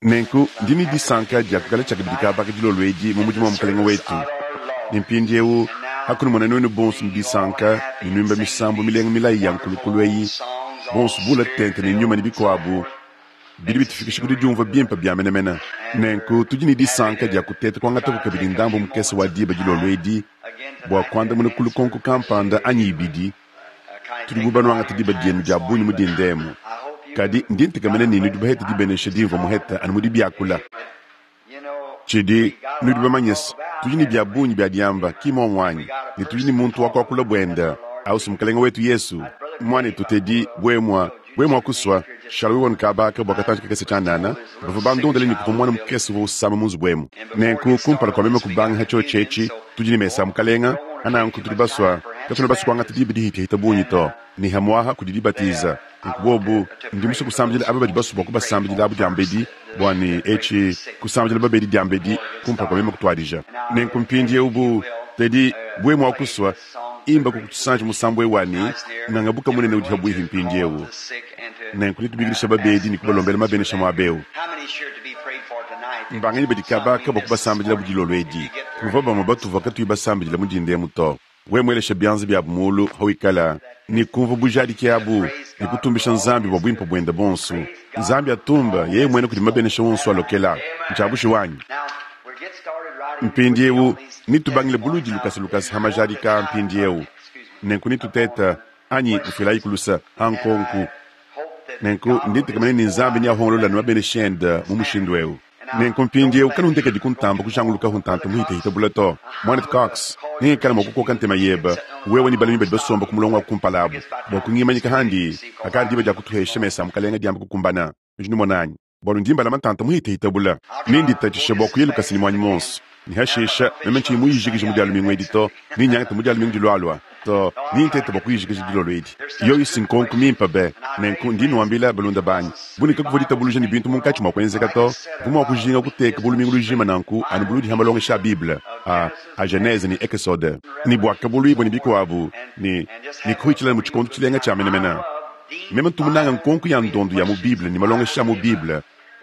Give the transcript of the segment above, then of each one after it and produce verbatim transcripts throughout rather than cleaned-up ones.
Nenku ndi ne disanka dia kuikala tshiakabidi kaaba dilolo edi mu mudimu wa Mukalenge wetu. Ne mpindiewu, hakunumona nuenu bonso ne disanka ne nuimba misambu milenga milayi ya nkulukulu eyi, bonso bula tente ne nyuma ne bikuabu, bidi bitufikisha ku didiumvua bimpe bia menemene. Nenku tudi ne disanka dia kuteta kuangataku kabidi ndambu mukese wa diba dilolo edi bua kuandamuna ku lukonko kampanda anyi ibidi. Tudi bu banuangata diba dienu dia bungi mu dinda emu, kadi ndi ntekemena ne nudi bahete dibenesha dimvua muhete anu mu dibiakula. Tshidi nudi bamanye se, tudi ne bia bungi bia diamba, ki mmuomu anyi? Ne tudi ne muntu wa kuakula buende, ausi Mukalenge wetu Yesu. Muanetu Teddy, buemua, buemua kusua, Charles Kabaka bua katanji kakese tshianana, bavua bandondele ne kuvua muana mukese uvua usama mu nzubu emu. Nenku kumpala kua meme kubanga ha tshiotshi etshi, tudi ne mesa a Mukalenga, ananku tudi basua, katuena basue kuangata diba dihitahita bungi to, ne hamuaha kudi dibatiza. Nunku bobu, ndi musue kusambidila aba badi basue bua kubasambidila abu diambedi, bua ne etshi kusambidila babedi diambedi kumpala kua meme kutuadija. Nenku mpindiewu bu Teddy, buemua kusua, imba kukutusanji musambu ewu wa ne, Nganga buka munene udi pabuipi mpindiewu. Nenku netubikidisha babedi ne kubalombela mabenesha muaba ewu. Mbanganyi badi kabaka bua kubasambidila bu dilolo edi? Kuvua bamue batuvua katuyi basambidila mu dinda emu to. We muelesha bianza biabu mulu hawikala ne kumvua bujadiki abu ne kutumbisha Nzambi bua buimpe buende bonso. Nzambi atumba yeye muene kudi mabenesha wonso alokela. Ntshiabushi wanyi. Mpindiewu nitubangile buludi lukasa lukasa ha majadika mpindiewu. Nenku nituteta anyi kufilayi kulusa ha nkonku. Nenku ndi ntekemena ne Nzambi neahongolola ne mabenesha ende mu mushindu ewu. Nenku mpindiewu kanundekedi kuntamba kujangulukaho ntanta muhitahita bula to. Mwanetu Cox, nengikale mua kukoka ntema yebe, wewe ne balami badi basomba ku mulongo wa kumpala abu, bua kungimanyika handi hakadi diba dia kutuhesha mesa a Mukalenga diamba kukumbana. Nudi numona anyi? Bualu ndi mbalama ntanta muhitahita bula. Nenditatshishe bua kuya lukasa ne muanyi muonso. Ne hashisha, meme ntshiyi muyijikije mu dia lumingu edi to, ninyangate mu dia lumingu dilualua to, nintete bua kuyijikija dilolo edi. Yoyi si nkonko mimpe be! Nenku ndi nuambila balunda banyi, bu ne kakuvua ditabuluja ne bintu munkatshi mua kuenzeka to, mvua mua kujinga kuteka bu lumingu lujima nanku anu buludi ha malongesha a Bible a, a Genese ne Ekesode ne Buakabuluibua ne bikuabu, ne, ne kuhitshila mu tshikondo tshilenga tshia menemene. Meme ntu munanga nkonko ya ndondo ya mu Bible ne malongesha a mu Bible.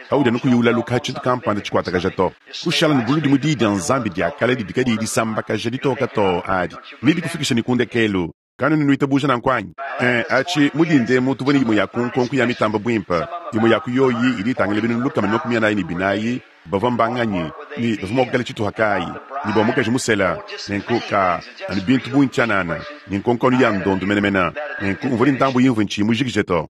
Paudi anu kuyi ulaluka tshintu kampanda tshikuatakaja to. Kushala ne buludi mu Diyi dia Nzambi dia kale didi kadiyi disambakaja ditoka too adi nedikufikishe ne ku ndekelu. Kanuena nuitabuja nanku anyi? Ee, atshi mu dinda emu tuvua ne imue ya ku nkonko ya mitamba buimpe. Imue ya ku yoyi idi itangila binunu lukama ne makumi anayi ne binayi, bavua mbanganyi, ne bavua mua kuikala tshituha kayi, ne bua mukaji musela. Nenku ka anu bintu bungi tshianana, ne nkonko anu ya ndondo menemene. Nenku mvua ne ndambu imvua ntshiyi mujikije to.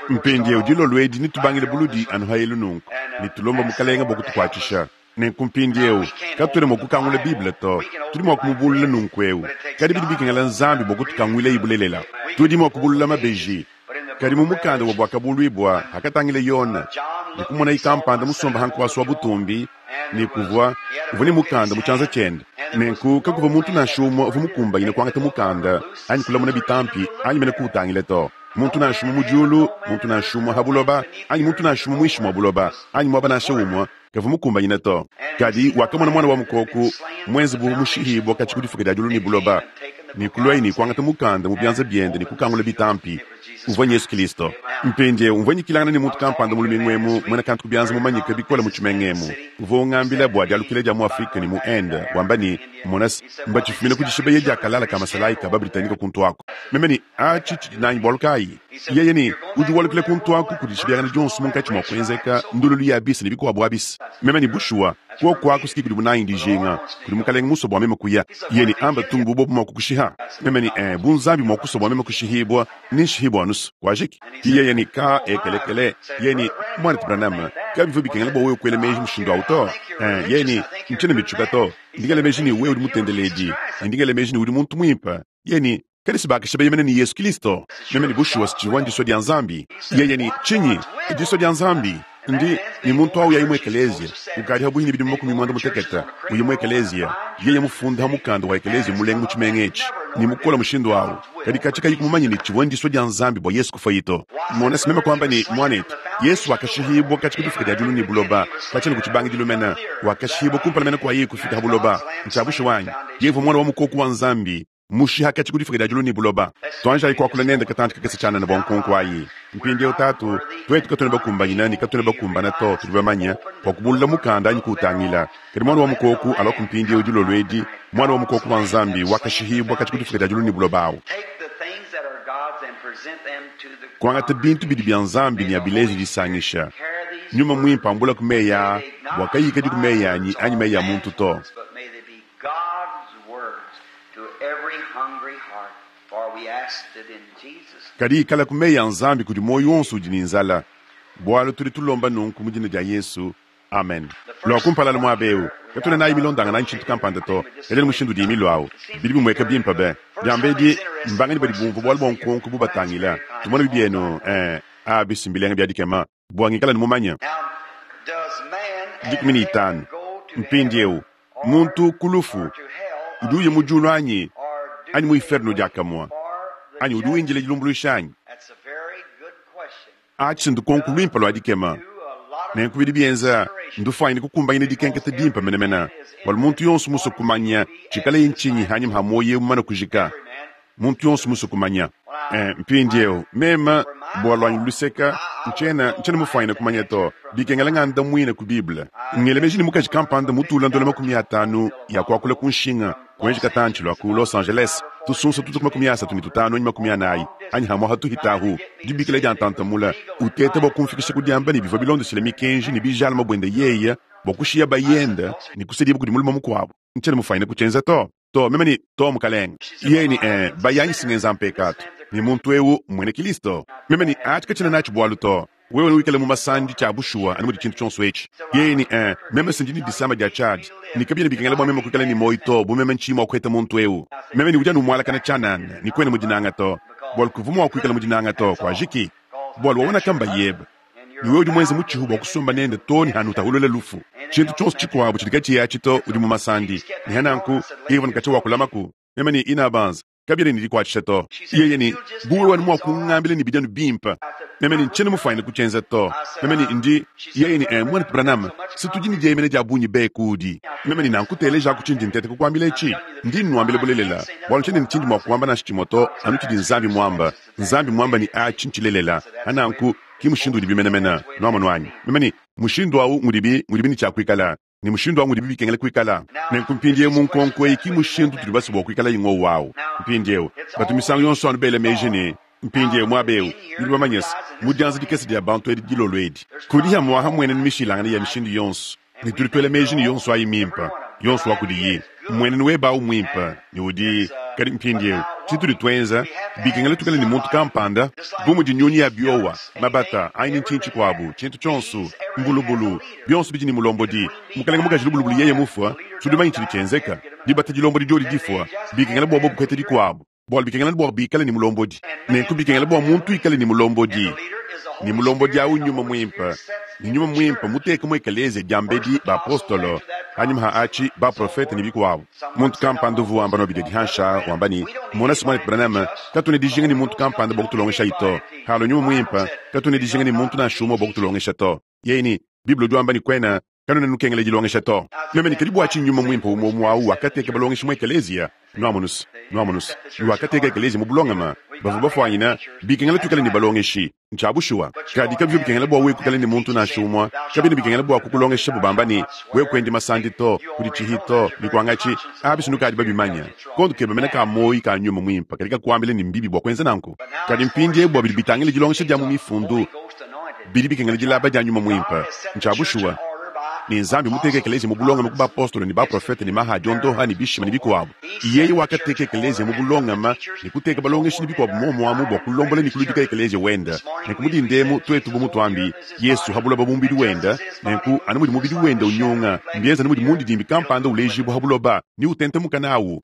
Mpindiewu dilolo edi netubangile buludi anu ha elu nunku, ne tulomba Mukalenga bua kutukuatshisha. Nenku mpindiewu katuena mua kukangula Bible to, tudi mua kumubulula nunku ewu, kadi bidi bikengela Nzambi bua kutukanguilayi bulelela. Tudi mua kubulula mabeji, kadi mu mukanda wa Buakabuluibua hakatangila Yone ne kumonayi kampanda musomba ha nkuasa wa butumbi, ne kuvua uvua ne mukanda mu tshianza tshiende. Nenku kakuvua muntu nansha umue uvua mukumbanyine kuangata mukanda anyi kulamuna bitampi anyi mene kuutangila to. Muntu nansha umue mu diulu, muntu nansha umue ha buloba, anyi muntu nansha umue muinshi mua buloba, anyi muaba nansha umue kavua mukumbanyine to. Kadi wakamona Muana wa Mukoko muenze bu mushihibua katshia ku difuka dia diulu ne buloba, ne kuluaye ne kuangata mukanda mu bianza biende ne kukangula bitampi. Uvua Yesu Kilisto. Mpindiewu mvua nyikilangana ne muntu kampanda mu lumingu emu, muena kantu ku bianza mumanyike bikole mu tshimenga emu, uvua ungambila bua dialukila dia mu Afrike ne mu Inde, wamba ne, Mona se, mbatshifumine ku dishibeya dia kalala ka masalayi ka ba-Britanike kuntu aku. Meme ne, Atshi tshidi nanyi bualu kayi? Yeye ne, Udi walukila kuntu aku kudi dishibeyangana dionso munkatshi mua kuenzeka ndululu ya bisa ne bikuabu abisa. Meme ne, Bushuwa, kuoku aku si kudi munangi dijinga, kudi Mukalenge musue bua meme kuya. Yeye ne, Amba tung bu bobu mua kukushiha. Meme ne, Ee, bu Nzambi mua kusua bua meme kushihibua, nenshihibua anusu. Kuajiki. Yeye ne, Ka, ekelekele. Yeye ne, Muanetu Branham, kabivua bikengela bua wewe kuela meji mushindu au to. Ee, yeye ne, Ntshiena mbitshiuka to. Ndi ngela meji ne wewe udi mutendeledi, ne ndi ngela meji ne udi muntu muimpe. Yeye ne, Kadi si bakashibeya mene ne Yesu Kilisto. Meme ne, Bushuwa si tshivua ndisua dia Nzambi. Yeye ne, Tshinyi? Disua dia Nzambi? Ndi ne muntu au yayi mu ekeleziya ukadi pabuipi ne bidimu makumi muanda mutekete, uya mu ekeleziya, yeye mufunda ha mukanda wa ekeleziya mulenga mu tshimenga etshi, ne mukole mushindu au, kadi katshia kayi kumumanya ne tshivua ndisua dia Nzambi bua Yesu kufuaye to. Mona se meme kuamba ne, Muanetu, Yesu wakashihibua katshia ku difuka dia diulu ne buloba, katshia ne ku tshibangidilu mene, wakashihibua kumpala mene kua yeye kufika ha buloba. Ntshia bushuwa anyi? Yeye uvua Muana wa Mukoko wa Nzambi. Mushiha katshi ku difuka dia diulu ne buloba. Tuanjayi kuakula nende katantshi kakese tshianana bua nkonko ayi. Mpindieu Tatu, tuetu katuena bakumbanyina ne katuena bakumbana to, tudi bamanye bua kubulula mukanda anyi kuutangila. Kadi Muana wa Mukoko aluaku mpindieu dilolo edi, Muana wa Mukoko wa Nzambi wakashihibua katshi ku difuka dia diulu ne buloba awu. Kuangata bintu bidi bia Nzambi ne abileje disangisha. Nyuma Muimpe ambulaku meyi aa bua kayikadi ku meyi anyi anyi meyi a muntu to. Kadi ikalaku meyi a Nzambi kudi muoyo wonso udi ne nzala, bualu tudi tulomba nunku mu dina dia Yesu. Amen. Lua kumpala anu muaba eu, katuena nayi milondangana anyi tshintu kampanda to, kadi anu mushindu udiyi milua au. Bidi bimueka bimpe be! Diambedi, mbanganyi badi bumvua bualu bua nkonko bubatangila? Tumone bibienu, ee, abi si mbilenga bia dikema bua ngikala ne mumanye. Dikumi ne itanu. Mpindieu, muntu ku lufu udi uya mu diulu anyi, anyi mu iferno diakamue, anyi udi windila dilumbuluisha anyi? Atshi ndukonko luimpe lua dikema. Nenku bidi bienza ndufuanyine kukumbanyina dikenketa dimpe menemene, bualu muntu yonso musue kumanya tshikaleye ntshinyi hanyima ha muoyo eu mumane kujika. Muntu yonso musue kumanya. Eh, mpindieu, meme, bua luanyi luseka, ntshiena, ntshiena mufuanyine kumanya to. Bikengela ngandamuine ku Bible. Ngela meji ne mukaji kampanda mutula ndola makumi atanu ya kuakula ku nshinga, kuenji katantshi lua ku Los Angeles, tusunsa tutu ku makumi asatu ne tutanu anyi makumi anayi, anyi hamua hatuhitahu, dibikila dia ntantamula, uteta bua kumfikisha ku diamba ne bivua bilondeshile mikenji ne bijalama buende yeye bua kushiya bayende ne kusedibua kudi mulume mukuabu. Ntshiena mufuanyine kutshienza to. To, meme ne, to, mukalenge. Yeye ne, eh, bayanyi singenza mpekatu, ne muntu eu mmuena Kilisto. Meme ne, atshi katshiena natshi bualu to. Wewe newikale mu masandi tshia bushuwa anu mudi tshintu tshionso etshi. Yeye ne, eh, meme se ndi ne disama dia tshiadi, ne kabiena bikengela bua meme kuikala ne muoyo to bu meme ntshiyi mua kuheta muntu eu. Meme ne udi anu umualakana tshianana, ne kuena mu dinanga to, bualu kuvua mua kuikala mu dinanga to, kuajiki. Bualu waona kamba yebe, ne wewe udi muenze mutshihu bua kusomba nende to ne hanutahulula lufu. Tshintu tshionso tshikuabu tshidi katshiyi atshi to, udi mu masandi. Ne hananku, yeye uvua ne katshia wa kulamaku. Meme ne inabanza, kabiena ne dikuatshisha to. Yeye ne, bu wewe anu mua kungambila ne bidi anu bimpe. Meme ne, ntshiena mufuanyine kutshienza to. Meme ne, ndi. Yeye ne, eh, Muanetu Branham, se tudi ne dieyemena dia bungi be kuudi. Meme ne, nanku telejaku tshindi nteta kukuambila etshi. Ndi nnuambila bulelela, bualu ntshiena ne tshindi mua kuamba nansha tshimue to, anu tshidi Nzambi muamba. Nzambi muamba ne atshi ntshilelela. Hananku, ki mushindu udibi menemene. Nuamonu anyi? Meme ne, mushindu au ngudibi, ngudibi ne tshia kuikala. Ne mushindu au ngudibi bikengela kuikala. Nenku mpindieu mu nkonko eyi ki mushindu utudi basue bua kuikala ngowu au. Mpindieu, batu misangu yonso anu bela meji ne, mpindieu muaba eu, nudi bamanye se, mu dianza dikese dia bantu edi dilolo edi, kudi hamuaha mmuenenu mishilangane ya mishindu yonso, ne tudi tuela meji ne yonso ayi mimpe, yonso wa kudiyi. Mmuenenu webe au mmuimpe, ne udi. Kadi mpindieu, tshitudi tuenza, bikengela tuikale ne muntu kampanda, bu mudi nyunyi ya biowa, mabata, anyi ne ntshinyi tshikuabu, tshintu tshionso, mbulubulu, bionso bidi ne mulombodi. Mukalenge mukaji lubulubulu yeye mufua, tudi bamanye tshidi tshienzeka. Dibata dilombodi diodi difua, bikengela bua bobu kuheta dikuabu, bualu bikengela bua bikale ne mulombodi. Nenku bikengela bua muntu ikale ne mulombodi, ne mulombodi au Nyuma Muimpe, ne Nyuma Muimpe muteke mu ekeleziya diambedi bapostolo, hanyima ha atshi baprofete ne bikuabu. Muntu kampanda uvua wamba no bidi hansha wamba ne, mona se Muanetu Branham, katuena dijinga ne muntu kampanda bua kutulongesha to. Halua Nyuma Muimpe, katuena dijinga ne muntu nansha umue bua kutulongesha to. Yeye ne, Bible udi wamba ne kuena kanuena nukengela dilongesha to. Meme ne, kadi bua tshinyi Nyuma Muimpe umue umue au wakateka balongeshi mu ekeleziya? Nuamonus, nuamonus, ne wakateka ekeleziya mu bulongama. Bavua bafuanyina, bikengela tuikale ne balongeshi. Ntshia bushuwa. Kadi kabivua bikengela bua wewe kuikala ne muntu nansha umue. Kabiena bikengela bua kukulongeshabo bamba ne, wewe kuendi masandi to, kuditshihi to, ne kuangatshi. Abi sinukadi babimanya. Kondo kebe mene ka muoyo ka Nyuma Muimpe kadi kakuambila ne mbibi bua kuenza nanku. Kadi mpindieu bua bidi bitangila dilongesha dia mu Mifundu, bidi bikengela dilaba dia Nyuma Muimpe. Ntshia bushuwa. Ne Nzambi muteke ekeleziya mu bulongame ku bapostolo ne baprofete ne maha a diondoha ne bishima ne bikuabu. Yeye wakateka ekeleziya mu bulongame ne kuteka balongeshi ne bikuabu muomu amu bua kulombola ne kuludika ekeleziya wende. Nenku mu dinda emu tuetu bu mutuambi Yesu ha buloba bu mubidi wende, nenku anu mudi mubidi wende unyunga, mbienza anu mudi mundidimbi kampanda ulejibua ha buloba ne utentemuka nawu.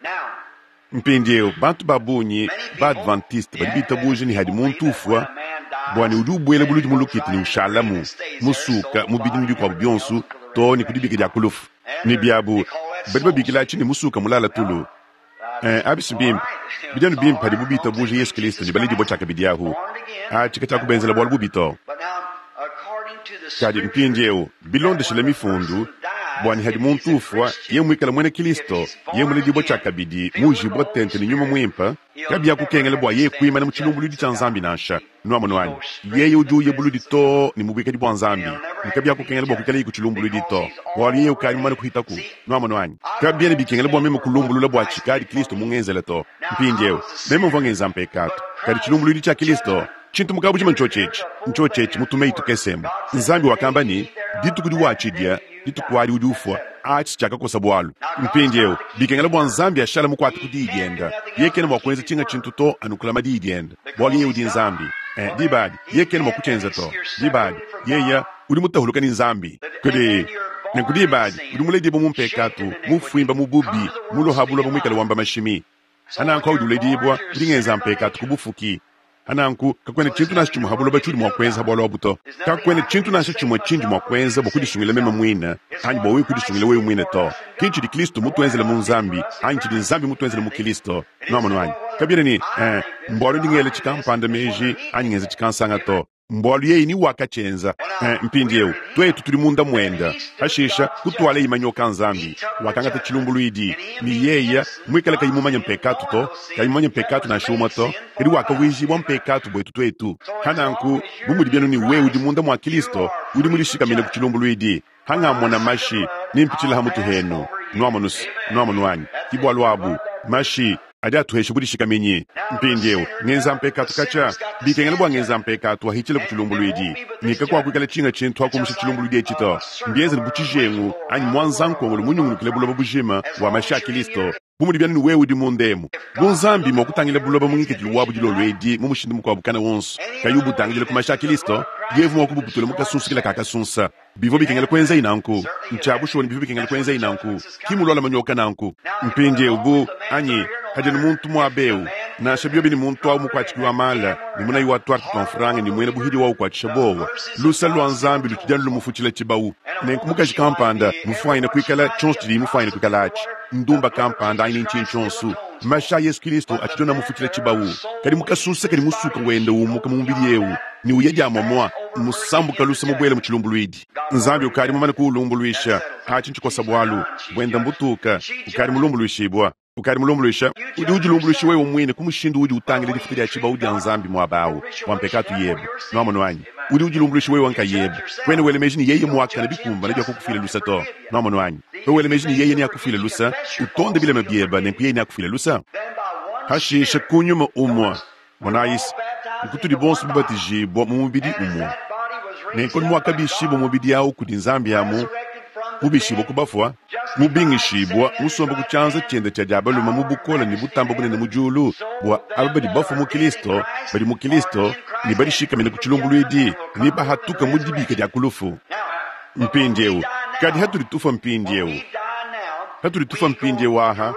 Mpindieu bantu ba bungi ba Adventiste badi bitabuja ne hadi muntu ufua bua ne udi ubuela buludi mu lukita ne ushalamu musuka mubidi ne bikuabu bionso to ne ku dibika dia ku lufu. Ne biabu badi babikila atshi ne musuka mulala tulu. Eh, abi si bimpe. Bidi anu bimpe padibu bitabuja Yesu Kristo ne baledibua tshiakabidi ahu. Atshi katshiakubenzela bualu bubi to. Kadi mpindieu bilondeshile Mifundu, Bwa ne hadi muntu ufwa, yeye mwikale mwena Kilisto, yeye muledibwa tshiakabidi, muujibwa tente ne Nyuma Mwimpe, kabyakukengela bwa yeye kwimana mu tshilumbulwidi tshia Nzambi nansha. Nwamonu anyi? Yeye udi uya buludi too ne mu bwikadi bwa Nzambi, ne kabyakukengela bwa kwikalaye ku tshilumbulwidi to, bwalu yeye ukadi mumane kuhitaku. Nwamonu anyi? Kabyena bikengela bwa meme kulumbulula bwa tshikadi Kilisto mungenzele to. Mpindyewu, meme mvwa ngenza mpekatu, kadi tshilumbulwidi tshia Kilisto, tshintu mu kabujima ntshiotshi etshi, ntshiotshi etshi mu tumeyi tukese emu. Nzambi wakamba ne, Dituku diwatshidya, dituku adi udi ufwa. Atshi tshiakakosa bwalu. Mpindyewu, bikengela bwa Nzambi ashala mukwate ku Diyi dyende. Yeye kena mwa kwenza tshinga tshintu to anu kulama Diyi dyende, bwalu Yeye udi Nzambi. Eh, diba adi, Yeye kena mwa kutshienza to. Diba adi, Yeye udi mutahuluka ne Nzambi. Kadi, nenku diba adi, udi muledibwa mu mpekatu, mufwimba mu bubi, muloha buloba mwikale wamba mashimi. Hananku audi uledibwa, udi ngenza mpekatu ku bufuki. Hananku, kakwena tshintu nansha tshimwe ha buloba tshiudi mwa kwenza ha bwalu abu to. Kakwena tshintu nansha tshimwe tshindi mwa kwenza bwa kudisungila meme mwine, anyi bwa wewe kudisungila wewe mwine to. Ki tshidi Kilisto mutwenzele mu Nzambi, anyi tshidi Nzambi mutwenzele mu Kilisto. Nwamonu anyi? Kabyena ne, eh, mbwalu ndi ngela tshikampanda meji, anyi ngenza tshikansanga to. Mbwalu yeye ni wakatshienza. Eh, mpindyewu, twetu tudi munda mwende. Pashisha, kutwalaye manyoka a Nzambi. Wakangata tshilumbulwidi. Ne yeye, mwikale kayi mumanye mpekatu to, kayi mumanye mpekatu nansha umwe to, kadi wakavwijibwa mpekatu bwetu twetu. Hananku, bu mudi byenu ne wewe udi munda mwa Kilisto, udi mudishikamine ku tshilumbulwidi. Hangamona mashi, nimpitshila ha mutu henu. Nwamonus, nwamonu anyi? Ki bwalu abu, mashi adi atuhesha budishikaminyi. Mpindyewu, ngenza mpekatu katshia, bikengela bwa ngenza mpekatu wahitshila ku tshilumbulwidi. Ne kakuakwikala tshinga tshintu akumusha tshilumbulwidi etshi to. Mbienzele bu tshijengu anyi mwanzankongolo munyungulukile buloba bujima bwa mashi a Kilisto, bu mudi byanu ne wewe udi munda emu. Bu Nzambi mwa kutangila buloba mu ngikadilu wabu dilolo edi mu mushindu mukuabu kana wonso, kayi ubutangidila ku mashi a Kilisto, yevu mwa kubuputula mu kasunsukila ka kasunsa. Bivua bikengela kuenzayi nanku. Ntshia bushuwa ne bivua bikengela kuenzayi nanku. Ki mulwala manyoka nanku. Mpindyewu bu, anyi, hadi anu muntu mwaba ewu, nansha byobi ne muntu awu mukwatshiki wa mala, ne munayi wa twarte twa mfranga ne mwena buhidi wa ukwatshisha bowa, lusa lwa Nzambi lutshidi anu lumufutshila tshibawu. Nenku mukaji kampanda mufwanyine kwikala tshionso tshidiye mufwanyine kwikala atshi, ndumba kampanda anyi ntshinyi tshionso, mashi a Yesu Kilisto atshidi anu amufutshila tshibawu. Kadi mukasunsa kadi musuka wenda umuka mu mubidi ewu ne uya dia mwamwa, musambuka lusa mubwele mu tshilumbulwidi. Nzambi ukadi mumane kuulumbulwisha. Atshi ntshikosa bwalu bwenda mbutuka, ukadi mulumbulwishibwa. Ukadi mulumbulwisha. Udi udilumbulwisha wewe mwine ku mushindu udi utangila difuta dia tshibawu dia Nzambi mwaba awu bwa mpekatu yebe. Nwamonu anyi? Udi udilumbulwisha wewe nkayebe. Kwena wela meji ne yeye mwakane bikumbane bya kukufila lusa to. Nwamonu anyi? Wewe wela meji ne yeye neakufile lusa, utonde bilema byebe nenku yeye neakufile lusa. Pashisha ku nyuma umwe, monayisi, nkutudi bonso babatijibwa mu mubidi umwe. Nenku mwakabishibwa mubidi awu kudi Nzambi amu, mubishibwa ku bafwa, mubingishibwa, musomba ku tshianza tshiende tshia dia balume mu bukole ne butamba bunene mu diulu, bwa aba badi bafwa mu Kilisto, badi mu Kilisto, ne badishikamine ku tshilumbulwidi, ne bahatuka mu dibika dia ku lufu. Mpindyewu, kadi hatudi tufwa mpindyewu, hatudi tufwa mpindyewu aha,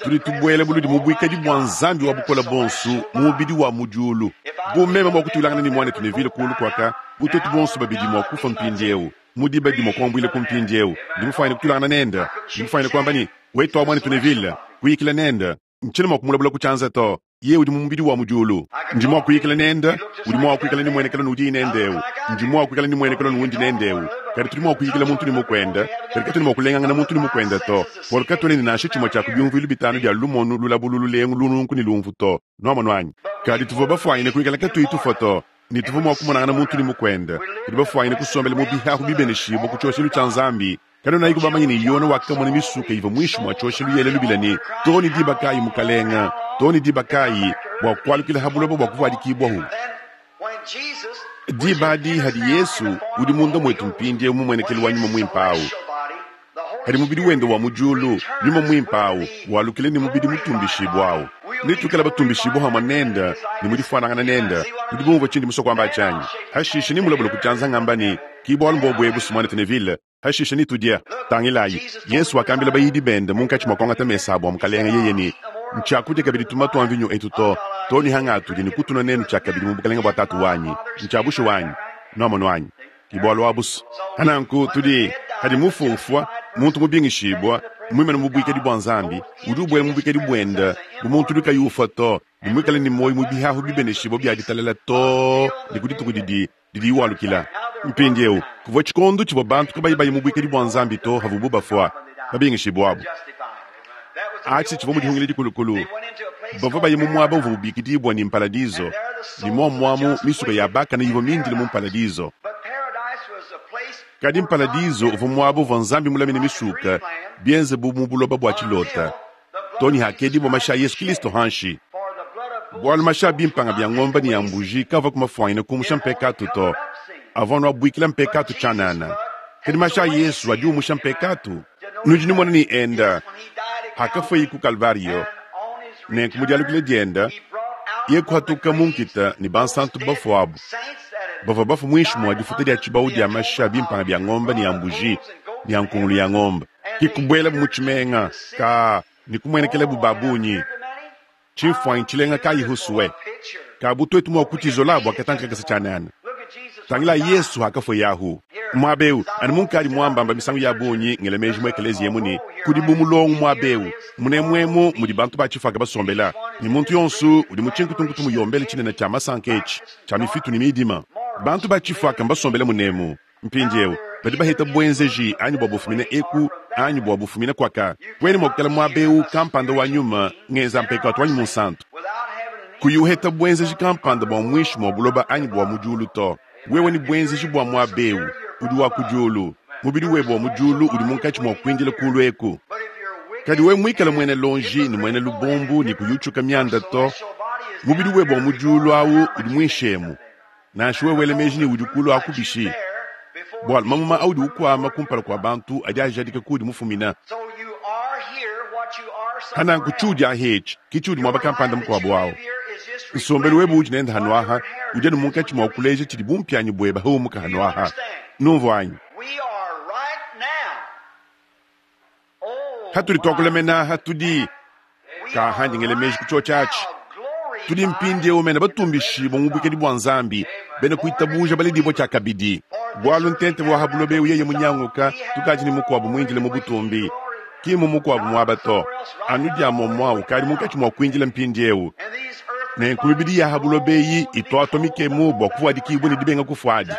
tudi tubwela buludi mu bwikadi bwa Nzambi wa bukole bonso mu mubidi wa mu diulu. Bu meme mwa kutwilangana ne mwanetu Neville kulu kwaka, bu twetu bonso babidi mwa kufwa mpindyewu, mu diba dimwe kuambwila ku mpindyewu, ndi mufwanyine kutwilangana nende, ndi mufwanyine kwamba ne, wetu wa mwanetu Neville, kuyikila nende, ntshina mwa kumulabula ku tshianza to. Yeye udi mu mubidi wa mu diulu. Ndi mwa kuyikila nende, udi mwa kwikala ne mwenekelo nudi nende ewu. Ndi mwa kwikala ne mwenekelo nundi nende ewu. Kadi tudi mwa kuyikila muntu ne mukwende, kadi katwena mwa kulengangana muntu ne mukwende to. Bwalu katwena ne nansha tshimwe tshia ku byumvuilu bitanu bya lumonu lulabulu lulengu lununku ne lumvu to. Nwamonu anyi? Kadi tuvua bafwanyine kwikala katuyi tufwa to, ne tuvua mwa kumonangana muntu ne mukwende. Tudi bafwanyine kusombela mu bihahu bibeneshibwa ku tshioshelu tshia Nzambi. Kanonayiku bamanye ne Yona wakamona misuka ivua muinshi mwa tshioshelu yela lubila ne, Too ne diba kayi, Mukalenga? Too ne diba kayi bwa kwalukila ha buloba bwa kuvuadikibwahu? Diba adi hadi Yesu udi munda mwetu mpindyewu mu mwenekelu wa Nyuma Mwimpe awu, hadi mubidi wende wa mu diulu, Nyuma Mwimpe awu walukile ne mubidi mutumbishibwa awu, netuikale batumbishibwa hamwe nende ne mu difwanangana nende. Nudi bumvua tshindi musue kuamba tshianyi? Hashishe nimulabule ku tshianza ngamba ne, Ki bwalu mbobu ebu, Mwanetu Neville. Hashishe nitudie. Tangilayi, Yesu wakambila bayidi bende munkatshi mua kuangata mesa abu a Mukalenga yeye ne, Ntshiakudia kabidi tumuma tua mvinyo etu to, too ne hangatudi ne kutunua nenu tshiakabidi mu bukelenge bua Tatu wanyi. Ntshia bushuwa anyi? Nuamonu anyi? Ki bualu abu's. Hananku tudi, hadi mufu ufua, muntu mubingishibua, muimane mu buikadi bua Nzambi, udi ubuela mu buikadi buende bu muntu udi kayi ufua to, ne muikale ne muoyo mu bihahu bibeneshibua bia ditalala too ne ku dituku didi didi iwalukila. Mpindieu, kuvua tshikondo tshivua bantu kabayi baye mu buikadi bua Nzambi to havubu bafua, babingishibwabu. Atshi tshivua mu dihungila dikulukulu. Bavua baye mu muaba uvua ubikidibua ne mpaladizo, ne muomuamu misuka ya bakane ivua mindile mu mpaladizo. Kadi mpaladizo uvua muaba uvua Nzambi mulamine misuka, bienze bu mu buloba bua tshilota. Too ne hakedibua mashi a Yesu Kristo hanshi. Bualu mashi a bimpanga bia ngombe ne a mbuji kavua kumafuanyina kumusha mpekatu to, avua anu abuikila mpekatu tshianana. Kadi mashi a Yesu adi umusha mpekatu. Nudi numona ne enda hakafueyi ku Kalvario, nenku mu dialukila dienda ye kuhatuka mu nkita ne bansantu bafuabu bavua bafua muinshi mua difuta dia tshibawu dia mashi a bimpanga bia ngombe ne a mbuji ne a nkungulu ya ngombe. Ke kubuelabu mu tshimenga ka ne kumuenekelabu ba bungi. Tshimfuanyi tshilenga kayi husue kabu tuetu mua kutizola bua katanka kakese tshianana. Tangila Yesu hakafueyahu muaba eu, anu munkadi muambamba misangu ya bungi ngela meji mu ekeleziya emu ne kudi bu mulongo muaba eu munemuemu mudi bantu ba tshifaka basombela, ne muntu yonso udi mu tshinkutunkutu muyombele tshinene tshia masanka etshi tshia mifitu ne midima. Bantu ba tshifaka mbasombele munemu. Mpindieu badi baheta buenzeji anyi bua bufumina eku anyi bua bufumina kuaka. Kuena mua kukala muaba eu kampanda wa nyuma ngenza mpekatu anyi munsantu kuyi uheta buenzeji kampanda bua muinshi mua buloba anyi bua mu diulu to. Wewe ne buenzeji bua muaba eu udi wa ku diulu, mubidi webe wa mu diulu udi munkatshi mua kuindila kulu eku. Kadi wewe muikale muena lonji ne muena lubombu ne kuyutshuka mianda to, mubidi webe wa mu diulu awu udi muinshi emu. Nansha wewe wela meji ne udi kulu aku bishi, bualu mamuma audi ukuama kumpala kua bantu adi ajadika kuudi mufumina. Hananku tshiudi ahetshi ke tshiudi muaba kampanda mukuabu awu. Nsombelu webe udi nende hanuaha udi anu munkatshi mua kuleja tshidi bumpianyi buebe haumuka hanuaha. Numvua anyi? Hatudi tuakula menaha tudi kahandi ngele meji ku tshiotshi atshi. Tudi mpindieu mena batumbishibua mu buikadi bua Nzambi, bena kuitabuja baledibua tshiakabidi. Bualu ntente wa ha buloba eu yeye munyanguka, tukadi ne mukuabu muindile mu butumbi, ki mu mukuabu muaba to. Anu dia momua ukadi munkatshi mua kuindila mpindieu. Nenku mibidi ya ha buloba eyi ituatua mikemu bua kuvuadikibua ne dibenga kufuadi.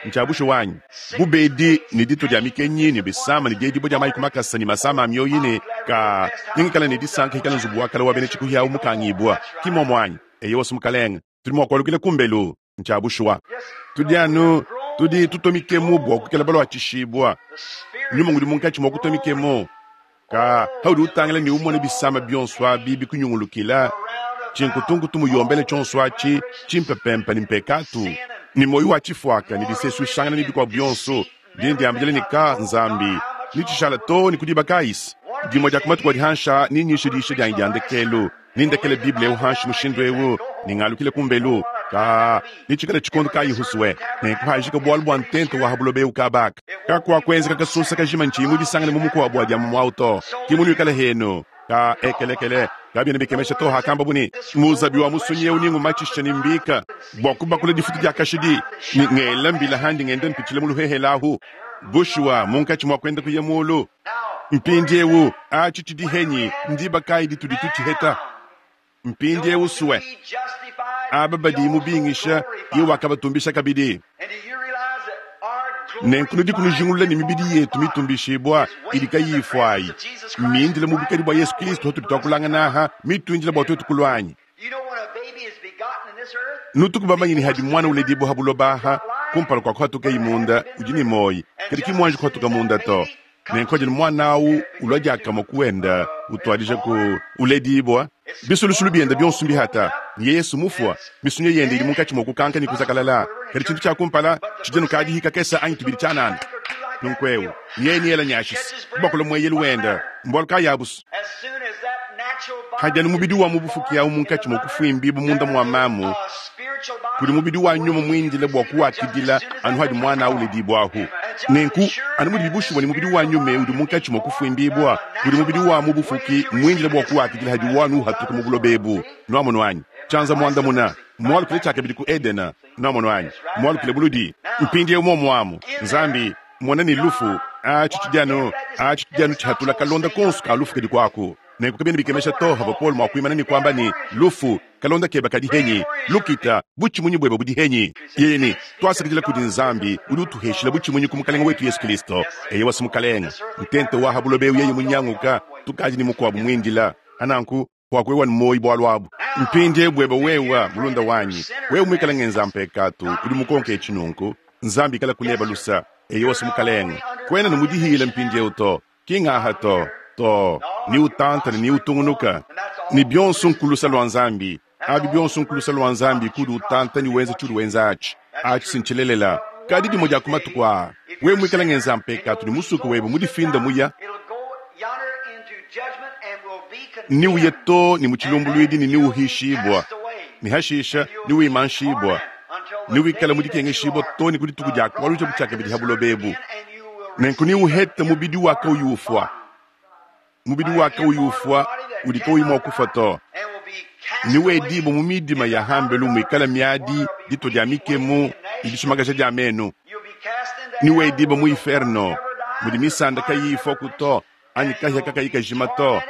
Ntshia wanyi bubedi ne ditu dia mikenyi ne bisama ne diedibua dia mayi ku makasa ne masama a mioyi ne ka ningikala ne disanka hikala nzubu wa kala wa bena tshikuhiawu mukangibua. Ki momo anyi? Eyo wose mukalenge, tudi mua kualukila kumbelu. Ntshia bushuwa. Tudi anu tudi tutua mikemu bua kukela balua tshishibua. Nyuma ngudi munkatshi mua kutua mikemu. Ka haudi utangila ne umone bisama bionso abi bikunyungulukila, tshinkutunkutu muyombele tshionso atshi tshimpepempe ne mpekatu ne moyo wa tshifuaka ne disesuishangana ne bikuabu bionso dine diambila ne ka Nzambi ne tshishala to ne kudiba kayisi. Dimue dia ku matuku adi hansha ne nyisha diisha dianyi dia ndekelu, ne ndekele Bible eu hanshi mushindu eu ne ngalukile kumbelu ka ne tshikala tshikondo kayi husue ne kuhajika bualu bua ntente wa ha buloba eu kabaka kakuakuenzeka kasusa kajima ntshiyi mudisangane mu mukuabu adi amu to ki munuikale henu ka ekelekele kabiena bikemesha to hakamba buni muzabi wa musunyi eu ningumatshisha ne mbika bua kubakula difutu dia kashidi ne ngela mbila handi ngenda mpitshila mu luhehelahu bushuwa munkatshi mua kuenda kuya mulu. Mpindieu atshi tshidi henyi ndiba kayi ditudi tutshiheta. Mpindieu sue aba badi mubingisha ye wakabatumbisha kabidi. Nenku nudi kunujingulula ne mibidi yetu mitumbishibua idi kayiyi ifuayi mindile mu bukadi bua Yesu Kristo hatudi tuakulangana mituindile bua tuetu kulwanyi. Nutuku bamanyi ne hadi mwana uledibua ha buloba aha kumpala kua kuhatuka imunda udi ne moyi kadi ki muanji kuhatuka munda to. Nenku adi mwana awu ulua diakamue kuenda utuadija ku uledibua bisulusulu biende bionso mbihata ne Yesu mufua misunyo yende idi munkatshi mua kukanka ne kuzakalala. Kadi tshintu tshia kumpala tshidi nukadi hikakesa anyi tubidi tshianana. Nunku eu yeye niela nyashisi kubakula mueyelu wenda mbualu kayabusu. Hadi anu mubidi wa mubufuki awu munkatshi mua kufuimbibu munda mua mamu kudi mubidi wa nyuma muindile bua kuwakidila anu hadi mwana awu uledibwahu. Nenku anu mudi bibushuwa ne mubidi wa nyuma udi munkatshi mua kufuimbibua kudi mubidi wa mubufuki muindile bua kuwakidila hadi wanu uhatuka mu buloba ebu. Nuamono anyi tshianza muandamuna mualukile tshiakabidi ku Edena. Nuamono anyi mualukile buludi mpindieu momuamu Nzambi mona ne lufu atshi tshidi anu atshi tshidi anu tshihatula kalonda konso ka lufu kadi kuaku. Nenku kabiena bikemesha to havua Paulo mua kuimana ne kuamba ne, Lufu, kalonda kebe kadi henyi? Lukita, butshimunyi buebe budi henyi? Yeye ne, Tuasakidila kudi Nzambi udi utuheshila butshimunyi ku Mukalenge wetu Yesu Kristo. Eyewa si Mukalenge. Ntente wa ha buloba eu yeye munyanguka, tukadi ne mukuabu muindila. Ananku, kuakwewa ne muoyo bualu abu. Mpindiewu buebe wewa, mulunda wanyi, wewe muikale ngenza mpekatu, udi mukonke etshi nunku, Nzambi ikala kuleba lusa. Eyewa si Mukalenge. Kuena ne mudihile mpindiewu to. Ki ngaha to, to, ni utanta ne ni utungunuka. Ne bionso nkulusa lua Nzambi. Abi bionso nkulusa lua Nzambi kudi utanta ni wenza tshiudi wenza atshi. Atshi si ntshilelela. Kadi dimue dia ku matuku aa, wewe muikale ngenza mpekatu ne musuke webe mudifinda muya, ni uye to ne mu tshilumbuluidi ne ni uhishibua, ne hashisha ni wimanshibua, ni wikale mudikengeshibua to ne ku dituku dia kualuja butshiakabidi ha buloba ebu. Nenku ni uhete mubidi wakauyi ufua, mubidi wakauyi ufua udi kauyi mua kufua to. Ni wedibua mu midima ya hambelu muikale miadi, ditua dia mikemu ne dishimakaja dia menu. Ni wedibua mu inferno mudi misanda kayiyi ifuaku to, anyi kahia kakayi kajima to.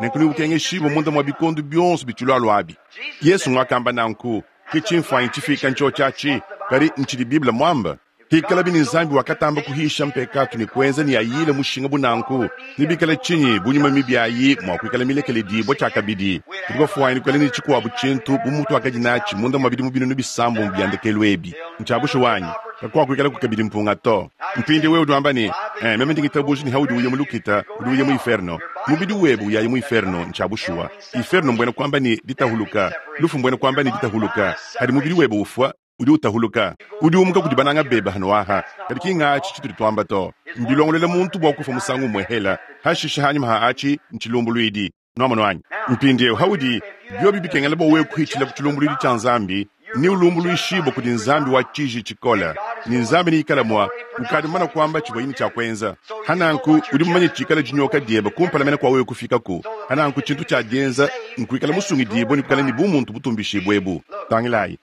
Nenku ni ukengeshibua munda mua bikondo bionso bitshilualua abi. Yesu nguakamba nanku, ke tshimfuanyi tshifika ntshiotshi atshi, kadi ntshidi Bible muamba. Hikalabi ne Nzambi wakatamba kuhisha mpekatu ne kuenza ne ayile mushinga bu nanku, ne bikala tshinyi bu nyuma mibi ayi mua kuikala milekeledibua tshiakabidi, tudi bafuanyine kuikala ne tshikuabu tshintu bu mutuakadi natshi munda mua bidimu binunu bisambombo bia ndekelu ebi. Ntshia bushuwa anyi? Kakuakuikalaku kabidi mpunga to. Mpindiewu wewe udi wamba ne, Eh, meme ndi ngitabuja ne haudi uya mu lukita, udi uya mu inferno. Mubidi webe uyaye mu inferno, ntshia bushuwa. Inferno mbuena kuamba ne ditahuluka, lufu mbuena kuamba ne ditahuluka. Hadi mubidi webe ufua, udi utahuluka, udi umuka kudi bananga bebe hano aha. Kadi ki ngatshi tshitudi tuamba to. Mbilongolola muntu bua kufua musangu umue hela, hashishe hanyima ha atshi ntshilumbuluidi. Nuamonu anyi? Mpindiewu haudi biobi bikengela bua wewe kuhitshila ku tshilumbuluidi tshia Nzambi, ni ulumbuluishibua kudi Nzambi wa tshiji tshikole, ne Nzambi neikale mua ukadi mumane kuamba tshivua yine tshia kuenza. Hananku udi mumanye tshikala dinyoka diebe kumpala mene kua wewe kufikaku. Hananku tshintu tshia dienza nkuikala musungidibue ne kuikala ne bumuntu butumbishibue ebu. Tangilayi,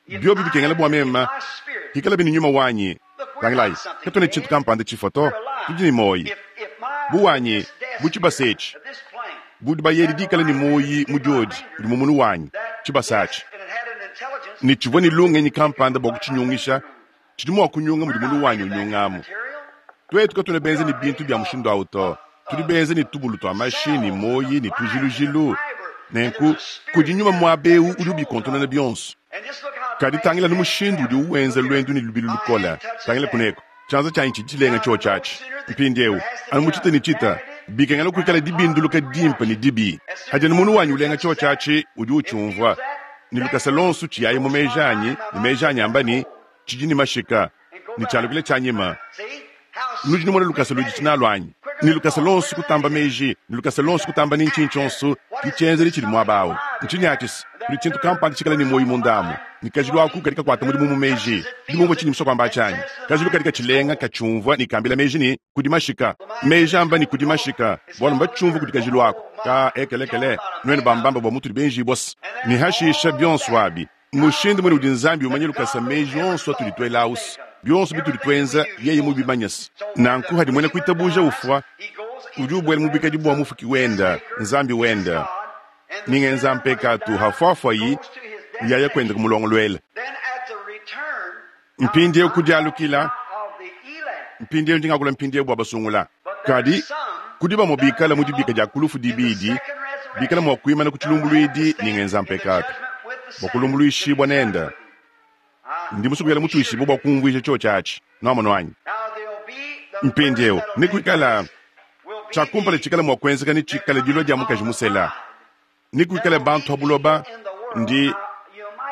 biobi bikengela bua meme hikalabi ne nyuma wanyi. Tangilayi, katuena tshintu kampanda tshifua to, tudi ne muoyo. Bu wanyi, bu tshibasa etshi, bu dibayedi dikala ne muoyo mu diodi udi mu munu wanyi, tshibasa atshi ne tshivua ne lungenyi kampanda bua kutshinyungisha, tshidi mua kunyunga mudi munu wanyi unyungamu. Tuetu katuena benze ne bintu bia mushindu awu to, tudi benze ne tubulu tua mashi ne muoyo ne tujilujilu. Nenku kudi nyuma muaba eu udi ubikontonona bionso. Kadi tangila nu mushindu udi uwenza luendu ne lubilu lukole. Tangila kuneko, tshianza tshianyi tshidi tshilenga tshiotshi atshi. Mpindiewu, anu mu tshita ne tshita, bikengela kuikala dibinduluka dimpe ne dibi. Hadi anu munu wanyi ulenga tshiotshi atshi, udi utshiumvua ne lukasa lonso tshiyaye mu meji anyi, ne meji anyi amba ne, tshidi ne mashika, ne tshialukile tshianyima. Nudi numona lukasa ludi tshinalu anyi? Ne lukasa lonso kutamba meji, ne lukasa lonso kutamba ne ntshinyi tshionso, ke tshienzedi tshidi muaba awu. Ntshinyi atshi se? Kudi tshintu kampanda tshikala ne muoyo munda amu, ne kajilu aku kadi kakuata mudimu mu meji. Nudi bumvua tshindi musue kuamba atshi anyi? Kajilu kadi katshilenga, katshiumvua ne kambila meji ne, kudi mashika. Meji amba ne, kudi mashika, bualu mbatshiumvue kudi kajilu aku. Ka ekelekele, nuenu bambamba bua mutudi benjibua se. Ne hashisha bionso abi, mushindu mune udi Nzambi umanya lukasa meji onso atudi tuela awu se, bionso bitudi tuenza yeye mubimanye se. Nanku hadi muena kuitabuja ufua, udi ubuela mu bikadi bua mufuki wenda, Nzambi wenda. Ni ngenza mpekatu hafuafuayi uyaya kuenda kumulongoluela. Mpindiewu kudialukila, mpindiewu ndi ngakula mpindiewu bua basungula. Kadi kudi bamue bikala mu dibika dia ku lufu dibidi, bikala mua kuimana ku tshilumbuluidi ni ngenza mpekatu bua kulumbuluishibua nenda. Ndi musue kuikala mutuishibue bua kumvuija tshiotshi atshi. Nuamonu anyi? Mpindiewu nekuikala tshia kumpala tshikala mua kuenzeka ne tshikala dilua dia mukaji musela. Nekuikale bantu ha buloba ndi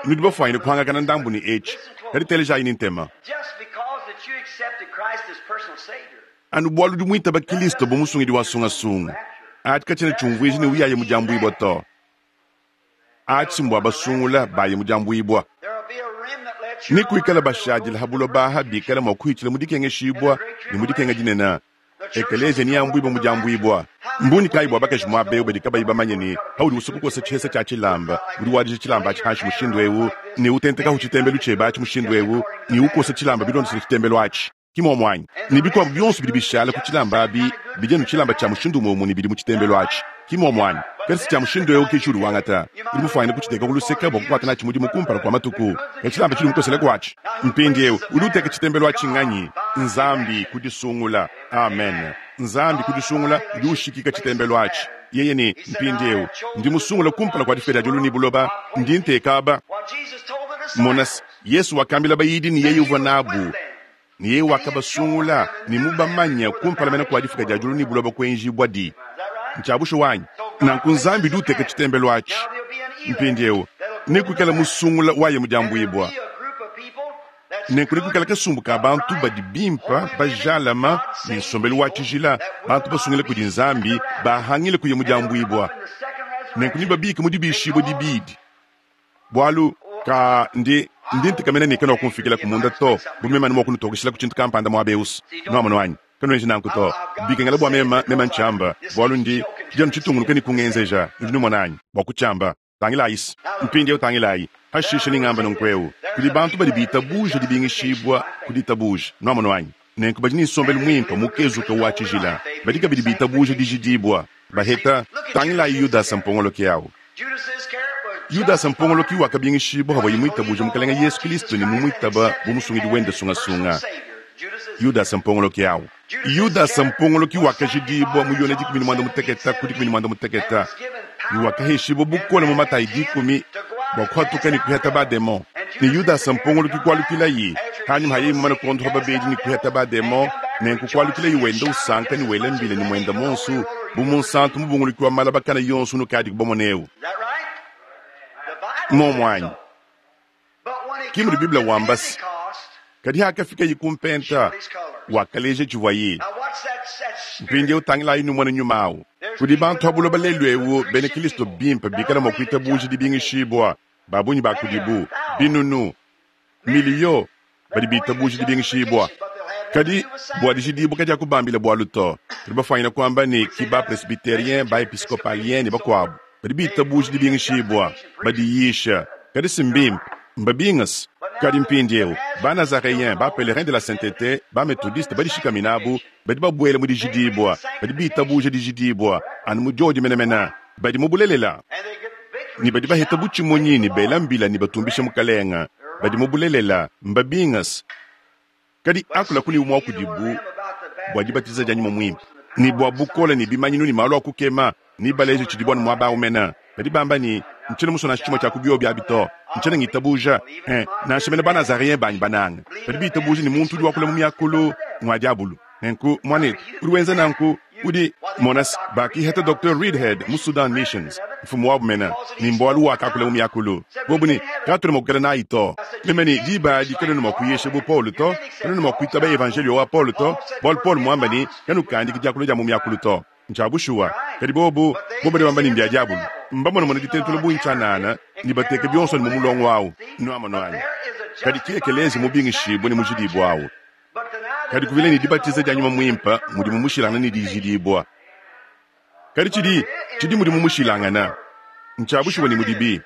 nudi bafuanyine kuhangakana ndambu ne etshi, kadi telejayi ne ntema. Anu bualu udi muitaba Kilisto bu musungidi wa sungasunga, atshi katshiena tshiumvuija ne uyaye mu diambuibua to. Atshi mbua basungula baye mu diambuibua. Nekuikale bashadile ha buloba aha bikala mua kuhitshila mu dikengeshibua ne mu dikenga dinene. Ekeleziya neambuibue mu diambuibua. Mbungi kayi bua bakaji muaba eu badi kabayi bamanye ne, paudi usua kukosa tshihesa tshia tshilamba, udi wadija tshilamba atshi hanshi mushindu eu, ne utentekahu tshitembelu tshiebe atshi mushindu eu, ne ukosa tshilamba bilondeshile tshitembelu atshi? Ki muomu anyi? Ne bikuabu bionso bidi bishala ku tshilamba abi bidi anu tshilamba tshia mushindu umue umue ne bidi mu tshitembelu atshi. Ki mmwomo anyi? Kadi si cya mushindu ewu ki ciudi wangata. Udi mufwanyine kuciteeka ku luseke bwa kukwata naaci mudimu kumpala kwa matuku. Kadi cilamba cidi mukosela kwaci. Mpindyewu, udi uteeka citembelu aci nganyi? Nzambi, ku disungula. Amen. Nzambi, ku disungula, udi ushikika citembelu aci. Yeye ne, Mpindyewu, ndi musungula kumpala kwa difuka dya dyulu ne buloba. Ndi nteeka aba. Mona's, Yesu wakambila bayidi ne Yeye uvwa nabu, ne Yeye wakabasungula ne mubamanya kumpala mene kwa difuka dya dyulu ne buloba kwenjibwadi. Ncya bushuwa anyi? Nanku Nzambi udi uteka citembelu aci. Mpindyewu, nekwikale musungula waya mu dyambwibwa. Nenku nekwikale kasumbu ka bantu badi bimpa, bajalama, ne nsombelu wa cijila, bantu basungila kudi Nzambi, bahangile kuya mu dyambwibwa. Nenku nebabiike mu dibiishibwa dibidi. Bwalu, kaa, ndi, ndi ntekamena ne kanwakumfiikilaku munda to, bu meme anu mwa kunutokeshilaku cintu kampanda mwaba ewu's. Nwamonu anyi? Kanwenji nanku to. Bikengela bwa meme, meme ncyamba, bwalu ndi, cidi anu citungunuka ne kungenzeja, nudi numona anyi, bwa kucyamba. Tangilaayi's. Mpindyewu tangilaayi. Pashiishe nengamba nunku ewu, kudi bantu badi biitabuuja dibingishiibwa ku ditabuuja. Nwamonu anyi? Nenku badi ne nsombelu mwimpe, mukezuke wa cijila. Badi kabidi biitabuuja dijidiibwa. Baheta, tangilaayi Yudasa mpongoloki awu. Yudasa mpongoloki wakabingishibua pavuaye muitabuje Mukalenge Yesu Kristo ne mumuitaba bu Musungidi wende sungasunga. Yudasa mpongoloki au. Yudasa mpongoloki wakajidibua mu Yone dikumi ne muanda mutekete ku dikumi ne muanda mutekete ne wakaheshibua bukole mu Matayi dikumi bua kuhatuka ne kuheta bademon. Ne Yudasa mpongoloki kualukilayi hanyima ha yeye mumane kuondopa babedi ne kuheta bademon, nenku kualukilayi wenda usanka ne wela mbila ne muenda muonso bu munsantu mubunguluki wa malabakana yonso unukadiku bamone eu. Mmuomu anyi? Ki mudi Bible wamba se, Kadi hakafikaye ku mpenta, wakaleja tshivuaye. Mpindieu tangilayi numone nyuma au. Kudi bantu ha buloba lelu eu bena Kilisto bimpe bikala mua kuitabuja dibingishibua, ba bungi ba kudibu, binunu, miliyo, badi bitabuja dibingishibua. Kadi bua dijidibua kadiakubambila bualu to. Tudi bafwanyine kuamba ne ki ba-presbyterien, ba-episcopalien ne bakuabu badi bitabuja dibingishibua, badiyisha, kadi si mbimpe, mbabingase. Kadi mpindieu, ba-Nazareens, ba-Pèlerins de la Sainteté, ba-Methodiste badishikaminabu, badi babuela mu dijidibua, badi bitabuja dijidibua anu mu diodi menemene, badi mu bulelela, ne badi baheta butshimunyi ne bela mbila ne batumbisha Mukalenga, badi mu bulelela, mbabingase. Kadi akula kuli umue wa kudibu bua dibatiza dia Nyuma Muimpe, ne bua bukole ne bimanyinu ne malu a kukema, ne baleje tshidibu anu muaba au mene. Badi bamba ne, Ntshiena musue nansha tshimue tshia ku biobi abi to. Ntshiena ngitabuja. Eh, nansha mene Banazareens banyi bananga badi bitabuja ne, muntu udi wakula mu miakulu ngua diabulu. Nenku, muanetu, udi wenza nanku, udi. Mona se, bakihata Docteur Reidhead mu Sudan Missions, mfumu wabu mene, ni mbualu wakakula mu miakulu. Bobu ne, Katuena mua kuikala nayi to. Meme ne, Diba adi kanuena mua kuyisha bu Paulo to, kanuena mua kuitaba Evanjeliyo wa Paulo to, bualu Paulo muamba ne, Kanukandiki diakula dia mu miakulu to. Ncya bushuwa. Kadi bobu, bobu badi bamba ne mbya diabulu. Mbamonamone ditentula bungi tshianana ne bateke bionso anu mu mulongo awu. Nuamonu anyi? Kadi ki ekeleziya mubingishibue ne mujidibue awu. Kadi kuvila ne dibatiza dia Nyuma Muimpe mudimu mushilangane ne dijidibua. Kadi tshidi, tshidi mudimu mushilangane. Ntshia bushuwa ne mudibi.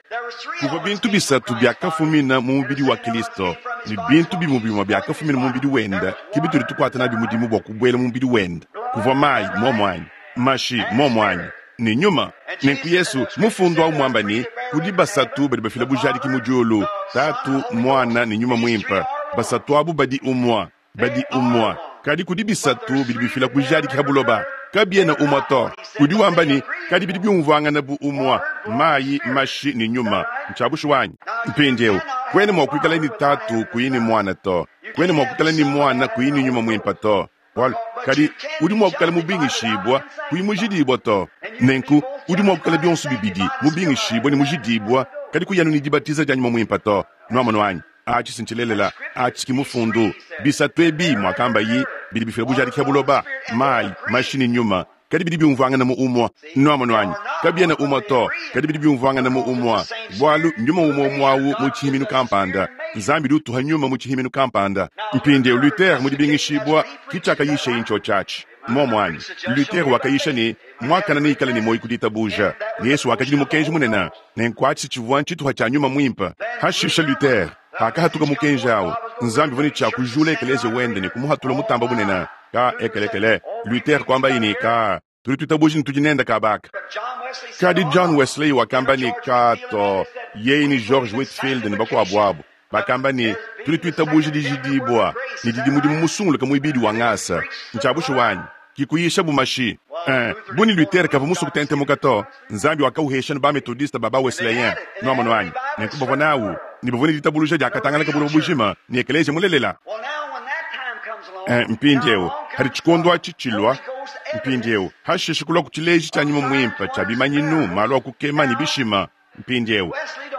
Kuvua bintu bisatu biakafumina mu mubidi wa Kilisto, ne bintu bimue bimue biakafumina mu mubidi wende ke bitudi tukuata nabi mudimu bua kubuela mu mubidi wende. Kuvua mayi, muomu anyi? Mashi, muomu anyi? Ne nyuma. Nenku Yesu, Mufundu au muamba ne, kudi basatu badi bafila bujadiki mu diulu, Tatu, Muana ne Nyuma Muimpe. Basatu abu badi umue, badi umue. Kadi kudi bisatu bidi bifila bujadiki ha buloba, kabiena umue to. Udi wamba ne, kadi bidi biumvuangana bu umue, mayi, mashi ne nyuma. Ntshia bushuwa anyi? Mpindieu, kuena mua kuikala ne Tatu kuyi ne Muana to. Kuena mua kuikala ne Muana kuyi ne Nyuma Muimpe to. Bualu, kadi udi mua kuikala mubingishibua kuyi mujidibua to. Nenku udi mua kuikala bionso bibidi, mubingishibua ne mujidibua, kadi kuyi anu ne dibatiza dia Nyuma Muimpe to. Nwamonu anyi? Aci si ncilelela. Aci ki Mufundu. Bisatu ebi, mwakambayi, bidi bifila bujadiki ha buloba, mayi, mashi ne nyuma, kadi bidi biumvuangana mu umue. Nwamonu anyi? Kabiena umue to, kadi bidi biumvuangana mu umue, bualu nyuma umue umue awu mu tshihiminu kampanda. Nzambi udi utuha nyuma mu tshihiminu kampanda. Mpindieu Luther mu dibingishibua, ki tshiakayishaye ncioci aci. Mmuomu anyi? Luther wakayisha ne, Muakane neikale ne muoyo ku ditabuja. Ne Yesu wakadi ne mukenji munene, nenku atshi tshivua ntshituha tshia Nyuma Muimpe. Hashisha Luther, hakahatuka mukenji au, Nzambi uvua ne tshia kujula ekeleziya wende ne kumuhatula mutamba bunene. Ka ekelekele. Luther kuambaye ne, Ka. Tudi twitabuja ne tudi nende kaaba aka. Kadi John Wesley wakamba ne, Kato, yeye ne George Whitefield ne bakwabo abo, bakamba ne, Tudi twitabuja dijidiibwa, ne didi mudimu musunguluke mwibidi wa ngasa. Ncya bushuwa anyi? Ki kuyisha bu mashi. Ee, bu ne Luther kavwa muswe kutentemuka to, Nzambi wakawuhesha ne ba-Methodiste ba ba-Wesleyen. Nwamonu anyi? Nenku bavwa nawu, ne bavwa ne ditabuluja dyakatangalaka buloba bujima, ne ekeleeziya mulelela. Ee, mpindyewu, padi cikondo aci cilwa, mpindyewu, hashiishe kulwa ku cileeji cya Nyuma Mwimpe cya bimanyinu, maalu a kukema, ne bishima. Mpindyewu,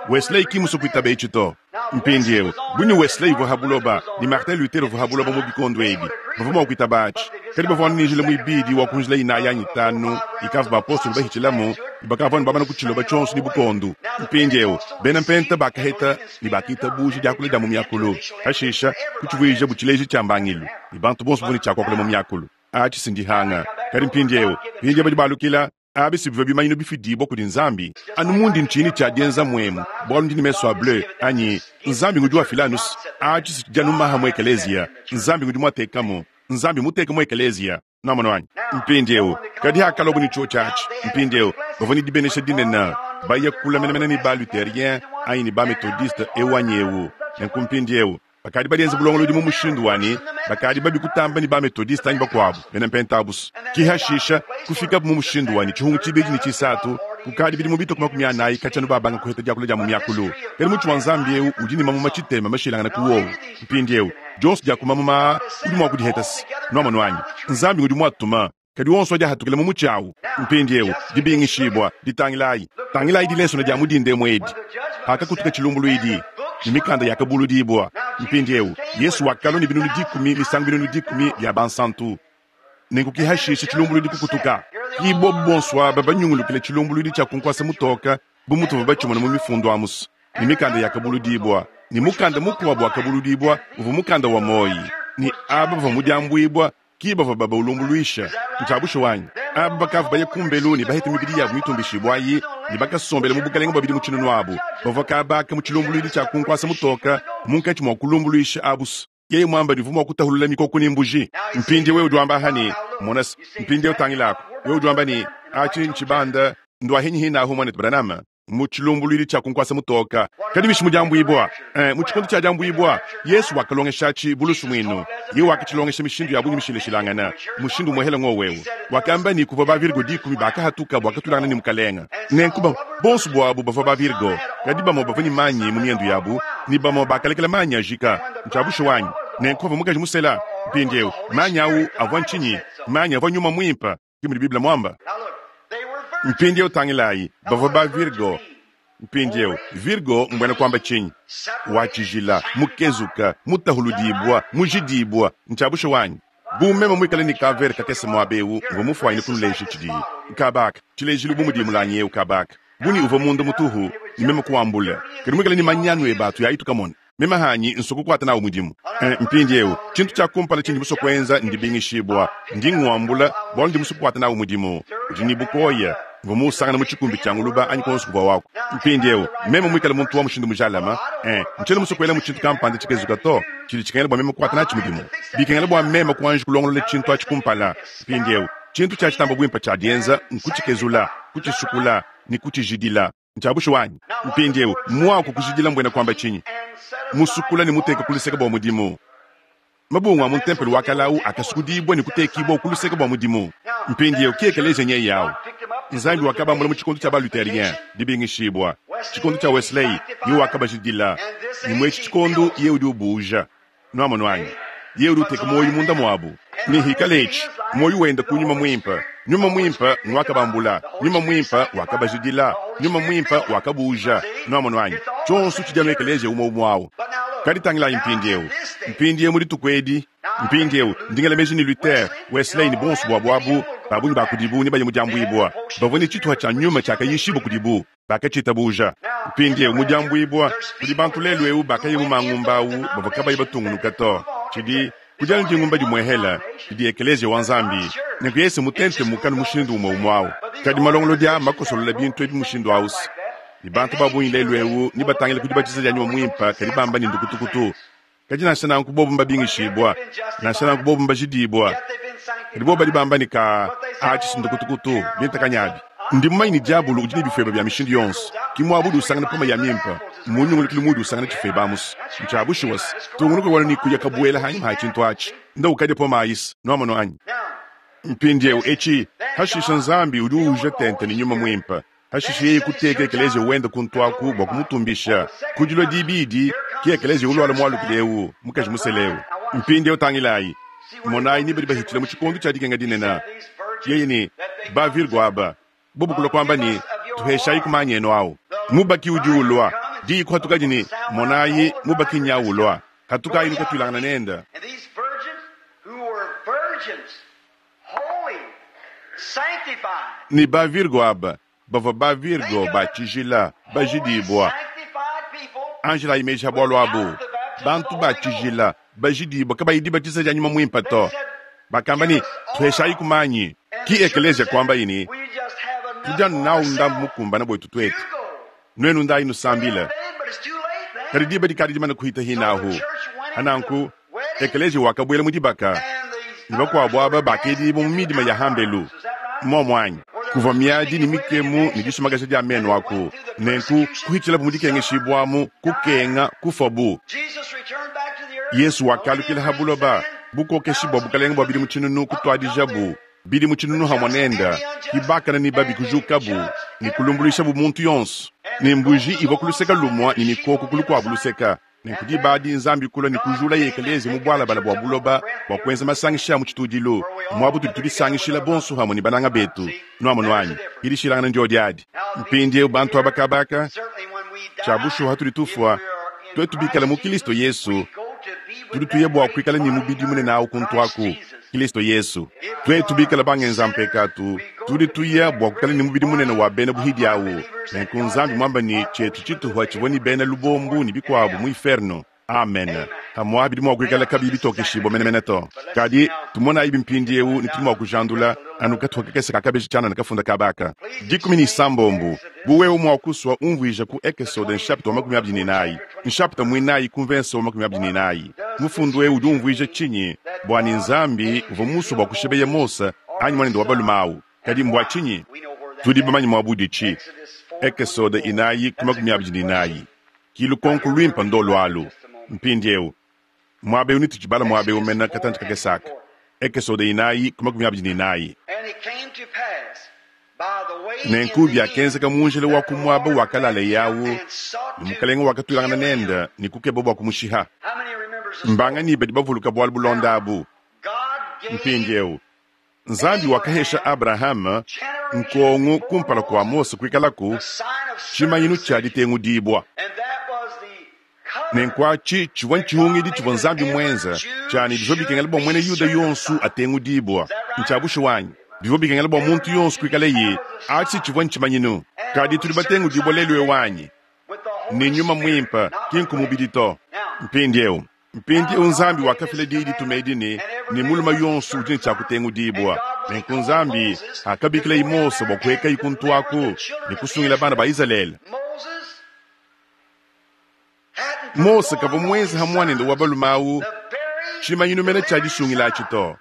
Wesley ki mmuswe kwitaba eci to. Mpindyewu, bu ne Wesley uvwa ha buloba, ne Martin Luther uvwa ha buloba mu bikondo ebi, bavwa mwa kwitaba aci. Kadi bavwa anu ne njila mwibidi wa ku njila inayi anyi itanu ikavwa bapostolo bahicilamu, ne bakavwa anu bamana kuciloba cyonso ne bukondu. Mpindyewu, beena Mpenta bakaheta ne bakiitabuuja dyakula dya mu myakulu, pashiisha kucivwijabu cileeji cya mbangilu, ne bantu bonso bavwa ne cya kwakula mu myakulu. Aci si ndihanga. Kadi mpindyewu, mpindyewu badi balukila. Abi si bivua bimanyinu bifidibua kudi Nzambi. Anu mundi ntshiyi ne tshia dienza muemu bualu ndi ne mesu a bleu anyi Nzambi ngudi wafila anu atshi si tshidi anu maha mu ekeleziya. Nzambi ngudi muatekamu. Nzambi muteka mu ekeleziya. Nwamonu anyi? Mpindiewu, kadi hakaluabu ne tshiotshi atshi, mpindiewu bavua ne dibenesha dinene, baya kula menamena ne ba-Lutherien anyi ne ba-Methodiste, ewu anyi ewu. Nenku mpindiewu bakadi badienze bulongolodi mu mushindu wa ne bakadi babi kutamba ne ba-Methodiste anyi bakuabu bena Mpentabusu. Ki hashisha kufikabu mu mushindu wa ne tshihungu tshibidi ne tshisatu kukadi bidimu bitue ku makumi anayi katshia anu babanga kuheta diakula dia mu miakulu. Kadi mutshi wa Nzambi eu udi ne mamuma tshitema mashilangane ku wowu. Mpindieu, dionso dia ku mamuma aa udi mua kudiheta se, Nuamonu anyi? Nzambi ngudi muatuma. Kadi onso adi ahatukila mu mutshi au. Mpindieu, dibingishibua, ditangilayi, tangilayi dilesona dia mu dinda emu edi, hakakutuka tshilumbuluidi, ne mikanda yakabuludibua. Mpindieu, Yesu wakalua ne binunu dikumi misangu binunu dikumi bia bansantu. Nenku ki hashisha tshilumbuluidi kukutuka. Ki bobu bonso aba banyungulukile tshilumbuluidi tshia ku nkuasa mutoka, bu mutuvua batshimona mu mifundu amu's, ne mikanda yakabuludibua, ne mukanda mukuabu wakabuludibua uvua mukanda wa muoyi, ne aba bavua mu diambuibua ki bavua babaulumbuluisha. Ntshia bushuwa anyi? Aba bakavua baya kumbelu ne baheta mibidi yabu mitumbishibua ayi, ne bakasombela mu bukalenge bua bidimu tshinunu abu, bavua kabaka mu tshilumbuluidi tshia ku nkuasa mutoka munkatshi mua kulumbuluisha abu's. Yeye muamba ne uvua mua kutahulula mikoko ne mbuji. Mpindieu wewe udi wamba aha ne, Mona-se, mpindieu tangilaku. Wewe udi wamba ne, Atshi ntshibanda, nduahinyi hinahu, muanetu Branham? Mu tshilumbuluidi tshia ku nkuasa mutoka. Kadi bishi mu diambuibua? Eh, mu tshikondo tshia diambuibua, Yesu wakalongeshatshi bu lusumuinu. Yeye wakatshilongesha mishindu ya bungi mishilashilangana. Mushindu umuehele ngowu eu. Wakamba ne kuvua ba virgo dikumi bakahatuka bua katulangana ne Mukalenga. Nenku ba, bonso buabu bavua ba virgo, kadi bamue bavua ne manyi mu miendu yabu, ne bamue bakalekela manyi ajika. Ntshia bushuwa anyi? Nenku pavua mukaji musela, mpindieu, manyi au avua ntshinyi? Manyi avua Nyuma Muimpe, ke mudi Bible muamba. Mpindieu tangilayi, bavua ba virgo. Mpindieu, virgo mbuena kuamba tshinyi? Wa tshijila, mukezuka, mutahuludibua, mujidibua. Ntshia bushuwa anyi? Bu meme muikale ne kavere kakese muaba eu, mvua mufuanyine kunuleja tshidiyi. Kaba aka, tshilejilu bu mudi mulangi eu kaba aka, bu ne uvua munda mutuhu, ne meme kuwambula, kadi muikale ne manyanu ebe atu yayi tukamona. Meme hanyi nsua kukuata nawu mudimu. Eh, mpindieu, tshintu tshia kumpala tshindi musue kuenza ndibingishibua. Ndi nguambula bualu ndi musue kukuata nawu mudimu. Udi ne bukoya, mvua muusangana mu tshikumbi tshia nguluba anyi kuonso kuvua waku. Mpindieu, meme muikale muntu wa mushindu mujalame, eh, ntshiena musue kuelamu tshintu kampanda tshikezuka to, tshidi tshikengela bua meme kukuata natshi mudimu. Bikengela bua meme kuanji kulongolola tshintu atshi kumpala. Mpindieu, tshintu tshia tshitamba buimpe tshia dienza nkutshikezula, kutshisukula, ne kutshijidila. Ntshia bushuwa anyi? Mpindieu, muaku kujidila mbuena kuamba tshinyi? Musukula ne muteka ku luseke bua mudimu. Mabungu a mu ntempelo wa kale au akasukudibua ne kutekibua ku luseke bua mudimu. Mpindieu ki ekeleziya nyeye au. Nzambi wakabambula mu tshikondo tshia ba-Lutherien, dibingishibua, tshikondo tshia Wesley, yeye wakabajidila, ne mu etshi tshikondo yeye udi ubuuja. Nuamonu anyi? Yeye udi uteka muoyo munda muabu. Ne hikala etshi muoyo wenda ku Nyuma Muimpe, Nyuma Muimpe nguakabambula, Nyuma Muimpe wakabajidila, Nyuma Muimpe wakabuuja. Nuamonu anyi? Tshionso tshidi anu ekeleziya umue umue awu. Kadi tangilayi mpindieu, mpindieu mu dituku edi, mpindieu ndi ngela meji ne Luther, Wesley ne bonso buabu abu, ba bungi ba kudibu nebaye mu diambuibua. Bavua ne tshituha tshia nyuma tshiakayishibua kudibu. Bakatshitabuja. Mpindieu mu diambuibua, kudi bantu lelu'eu bakaya mu mangumba au bavua kabayi batungunuka to. Tshidi kudi anu dingumba dimuehela, didi Ekeleziya wa Nzambi. Nenku yeye se mutentemuka anu mushindu umue umue au. Kadi malongolodi aa mmakosolola bintu ebi mushindu au se, ne bantu ba bungi lelu'eu nebatangile ku dibatiza dia Nyuma Muimpe kadi bamba ne ndukutukutu. Kadi nansha nanku bobu mbabingishibua, nansha nanku bobu mbajidibua, Kadi bobo badi bamba ne, Kaa, aci's ndukutukutu, bintakanyabi. Ndi mumanye ne dyabulu udi ne bifweba bya mishindu yonso. Ki mwaba udi usangana poma ya mimpe, mu nyungulukilu muudi usangana cifweba amu's. Ncya bushuwa's. Tungunuka wanu ne kuya kabwela hanyima ha cintu aci. Nda ukadya poma ayi's. Nwamonu anyi? Mpindyewu eci, hashisha Nzambi udi uuja tente ne Nyuma Mwimpe. Hashisha yeye kuteka ekeleziya wende kuntu aku bwa kumutumbisha. Ku dilwa diibidi, ki ekeleziya ulwala mwalukile ewu, mukaji musele ewu. Mpindyewu tangilayi. Monayi ni badi bahitshila mu tshikondo tshia dikenga dinene. Yeye ne, Ba virgo aba, bobo kulua kuamba ne, Tuheshayi ku manyi enu awu. Mubaki udi ulua. Diyi kuhatukadi ne, Monayi, mubaki nyawu ulua. Hatukayi nukatuilangana nende. Ne ba virgo aba bavua ba virgo ba tshijila, bajidibua. Anjilayi meji ha bualu abu. Bantu ba tshijila, bajidibua, kabayi dibatiza dia Nyuma Muimpe to. Bakamba ne, Tuheshayiku manyi. Ki ekeleziya kuambayi ne, Tudi anu nawu ndambu mukumbana buetu tuetu. Nuenu ndayi nusambile. Kadi diba dikadi dimane kuhita hinahu. Hananku, ekeleziya wakabuela mu dibaka, ne bakuabu aba bakedibua mu midima ya hambelu. Mmuomu anyi? Kuvua miadi ne mikemu ne disumakaja dia menu aku. Nenku kuhitshilabu mu dikengeshibuamu, kukenga, kufuabu. Yesu wakalukila ha buloba, bukokeshi bua bukalenge bua bidimu tshinunu kutuadijabu. Bidimu tshinunu hamue nende, ki bakane ne babi kujukabu ne kulumbuluishabu muntu yonso. Ne mbuji ivua ku luseke lumue ne mikoko ku lukuabu luseke. Nenku diba adi Nzambi kulua ne kujulaye ekeleziya mu bualabala bua buloba bua kuenza masangisha a mu tshitudilu, muaba utudi tudisangishila bonso hamue ne bananga betu. Nuamonu anyi? Ki dishilangana ndiodi adi. Mpindieu bantu aba kabaka, tshia bushuwa hatudi tufua, tuetu bikale mu Kilisto Yesu, tudi tuya bua kuikala ne mubidi munene au kuntu aku, Kilisto Yesu. Tuetu bikale bangenza mpekatu, tudi tuya bua kuikala ne mubidi munene wa bena buhidi au. Nenku Nzambi muamba ne tshietu tshituha tshivua ne bena lubombu ne bikuabu mu inferno. Amen. Pamuapa bidi mua kuikala kabiyi bitokeshibua menemene to. Kadi tumonayibi mpindieu ne tudi mua kujandula anu katupa kakese ka kabeji tshianana kafunda kaba aka. Dikumi ne isambombo. Bu wewe mua kusua umvuija ku Ekesode nshapita wa makumi abidi ne inayi, nshapita muinayi ku mvense wa makumi abidi ne inayi. Mufundu eu udi umvuija tshinyi bua ne Nzambi uvua musue bua kushibeya Mose anyi muanende wa balume au? Kadi mbua tshinyi? Tudi bamanye muaba uditshi. Ekesode inayi ku makumi abidi ne inayi. Ki lukonko luimpe ndolu alu. Mpindieu, muaba eu netutshibala muaba eu mena katantshi kakese aka. Ekesode inayi ku makumi abidi ne inayi. Nenku biakenzeka mu njila wa ku muaba wakalaleye au ne mukalenge wakatuilangana nende ne kukeba bua kumushiha. Mbanganyi badi bavuluka bualu bulonda abu? Mpindieu, Nzambi wakahesha Abrahama nkongo kumpala kua Mose kuikalaku tshimanyinu tshia ditengudibua. Nenku atshi tshivua ntshihungidi tshivua Nzambi muenze tshia ne bivua bikengela bua muena Yuda yonso atengudibua. Ntshia bushuwa anyi? Bivua bikengela bua muntu yonso kuikaleye. Atshi tshivua ntshimanyinu. Kadi tudi batengudibua lelu eu anyi? Ne Nyuma Muimpe, ki nku mubidi to. Mpindieu, Mpindieu Nzambi wakafila diyi dituma edi ne, ne mulume yonso udi ne tshia kutengudibua. Nenku Nzambi akabikilayi Mose bua kuhekayi kuntu aku ne kusungila bana ba Izalele. Mose kavua muenze ha muanende wa balume au tshimanyinu mene tshia disungila atshi to.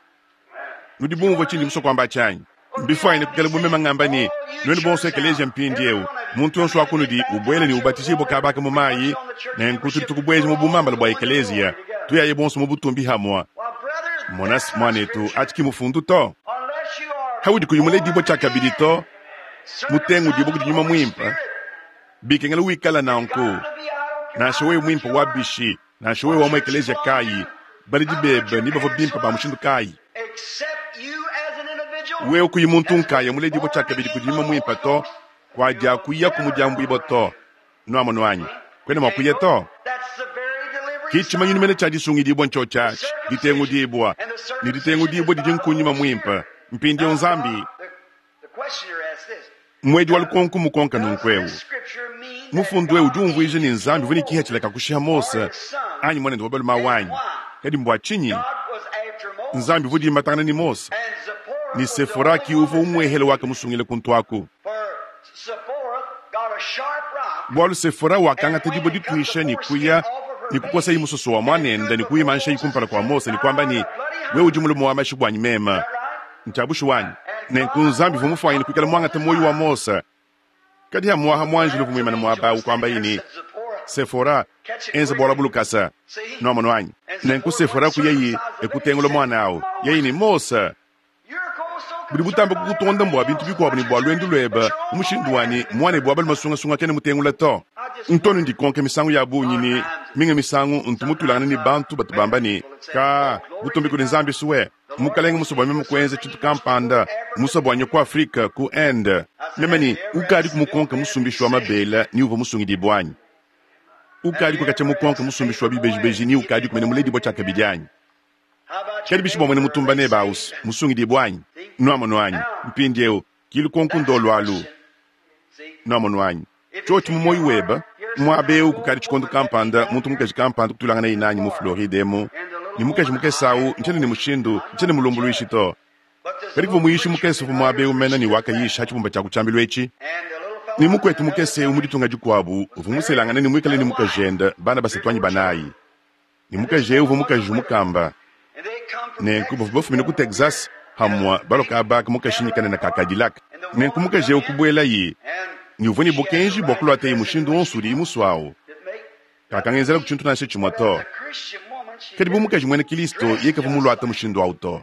Nudi bumvua tshindi musue kuamba atshi anyi? Mbifuanyine kuikala bu meme ngamba ne, Nuenu bonso ekeleziya mpindieu, muntu yonso wa kunudi ubuele ne ubatijibue kaba aka mu mayi, nenku tudi tukubueja mu bumambala bua ekeleziya, tuyaye bonso mu butumbi hamue. Monasi, muanetu, atshi ki mufundu to. Haudi kuyi muledibue tshiakabidi to, mutengudibue kudi Nyuma Muimpe, bikengela wikala nanku, nansha wewe muimpe wa bishi, nansha wewe wa mu ekeleziya kayi, baledi bebe ne bavua bimpe ba mushindu kayi. Wewe kuyi muntu nkaya muledibue tshiakabidi kudi Nyuma Muimpe to, kuadiakuyaku mu diambuibua to. Nuamonu anyi? Kuena mua kuya to. Ki tshimanyinu mene tshia disungidibua ntshiotshi atshi, ditengudibua. Ne ditengudibua didi nku Nyuma Muimpe. Mpindieu Nzambi. Muedi wa lukonko mmukonka nunku eu, Mufundu eu udi umvuija ne Nzambi uvua ne kipatshila ka kushiha Mose anyi muanende wa balume au anyi? Kadi mbua tshinyi Nzambi uvua udimbatangana ne Mose? Ne Sefora ki uvua umuehele wakamusungila kuntu aku. Bualu Sefora wakangata dibue dituisha ne kuya ne kukosayi musoso wa muanende ne kuyimanshayi kumpala kua Mose ne kuamba ne, Wewe udi mulume wa mashi buanyi meme. Ncya bushuwa anyi? Nenku Nzambi uvwa mufwanyine kwikala mwangate mwoyi wa Mosa, kadi hamwaha mwanjelo uvwa mwimane mwaba awu kwambaye ne, Sefora, enza bwalwa bulukasa. Nwamonu anyi? Nenku Sefora kuyaye e kutengula mwana awu. Yeye ne, Mosa, budi butamba kukutonda mbwa bintu bikwabo ne bwa lwendu lwebe mu mushindu wa ne mwanebe wa balume sungasunga kena mutengula to. Ntonu ndikonka misangu ya bungi ne minga misangu ntu mutwilangana ne bantu batu bamba ne, Kaa, butumbi kudi Nzambi swe, Mukalenge musue bwa meme kwenza tshintu kampanda, musue bwa nye ku Afrika, ku Inde. Meme ne, Ukadiku mukonke musumbishi wa mabela ni uvwa musungidibwe anyi? Ukadiku katshia mukonke musumbishi wa bibejibeji ni ukadiku mene muledibwe tshiakabidi anyi? Kadi bishi bua muena mutumba nebe awu's musungidibue anyi? Nwamonu anyi? Mpindiewu, ki lukonku ndolu alu. Nwamonu anyi? Cyoci mu mwoyi webe, mwaba ewu kukadi cikondo kampanda, muntu mukaji kampanda kutwilanganaye naanyi mu Floride emu, ne mukaji mukese awu, ncyena ne mushindu, ncyena mulumbulwishi to. Kadi kuvwa muyiishi mukese uvwa mwaba ewu mene ne wakayiisha ha cibumba cya ku cyambilu eci. Ne mukwetu mukese ewu mu ditunga dikwabo uvwa muselangane ne mwikale ne mukajende, bana basatu anyi banaayi. Ne mukaji eu uvua mukaji mukamba. Nenku bavua bafumine ku Texas hamua balua kaba aka mu kashinyi kanene ka Cadillac. Nenku mukaji eu kubuelaye, ne uvua ne bukenji bua kuluataye mushindu wonso udiye musue awu. Kakangenzelaku tshintu nansha tshimue to. Kadi bu mukaji muena Kilisto, yeye kavua muluate mushindu awu to.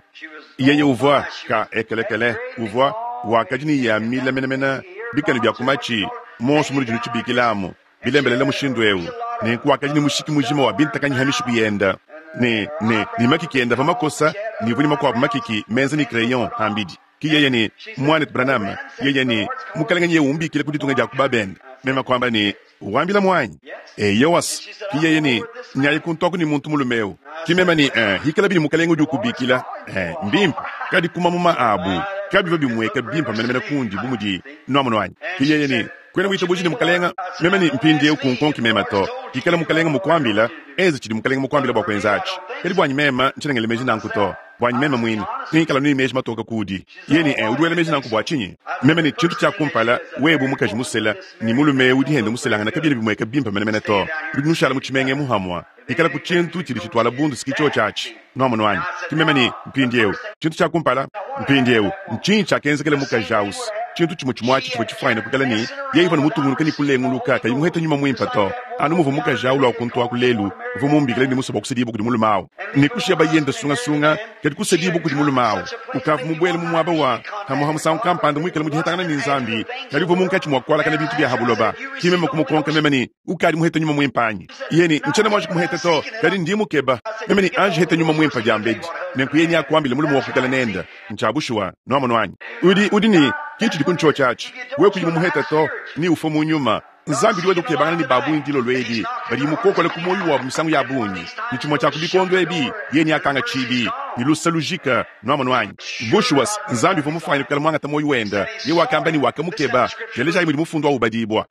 Yeye uvua, ka ekelekele, uvua, wakadi ne ya mile menemene, bikanu bia ku matshi, muonso munudi nutshibikila amu. Bilembelela mushindu eu, nenku wakadi ne mushiki mujima wa bintakanyi ha mishiku yenda, ne, ne, ne makiki enda avua makosa, ne uvua ne makuabu makiki menza ne crayon hambidi. Ki yeye ne, Muanetu Branham, yeye ne, Mukelenge nyeye umbikila ku ditunga dia ku babende. Meme kuamba ne, Wambila muanyi? Eyowas. Ki yeye ne, Nyayi kuntuaku ne muntu mulume eu. Ki meme ne, Eh, hikalabi ne Mukelenge udi ukubikila, eh, mbimpe. Kadi ku mamuma abu, kabivua bimueka bimpe menemene kundi bu mudi, nuamonu anyi? Ki yeye ne, Kuena witabuja ne Mukalenga? Meme ne, Mpindiewu kunkonki meme to. Pikala Mukalenga mukuambila, enza tshidi Mukalenga mukuambila bua kuenza atshi. Kadi buanyi meme, ntshiena ngela meji nanku to. Buanyi meme muine, ngikala anu ne meji matoke kuudi. Yeye ne, Ee, udi wela meji nanku bua tshinyi? Meme ne, Tshintu tshia kumpala, wewe bu mukaji musela ne mulume eu udi hende muselangana kabiena bimueka bimpe menemene to. Nudi nushala mu tshimenga emu hamua. Pikalaku tshintu tshidi tshituala bundu si ki tshiotshi atshi. Nwamonu anyi? Ki meme ne, Mpindiewu, tshintu tshia kumpala, mpindiewu, ntshinyi tshiakenzekela mukaji awu's? Tshintu tshimue tshimue atshi tshivua tshifuanyine kuikala ne, yeye uvua ne mutungunuke ne kulenguluka, kayi muhete Nyuma Muimpe to. Anu muvua mukaji awu lua kuntu aku lelu, uvua mumbikile ne musue bua kusedibua kudi mulume awu, ne kushiya bayende sungasunga, kadi kusedibua kudi mulume awu. Ukavua mubuele mu muaba wa pamuha musangu kampanda muikale mu dihetangana ne Nzambi, kadi uvua munkatshi mua kualakana bintu bia ha buloba. Ki meme kumukonka meme ne, Ukadi muhete Nyuma Muimpe anyi? Yeye ne, Ntshiena muanji kumuheta to, kadi ndi mukeba. Meme ne, Anji heta Nyuma Muimpe diambedi, nenku yeye neakuambile mulume wa kuikala nende. Ntshia bushuwa. Nwamonu anyi? Udi, udi ne, Ki tshidi ku ntshiotshi atshi. Wewe kuyi mumuheta to, neufue mu nyuma. Nzambi udi wenda ukebangana ne ba bungi dilolo edi badi mukokola ku muoyo wabu misangu ya bungi, ne tshimue tshia ku bikondo ebi yeye neakanga tshibi ne luse lujika. Nwamonu anyi? Bushuwa, Nzambi uvua mufuanyine kuikala muangate muoyo wende. Yeye wakamba ne wakamukeba. Telejayi mudi mufundu au ubadibua.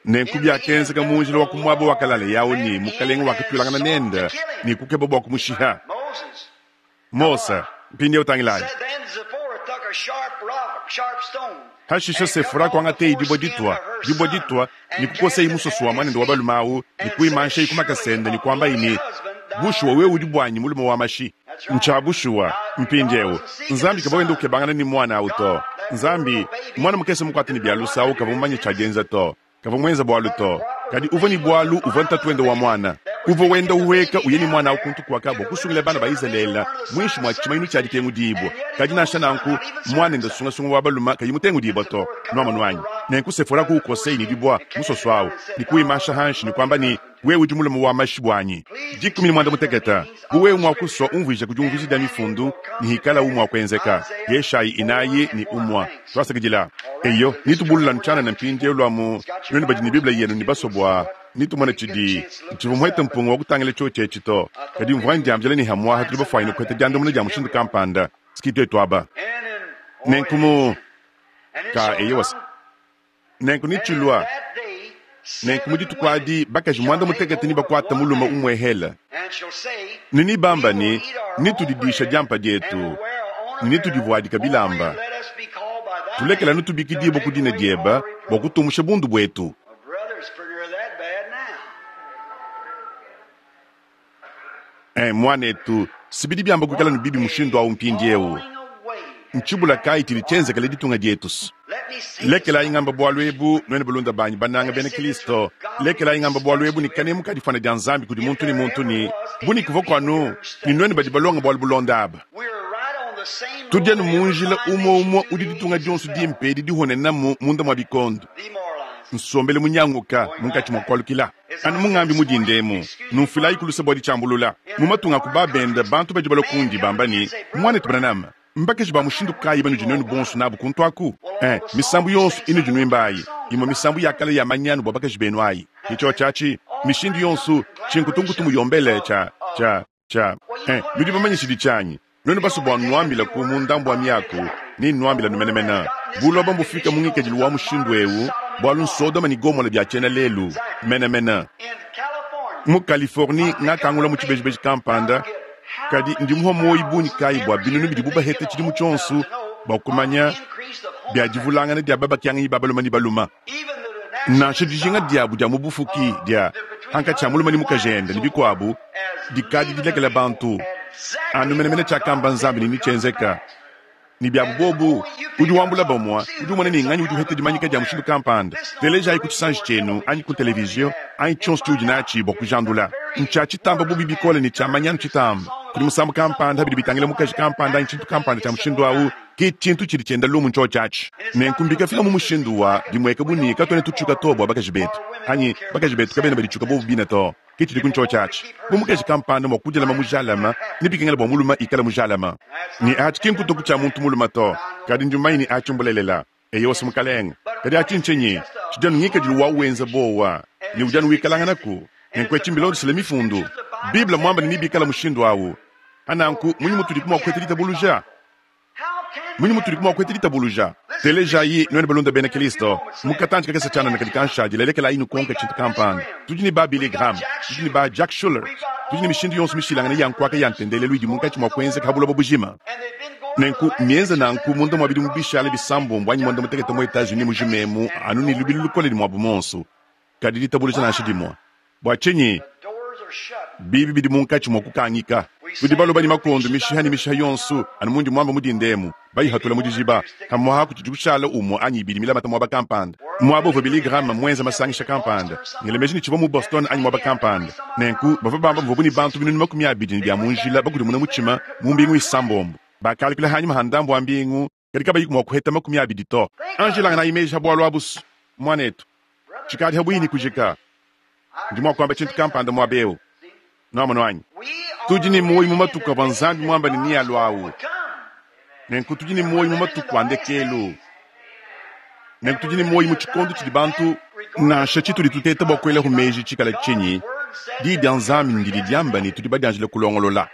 Nenku biakenzeka mu njila wa ku muaba wakalaleye au ne, mukalenge wakatuilangana nende ne kukeba bua kumushiha. Mose, mpindieu tangilayi. Hashishe Sefora kuangateye dibue ditua, dibue ditua, ne kukoseye musoso wa muanende wa balume au ne kuimanshaye ku makasa ende ne kuambaye ne, Bushuwa wewe udi buanyi mulume wa mashi. Ntshia bushuwa. Mpindieu, Nzambi kavua wenda ukebangana ne muana au to. Nzambi, muana mukese mukuate ne bia luse au kavua mumanye tshia dienza to. Kavua muenze bualu to. Kadi uvua ne bualu, uvua ntatuende wa muana. Uvua wenda uhueka uya ne muana au kuntu kuaka bua kusungila bana ba Izalele muinshi mua tshimanyinu tshia ditengudibua. Kadi nansha nanku, muanende sungasunga wa balume kayi mutengudibua to. Nuamonu anyi? Nenku Sefora kuukoseye ne dibua musoso au, ne kuwimansha hanshi ne kuamba ne, Wewe udi mulume wa mashi buanyi. Dikumi ne muanda mutekete. Bu wewe mua kusua umvuija ku diumvuija dia mifundu ne hikalawu mua kuenzeka. Yeshayi inayi ne umua. Tuasakidila. Eyo, nitubulula ntshianana mpindieu lua mu nuenu badi ne Bible yenu ne basua bua nitumone tshidi. Ntshivua muhete mpunga wa kutangila tshiotshi etshi to, kadi mvua ndiambila ne hamuaha tudi bafuanyine kuheta diandamuna dia mushindu kampanda. Ski tuetu aba. Nenku mu ka eyowa. Nenku netshilua nenku mu dituku adi bakaji muanda mutekete nebakuate mulume umuehele, ne nebamba ne, Netudidisha diampa dietu ne netudivuadika bilamba, tulekela nutubikidibue ku dina diebe bua kutumusha bundu buetu. Eh, mwanetu, sibidi byamba kwikala ne bibi mushindu awu mpindiewu. Ntshibula kayi tshidi tshienzekele ditunga dietu? Lekelayi ngamba bualu ebu, nuenu balunda banyi bananga bena Kristo. Lekelayi ngamba bualu ebu ne kanemu ka difwana dia Nzambi kudi muntu ne muntu ne bu ne kuvua kuanu ne nuenu badi balonga bualu bulonda aba. Tudi anu mu njila umue umue udi ditunga dionso dimpe edi dihonenamu munda mua bikondo. Nsombelu munyanguka munkatshi mua kualukila. Anu mungambi mudinda emu, numfuilayi ku luse bua ditshiambulula. Mu matunga a ku babende, bantu badi balua kundi bamba ne, Muanetu Branham, mbakaji ba mushindu kayi banudi nuenu bonso nabu kuntu aku? Eh, misambu yonso inudi nuimba ayi, imue misambu ya kale ya manyanu bua bakaji benu ayi. Ke tshiotshi atshi, mishindu yonso, tshinkutunkutu muyombele, tshia, tshia, tshia. Eh, nudi bamanye tshidi tshianyi. Nuenu basue bua nnuambilaku mu ndambu wa miaku, nennuambilanu menemene. Buloba mbufika mu ngikadilu wa mushindu eu bualu n'Sodoma ne Gomola bia tshiena lelu menemene. Mu Californie, ngakangula mu tshibejibeji kampanda, kadi ndi muhua muoyo bungi kayi bua binunu bidibu baheta tshidimu tshionso bua kumanya bia divulangana dia babakianganyi ba balume ne balume. Nansha dijinga diabu dia mu bufuki dia hankatshi a mulume ne mukajende ne bikuabu dikadi dilekela bantu anu menemene tshiakamba Nzambi ne netshienzeka. Ne biabu bobu, udi wambula bamue, udi umona ne nganyi udi uheta dimanyika dia mushindu kampanda. Telejayi ku tshisanji tshienu anyi ku televizio anyi tshionso tshiudi natshi bua kujandula. Ntshia tshitamba bubi bikole ne tshia manyanu tshitamba. Kudi musambu kampanda bidi bitangila mukaji kampanda anyi tshintu kampanda tshia mushindu au, ke tshintu tshidi tshienda lumu ntshiotshi atshi. Nenku mbikafika mu mushindu wa bimueka bu ne katuena tutshiuka to bua bakaji betu, anyi bakaji betu kabena baditshiuka bobu bine to. Ke tshidi ku ntshiotshi atshi. Bu mukaji kampanda mua kudilama mujalame, nebikengele bua mulume ikale mujalame. Ne atshi ki nkutuku tshia muntu mulume to, kadi ndi mumanye ne atshi mbulelela. Eyowa, Mukalenge. Kadi atshi ntshinyi? Tshidi anu ngikadilu wa wenza buowa, ne udi anu wikalanganaku. Nenku etshi mbilondeshile Mifundu. Bible mmuambe ne nebikale mushindu au. Pa nanku, mmunyi mutudiku mua kupeta ditabuluja? Mmunyi mutudiku mua kupeta ditabuluja? Telejayi, nuenu balunda bena Kristo, mu katantshi kakese tshianana kadi kanshadile, lekelayi nukonke tshintu kampanda. Tudi ne ba Billy Graham, tudi ne ba Jack Shuler, tudi ne mishindu yonso mishilangane ya nkuaka ya ntendelelu idi munkatshi mua kuenzeka ha buloba bujima. Nenku, mienza nanku munda mua bidimu bishale bisambombo anyi muanda-mutekete mu Etats-Unis mujima emu, anu ne lubilu lukole ne muabu muonso, kadi ditabuluja nansha dimue. Bua tshinyi? Biibi bidi munkatshi mua kukangika. Tudi baloba ne makondo mishiha ne mishiha yonso, anu mundi muamba mu dinda emu, bayihatula mu dijiba. Pamu'apa kutshidi kushala umue anyi ibidi milamata muaba kampanda, muaba uvua Billy Graham muenze masangisha kampanda. Ngela meji ne tshivua mu Boston anyi muaba kampanda. Nenku bavua bamba muvuabu ne bantu binunu makumi abidi ne bia mu njila bakudimuna mutshima mu mbingu isambombo. Bakalukila hanyima ha ndambu wa mbingu, kadi kabayiku mua kuheta makumi abidi to. Anjilanganayi meji ha bualu abu, muanetu. Tshikadi ha buihi ne kujika. Ndi mua kuamba tshintu kampanda muaba eu. Nuamonu anyi? Tudi ne muoyo mu matuku avua Nzambi muamba ne nealua au. Nenku tudi ne muoyo mu matuku a ndekelu. Nenku tudi ne muoyo mu tshikondo tshidi bantu, nansha tshitudi tuteta bua kuelaku meji tshikala tshinyi, Diyi dia Nzambi ndidi diamba ne tudi badianjile kulongolola.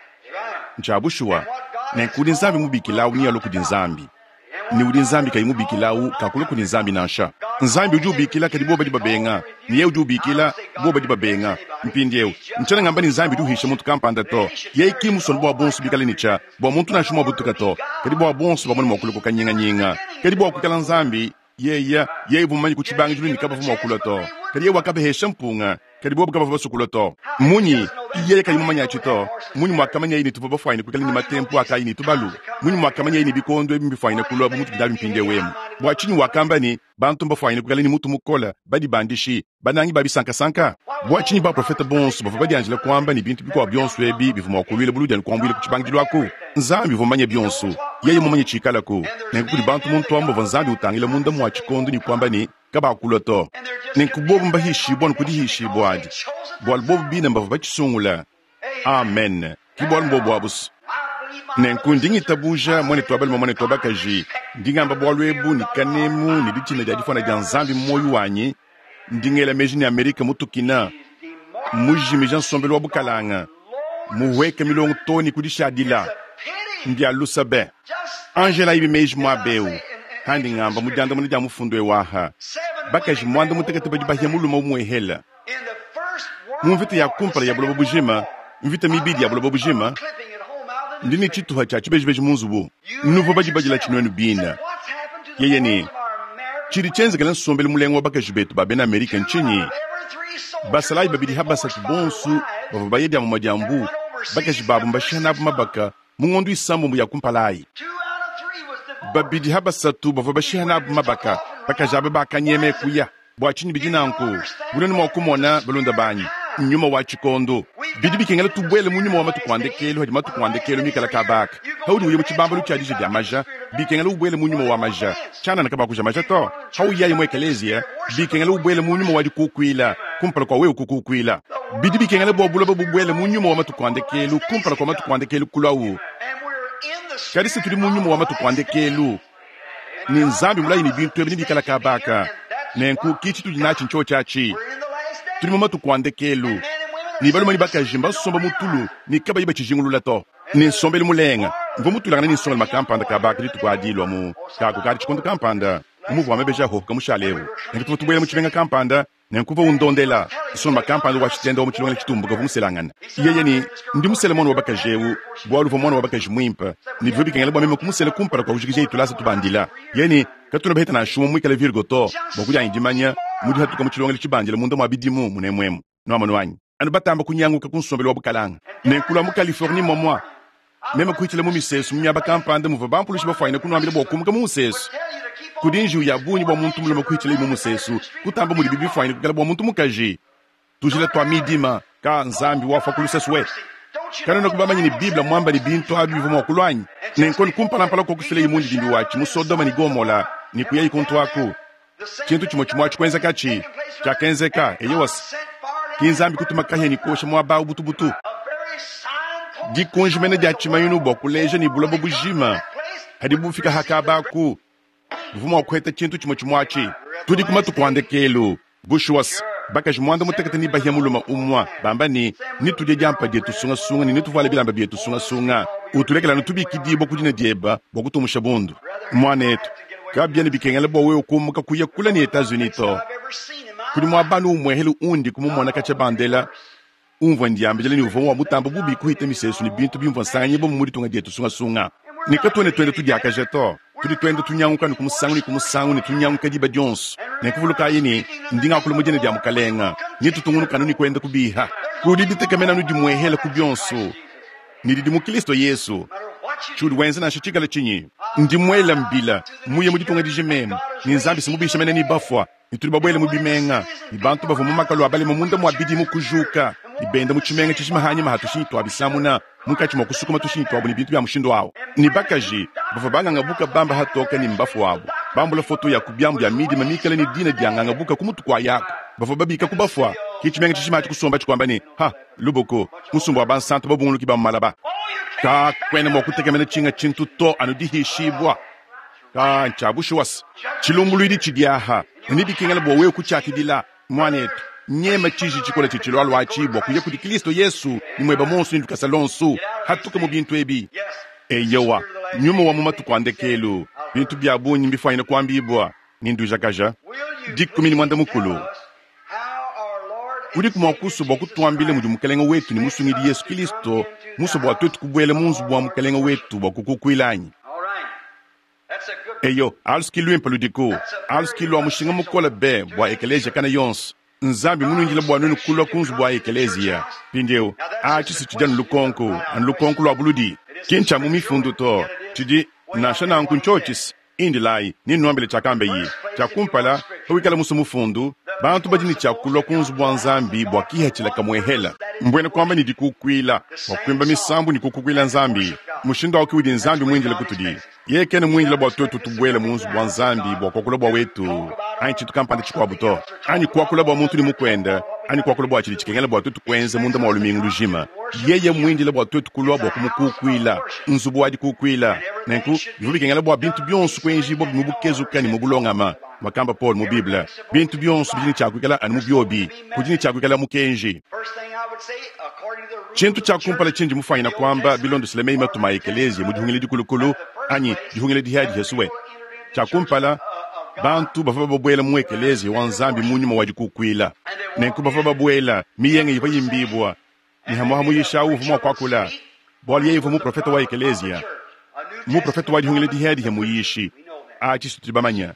Ntshia bushuwa. Nenku udi Nzambi mubikila au nealue kudi Nzambi. Ne udi Nzambi kayi mubikila au kakulua kudi Nzambi nansha. Nzambi udi ubikila, kadi bobo badi babenga. Ne yeye udi ubikila, bobo badi babenga. Mpindieu, ntshiena ngamba ne Nzambi udi uhisha muntu kampanda to. Yeye ki mmusue bua bonso bikale ne tshia bua muntu nansha umue abutuka to, kadi bua bonso bamone mua kulua ku kanyinganyinga. Kadi bua kuikala Nzambi, yeye, yeye uvua mumanye ku tshibangidilu ne kabavua mua kulua to. Kadi yeye wakabahesha mpunga, kadi bobo kabavua basue kulua to. Munyi? Yeye kayi mumanye atshi to. Munyi muakamanyaye ne tuvua bafuanyine kuikala ne matempu a kayi ne tubalu? Munyi muakamanyaye ne bikondo ebi mbifuanyine kulua bu mutudi nabi mpindieu emu? Bua tshinyi wakamba ne, bantu mbafuanyine kuikala ne mutu mukole, badibandishi, banangi ba bisankasanka? Bua tshinyi baprofete bonso bavua badianjila kuamba ne bintu bikuabu bionso ebi bivua mua kuluila buludi anu kuambuila ku tshibangidilu aku? Nzambi uvua mumanye bionso. Yeye mumanye tshikalaku. Nenku kudi bantu muntu amu bavua Nzambi utangila munda mua tshikondo ne kuamba ne, kabakulua to. Nenku bobu mbahishibua anu ku dihishibua adi, bualu bobu bine mbavua batshisungula. Amen. Ke bualu mbobu abu. Nenku ndi ngitabuja, muanetu wa balume, muanetu wa bakaji, ndi ngamba bualu ebu ne kanemu ne ditshina dia difuana dia Nzambi mu muoyo wanyi. Ndi ngela meji ne Amerika mutukina, mujimija nsombelu wa bukalanga, muhueka milongo too ne ku dishadila. Mbia lusa be. Angela ibi meji muaba eu, handi ngamba mu diandamuna dia mufundu eu aha, bakaji muanda mutekete badi bahia mulume umuehela. Mu mvita ya kumpala ya buloba bujima, mvita mibidi ya buloba bujima, ndi ne tshituha tshia tshibejibeji mu nzubu. Nuvua badibadila tshinuenu bine. Yeye ne, tshidi tshienzekela nsombelu mulenga wa bakaji betu ba bena Amerika ntshinyi? Basalayi babidi ha basatu bonso bavua baye dia mumue dia mbu Bakaji babu mbashiha nabu mabaka mu ngondo isambombo ya kumpala ayi. Babidi ha basatu bavua bashiha nabu mabaka, bakaji aba bakanyema kuya. Bua tshinyi bidi nanku? Bunene mua kumona balunda banyi, nyuma wa tshikondo. Bidi bikengela tubuele mu nyuma wa matuku a ndekelu hadi matuku a ndekelu mikala kabaka. Haudi uya mu tshibambalu tshia dija dia maja, bikengela ubuele mu nyuma wa maja. Tshianana kabakuja maja to. Hauyayi mu ekeleziya, bikengela ubuele mu nyuma wa dikukuila, kumpala kua wewe kukukuila. Bidi bikengela bua buloba bubuele mu nyuma wa matuku a ndekelu, kumpala kua matuku a ndekelu kulwawu. Kadi se tudi mu nyuma wa matuku a ndekelu, ne Nzambi mulayi ne bintu ebi nebikala kabaka. Nenku ki tshitudi natshi ntsho tshiatshi. Tudi mu matuku a ndekelu, ne balume ne bakaji mbasomba mu tulu ne kabayi batshijingulula to. Ne nsombelu mulenga, mvua mutulangane ne nsongalume kampanda kabaka dituku adi lua mu kaku kadi tshikondo kampanda muvua mebeja hohoka mushale eu. Nenku tuvua tubuela mu tshimenga kampanda, nenku uvua undondela nsongalume kampanda wa tshitenda wa mu tshilongelo tshitumbuka uvua muselangane. Yeye ne, ndi musele mwana wa bakaji eu, bualu uvua mwana wa bakaji muimpe, ne bivua bikengela bua meme kumusela kumpala kua kujikija itulasa tubandila. Yeye ne, katuna baheta nansha umue muikale Virgo to, bua kudianyi dimanya mudi hatuka mu tshilongelo tshibandila munda mua bidimu munemuemu. Nuamonu anyi? Anu batamba kunyanguka ku nsombelu wa bukalanga. Nenku lua mu Californie momwa, meme kuhitshila mu misesu mu miaba kampanda muvua bampulushi bafuanyine kunuambila bua kumuka mu musesu. Kudi njiwu ya bungi bua muntu mulume kuhitshila mu musesu, kutamba mudibi bifuanyine kukala bua muntu mukaji. Tujila tua midima ka Nzambi wafa ku lusesu we. Kanena kubamanya ne Bible mwamba ne bintu abi bivua mua kulua anyi? Nenku kumpalampala kwa kufila imundidimbi watshi mu Sodoma ne Gomola ne kuyayi kuntu aku. Tshintu tshimue tshimue atshi kuenzekatshi, tshiakenzeka, eyewase. Ki Nzambi kutuma kahia ne kuosha muaba awu butubutu. Dikunji mene dia tshimanyinu bua kuleja ne buloba bujima hadi bufika hakabaku, buvua mua kuheta tshintu tshimue tshimue atshi. Tudi ku matuku a ndekelu. Bushuwa se, bakaji muanda mutekete ne bahia mulume umue, bamba ne, nitudie diampa dietu sungasunga ne nituvuale bilamba bietu sungasunga. Utulekela anu tubikidibua ku dina dieba bua kutumusha bundu. Mwanetu, kabiena bikengela bua wewe kumuka kuya kula ne Etats-Unis to. Kudi muaba anu umwehele undi kumumona katshia bandela, umvua ndiambila ne uvua wa mutamba bubi kuhita misesu ne bintu bimvua nsanganyibua mu ditunga dietu sungasunga. Ne katuena tuenda tudiakaja to. Tudi tuenda tunyanguka ne ku musangu ne ku musangu ne tunyanguka diba dionso. Nenkuvulukayi ne, ndi ngakula mu dina dia Mukalenga, ne tutungunuka anu ne kuenda kubiha. Kudi ditekemena anu dimuehela ku bionso, ne didi mu Kristo Yesu. Tshiudi wenza nansha tshikala tshinyi, ndi muela mbila, muye mu ditunga dijimemu, ne Nzambi simubisha mene ne bafua, ne tudi babuele mu bimenga, ne bantu bavua mu makalu a balema munda mua bidimu kujuka, ne benda mu tshimenga tshijima hanyima ha tushinyi tua bisamuna, munkatshi mua kusukuma tushinyi tuabu ne bintu bia mushindu awu. Ne bakaji bavua bangangabuka bamba hatoka ne mbafu wabu, bambula foto ya ku biamu bia midima mikale ne dina dia ngangabuka ku mutu kua yako, bavua babika ku bafua. Ki tshimenga tshijima atshi kusomba tshikwamba ne, ha, luboko, musumba wa bansantu babunguluki ba mu malaba. Ka kwena mua kutekemena tshinga tshintu to anu dihishibua. Ka ntshia bushuwa se, tshilumbuluidi tshidi aha, ne bikengela bua wewe kutshiakidila, mwanetu. Nyema tshiji tshikola tshitshilualua atshi bua kuya kudi Kristo Yesu ne mueba monso ne lukasa lonso, hatuka mu bintu ebi. Eyowa, nyuma wa mu matuku a ndekelu, bintu bia bungi mbifuanyine kuambibua ne ndujakaja. Dikumi ne muanda mukulu. Udiku mua kusua bua kutuambila mudi Mukalenga wetu ne Musungidi Yesu Kristo musue bua tuetu kubuela mu nzubu wa Mukalenga wetu bua kukukuila anyi? Eyo, aluski luimpe ludiku, aluski lua mushinga mukole be bua ekeleziya kana yonso. Nzambi munungila bua nuenu kulua ku nzubu wa ekeleziya. Mpindieu, atshi si tshidi anu lukonko, anu lukonko lua buludi. Ki ntshia mu mifundu to, tshidi nansha nanku ntshotshisi. Indilayi, ninnuambile tshiakambe yi. Tshia kumpala, pawikala musu mufundu, bantu badi ne tshia kulua ku nzubu wa Nzambi bua kihatshila kamuehela. Mbwena kuamba ne dikukuila, bua kuimba misambu ne kukukuila Nzambi. Mushindu awu ke udi Nzambi muindile kutudi. Yeye kena muindile bua tuetu tubuele mu nzubu wa Nzambi bua kuakula bua wetu, anyi tshintu kampanda tshikuabu to, anyi kuakula bua muntu ne mukuende, anyi kuakula bua tshidi tshikengela bua tuetu kuenza munda mua lumingu lujima. Yeye muindile bua tuetu kulua bua kumukukuila, nzubu wa dikukuila. Nenku bivua bikengela bua bintu bionso kuenjibua mu bukezuka ne mu bulongama, mwakamba Paul mu Bible. Bintu bionso bidi ne tshia kuikala anu mu biobi, kudi ne tshia kuikala mukenji. Tshintu tshia kumpala tshindi mufuanyine kuamba bilondeshile meyi matuma a ekeleziya mu dihungila dikulukulu anyi dihungila dihiadihiasuwe. Tshia kumpala, bantu bavua babuela mu ekeleziya wa Nzambi mu nyuma wa dikukuila. Nenku bavua babuela, miyenge ivua yimbibua, ne hamwaha muyisha uvua mua kuakula, bualu yeye uvua muprofeta wa ekeleziya, muprofeta wa dihungila dihiadihi muyishi. Atshi tudi bamanya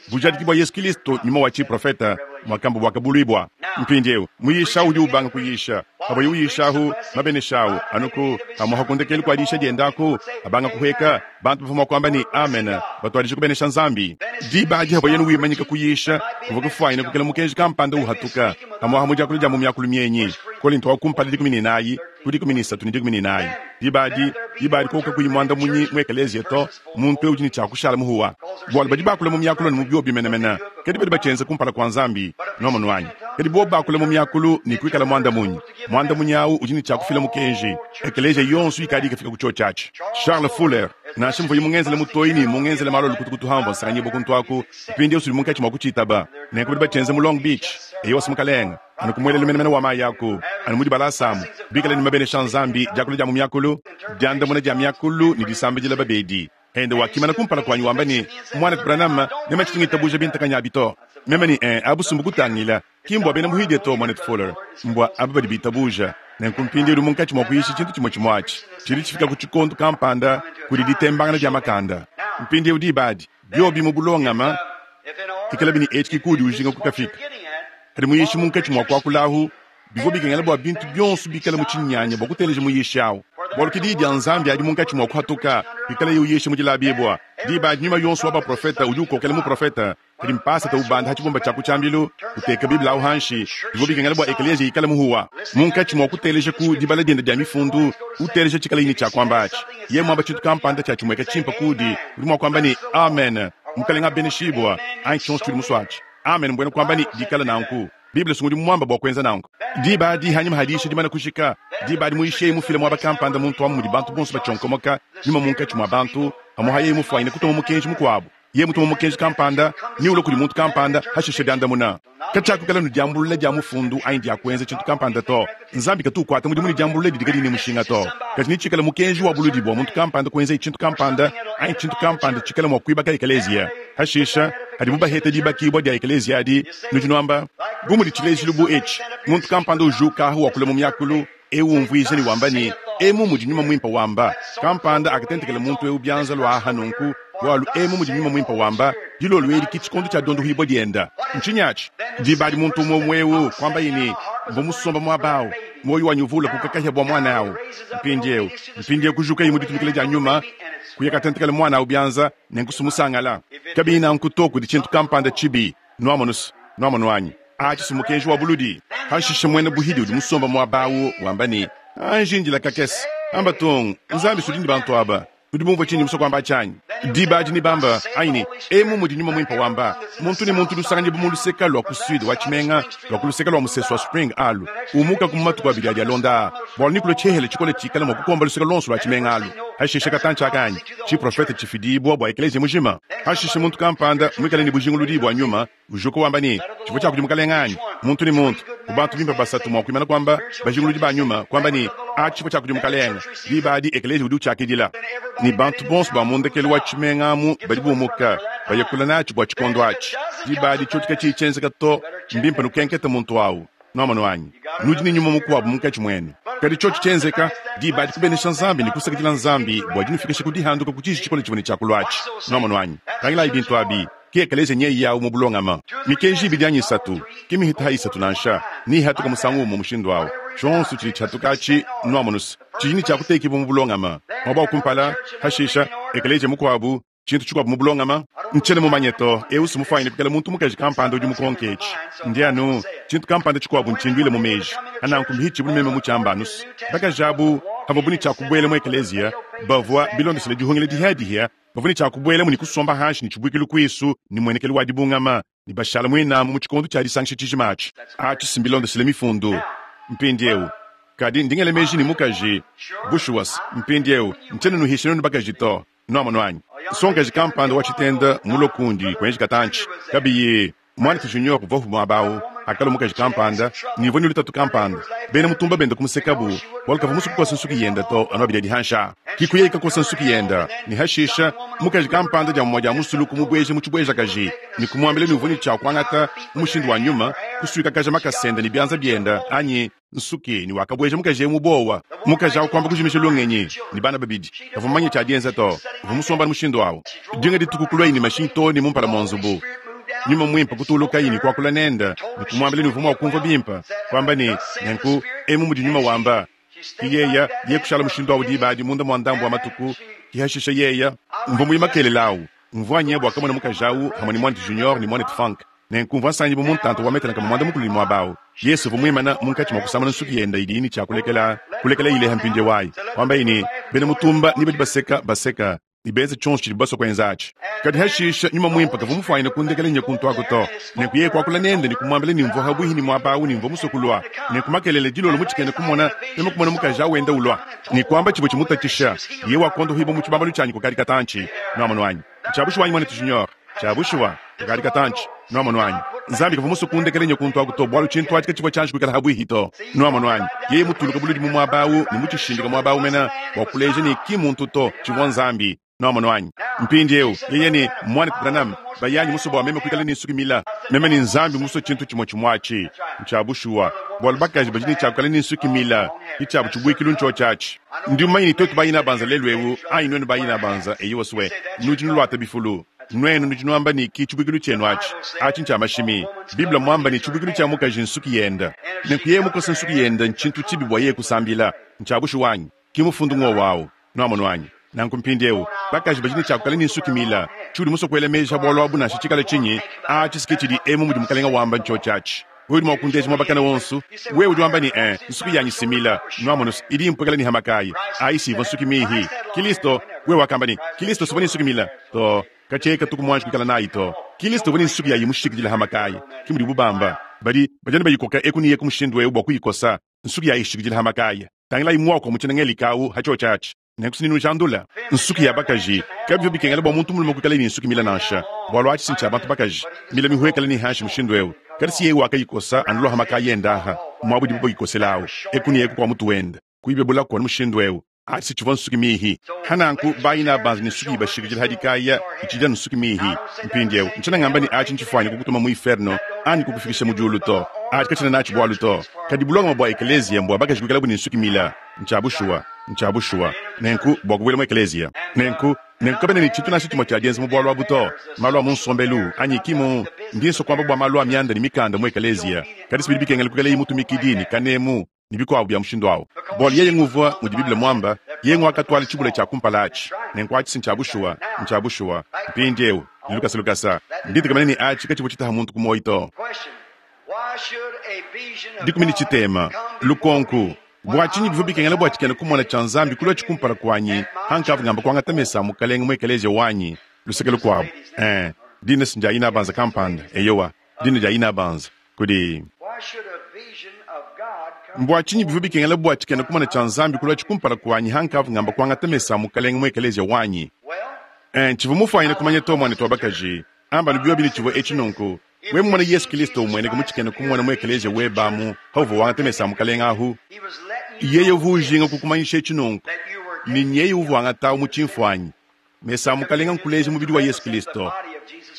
bujadiki bua Yesu Kristo nyuma wa tshiprofeta mwakamba bwakabuluibua. Mpindieu muyisha udi ubanga kuyisha, Pavuaye uyishahu, mabenesha awu, anu ku pamuapa ku ndekelu kua diyisha diende aku, abanga kuhueka, bantu bavua mua kuamba ne, Amen, batuadija kubenesha Nzambi. Diba adi pavuaye wimanyika kuyisha, kuvua kufuanyine kukela mukenji kampanda uhatuka, pamuapa mu diakula dia mu miakulu mienyi. Kolinto wa kumpala dikumi ne inayi ku dikumi ne isatu ne dikumi ne inayi. Diba adi, diba adi koku kakuyi muandamunyi mu ekeleziya to, muntu eu udi ne tshia kushala muhuwa. Bualu badi bakula mu miakulu anu mu biobi menemene, kadi badi batshienza kumpala kua Nzambi. Nwamonu anyi? Kadi bobu bakula mu miakulu ne kuikala muandamunyi, muandamunyi au udi ne tshia kufila mukenji. Ekeleziya yonso ikadi ikafika ku tshiotshi atshi. Charles Fuller, nansha muvuaye mungenzele mutoyi ne mungenzele malu a lukutukutu amvua nsanganyibua kuntu aku, mpindieu sudi munkatshi mua kutshitaba. Nenku badi batshienza mu Long Beach. Eyowa, mukalenge. Anu ku muelelu menemene wa mayi aku, anu mu dibalasa amu, bikale ne mabenesha a Nzambi, diakula dia mu miakulu, diandamuna dia miakulu ne disambidila babedi. Ende wakimana kumpala kuanyi wamba ne, Muanetu Branham, meme tshitu ngitabuja bintakanyi abi to. Meme ne, Ee, abu sumbu kutangila. Ki mbua bena muhidie to, Muanetu Fuller. Mbua aba badi bitabuja. Nenku mpindieu udi munkatshi mua kuyisha tshintu tshimue tshimue atshi. Tshidi tshifika ku tshikondo kampanda kudi ditembangana dia makanda. Mpindieu diba adi, biobi mu bulongama, ikalabi ne etshi ke kuudi ujinga kukafika. Kadi muyishi munkatshi mua kuakula ahu, bivua bikengela bua bintu bionso bikale mu tshinyanya bua kuteleja muyishi awu. Bualu ke diyi dia Nzambi adi munkatshi mua kuhatuka, pikalaye uyisha mu dilabibua. Diba adi nyuma yonso wa baprofete udi ukokela muprofete. Kadi mpasata ubanda ha tshibumba tshia ku tshiambilu, uteka Bible awu hanshi, bivua bikengela bua ekeleziya ikale muhuwa. Munkatshi mua kuteleja ku dibala diende dia mifundu, uteleja tshikalaye ne tshia kuamba atshi. Yeye muamba tshintu kampanda tshia tshimueka tshimpe kuudi, udi mua kuamba ne, Amen, Mukalenge abeneshibua, anyi tshionso tshiudi musue atshi. Amen mbuena kuamba ne, dikala nanku. Bible sungudi muamba bua kuenza nanku. Diba adi hanyima ha diyisha dimana kujika, diba adi muyishi yeye mufile muaba kampanda muntu amu mudi bantu bonso batshionkomoka, nyuma munkatshi mua bantu, pamuapa yeye mufuanyine kutuma mukenji mukuabu. Yeye mutuma mukenji kampanda, ne ulua kudi muntu kampanda, hashishe diandamuna. Katshiakuikala ne diambulula dia mufundu anyi dia kuenza tshintu kampanda to. Nzambi katu ukuata mudimu ne diambulula didi kadiyi ne mushinga to. Kadi netshikale mukenji wa buludi bua muntu kampanda kuenzaye tshintu kampanda anyi tshintu kampanda tshikale mua kuibaka ekeleziya. Hashishe, hadibu baheta dibakibua dia ekeleziya adi, nudi nuamba, bu mudi tshilejilu bu etshi, muntu kampanda ujuka ahu wakula mu miakulu, eu umvuija ne wamba ne, emu mudi Nyuma Muimpe wamba. Kampanda akatentekela muntu eu bianza lua aha nunku, bualu emu mudi Nyuma Muimpe wamba, dilolo edi ke tshikondo tshia dondohibua dienda. Ntshinyi atshi? Diba adi muntu umue umue eu kuambaye ne, mvua musomba muaba awu, muoyo wanyi uvua ulakuka kahia bua muana awu. Mpindieu, mpindieu kujukaye mu ditumikila dia nyuma, kuya katentekela muana awu bianza, nenku sumusangala. Kabiyi nanku to, kudi tshintu kampanda tshibi. Nuamonu, nuamonu anyi? Atshi si mukenji wa buludi. Hashishe muena buhidi udi musomba muaba awu wamba ne, anji ndila kakese. Amba tung, Nzambi sudi ne bantu aba. Nudi bumvue tshindi musue kuamba tshianyi? Diba adi ne bamba anyi ne, emu mudi Nyuma Muimpe wamba, muntu ne muntu lusanganyibua mu luseka lua ku sud wa tshimenga, lua ku luseka lua musesu wa Spring alu, umuka ku matuku abidi adi alonda aa, bualu nikulua tshihele tshikole tshikale mua kukomba luseka luonso lua tshimenga alu. Hashishe katantshi aka anyi tshiprofete tshifidibua bua ekeleziya mujima. Hashishe muntu kampanda muikale ne bujinguludi bua nyuma ujuka wamba ne, tshivua tshia kudi mukalenge anyi? Muntu ne muntu ku bantu bimpe basatu mua kuimana kuamba bajinguludi ba nyuma kuamba ne, a tshivua tshia kudi mukalenge. Diba adi ekeleziya udi utshiakidila. Ne bantu bonso ba mu ndekelu wa tshimenga amu badi bumuka bayakula natshi bua tshikondo atshi. Diba adi tshiotshi katshiyi tshienzeka to, mbimpe nukenkete muntu awu. Nwamonu anyi? Nudi ne nyuma mukuabu munkatshi muenu. Kadi tshiotshi tshienzeka, diba adi kubenesha Nzambi ne kusakidila Nzambi bua dinufikisha ku dihanduka ku tshiji tshikole tshivua ne tshia kulua atshi. Nwamonu anyi? Tangilayi bintu abi. Ke ekeleziya nyeyi yawu mu bulongama. Mikenji ibidi anyi isatu, ke mihita ha isatu nansha, ne ihatuka musangu umue mushindu awu. Tshionso tshidi tshihatuka atshi, nwamonu se, tshidi ne tshia kutekibua mu bulongama. Muaba wa kumpala, hashisha, ekeleziya mukuabu, tshintu tshikuabu mu bulongama. Ntshiena mumanye to, eu si mufuanyine kuikala muntu mukaji kampanda udi mukonke etshi. Ndi anu, tshintu kampanda tshikuabu ntshinduile mu meji. Ananku mbihitshibu meme mu tshiamba anusu. Bakaji abu, havuabu ne tshia kubuela mu ekeleziya, bavua bilondeshile dihungila dihiadihia, bavua ne tshia kubuelamu ne kusomba hanshi ne tshibuikilu kuisu ne muenekelu wa dibungama, ne bashala muinamu mu tshikondo tshia disangisha tshijima atshi. Atshi si mbilondeshile mifundu. Mpindieu, kadi ndingele meji ne mukaji, bushuwa mpindieu, ntshiena nuhisha nuenu bakaji to. Nwamonu anyi? Nsongakaji kampanda wa tshitenda mulue kundi kuenji katantshi. Kabiyi Mwanetu Junior uvua muaba awu, akalua mukaji kampanda, ne uvua ne lutatu kampanda. Bena mutumba benda kumusekabu, bualu kavua musue kukosa nsuki yenda to, anu abidi adi hansha. Kikuya ikakosa nsuki yenda, ne hashisha, mukaji kampanda dia mumue dia musulu kumubueja mu tshibuejakaji, ne kumuambila ne uvua ne tshia kuangata mu mushindu wa nyuma, kusuikakaja makasa ende ne bianza bienda, anyi nsuki, ne wakabueja mukaji eu mu bowa. Mukaji awu kuamba kujimisha lungenyi, ne bana babidi. Kavua mumanye tshia dienza to, uvua musomba mushindu awu. Dinga dituku kulua ne mashinyi to ne mumpala mua nzubu. Nyuma Mwimpe kutuulukaye ne kwakula nende, ne kumwambila ne uvwa mwa kumvwa bimpe, kwamba ne, Nenku, emu mudi Nyuma wamba. Ki yeya, yeye kushala mushindu awu diba adi munda mwa ndambu wa matuku, ki hashishe yeya. Mvwa muye makelela awu, mvwa nya bwa kamona mukaji awu hamwe ne mwanetu Junior ne mwanetu Funk. Nenku mvwa nsangibwa mu ntanta wa metele nkama mwanda-mukulu ne mwaba awu. Yesu uvwa mwimane munkatshi mwa kusamuna nsuki yende idiyi ne tshia kulekela, kulekela ileha mpindiewu ayi. Kwambaye ne, Bena mutumba ne badi baseka, baseka, ne benza tshionso tshidibu basue kuenza atshi. Kadi hashishe, Nyuma Muimpe kavua mufwanyine kundekela nya kuntu aku to. Nenku yeye kuakula nende ne kumuambila ne mvua habuihi ne muaba awu ne mvua musue kulua. Nenku makelela dilolo mu tshikena kumona, meme kumona mukaji awu wenda ulua. Ne kuamba tshivua tshimutatshisha, yeye wakondohibua mu tshibambalu tshianyi kukadi katantshi. Nuamonu anyi? Ntshia bushuwa anyi, muanetu Junior? Tshia bushuwa, kukadi katantshi. Nuamonu anyi? Nzambi kavua musue kundekela nya kuntu aku to, bualu tshintu atshi katshivua tshianji kuikala habuihi to. Nuamonu anyi? Yeye mutuluke buludi mu muaba awu ne mutshishindike muaba awu mene, bua kuleja ne ki muntu to, tshivua Nzambi. Nuamonu anyi? Mpindiewu, yeye ne, Muanetu Branham, bayanyi musue bua meme kuikala ne nsuki mila. Meme ne Nzambi musue tshintu tshimue tshimue atshi. Ntshia bushuwa, bualu bakaji badi ne tshia kuikala ne nsuki mila, ke tshiabu tshibuikilu ntshiotshi atshi. Ndi mumanye ne tuetu bayina-banza lelu ewu, anyi nuenu bayina-banza, eyowa swe, nudi nuluata bifulu. Nuenu nudi nuamba ne ki tshibuikilu tshienu atshi. Atshi ntshia mashimi. Bible mmuamba ne tshibuikilu tshia mukaji nnsuki yende. Nenku yeye mukose nsuki yende ntshintu tshibi bua yeye kusambila. Ntshia bushuwa anyi? Ki mufundu ng'wowu awu. Nuamonu anyi? Nanku mpindiewu, bakaji badi ne tshia kuikala ne nsuki mila. Tshiudi musue kuela meji pa bualu abu nansha tshikale tshinyi, atshi si ke tshidi emu mudi Mukalenga wamba ntshiotshi atshi. Wewe udi mua kundeja muaba kana wonso. Wewe udi wamba ne, Ee, nsuki yanyi si mila. Nuamonu's, idi impuekela ne hamakayi. Ayi si ivua nsuki mihi. Kilisto, wewe wakamba ne, Kilisto suvua ne nsuki mila to. Katshia katuku muanji kuikala nayi to. Kilisto uvua ne nsuki yayi mushikidila hamakayi. Ke mudibu bamba. Badi, badi anu bayikoka eku ne eku mushindu eu bua kuyikosa. Nsuki yayi ishikidila hamakaya. Tangilayi muaku wa mu tshiena Ngelika au ha tshiotshi atshi. Nenku sinujandula nsuki ya bakaji. Kabivua bikengela bua muntu mulume kuikalaye ne nsuki mila nansha, bualu atshi si ntshia bantu bakaji. Mila mihuekele ne hanshi mushindu eu. Kadi si yeye wakayikosa anu lua ha makaya ende aha, muaba udibu bayikosela au, eku ne eku kua mutu wende, kuyibebula anu mushindu eu. Atshi si tshivua nsuki mihi. Hananku bayina banza ne nsuki ibashikidila ha dikaya, itshidi anu nsuki mihi. Mpindieu, ntshiena ngamba ne atshi ntshifuanyine kukutuma mu iferno anyi kukufikisha mu diulu to. Atshi katshiena natshi bualu to. Kadi bulongame bua ekeleziya mbua bakaji kuikalabu ne nsuki mila. Ntshia bushuwa. Ntshia bushuwa. Nenku, bua kubuela mu ekeleziya. Nenku, nenku kabena ne tshintu nansha tshimue tshia dienza mu bualu abu to. Malu a mu nsombelu, anyi ki mu, ndi nsua kuamba bua malu a mianda ne mikanda mu ekeleziya. Kadi si bidi bikengela kuikalayi mutumikidi ne kanemu, ne bikuabu bia mushindu au. Bualu yeye nguvua, mudi Bible muamba, yeye nguakatuala tshibula tshia kumpala atshi. Nenku atshi si ntshia bushuwa. Ntshia bushuwa. Mpindieu, ne lukasa lukasa, ndi ntekemena ne atshi katshivua tshitaha muntu ku muoyo to. Dikumi ne tshitema. Lukonku, Bua tshinyi bivua bikengela bua tshikena-kumona tshia Nzambi kuluatshi kumpala kuanyi pankavua ngamba kuangata mesa a Mukalenge mu ekeleziya wanyi? Luseke lukuabu, ee, dina si ndia inabanza kampanda, eyowa, dina dia inabanza, kudi. Mbua tshinyi bivua bikengela bua tshikena-kumona tshia Nzambi kuluatshi kumpala kuanyi pankavua ngamba kuangata mesa a Mukalenge mu ekeleziya wanyi? Ee, ntshivua mufuanyine kumanya to, muanetu wa bakaji. Amba anu biobi ne tshivua etshi nunku. Wewe mumone Yesu Kilisto umueneka mu tshikena kumona mu ekeleziya webe amu pauvua wangata mesa a Mukalenge ahu, yeye uvua ujinga kukumanyisha etshi nunku, ne nyeye uvua wangatawu mu tshimfuanyi. Mesa a Mukalenge nkuleja mubidi wa Yesu Kilisto,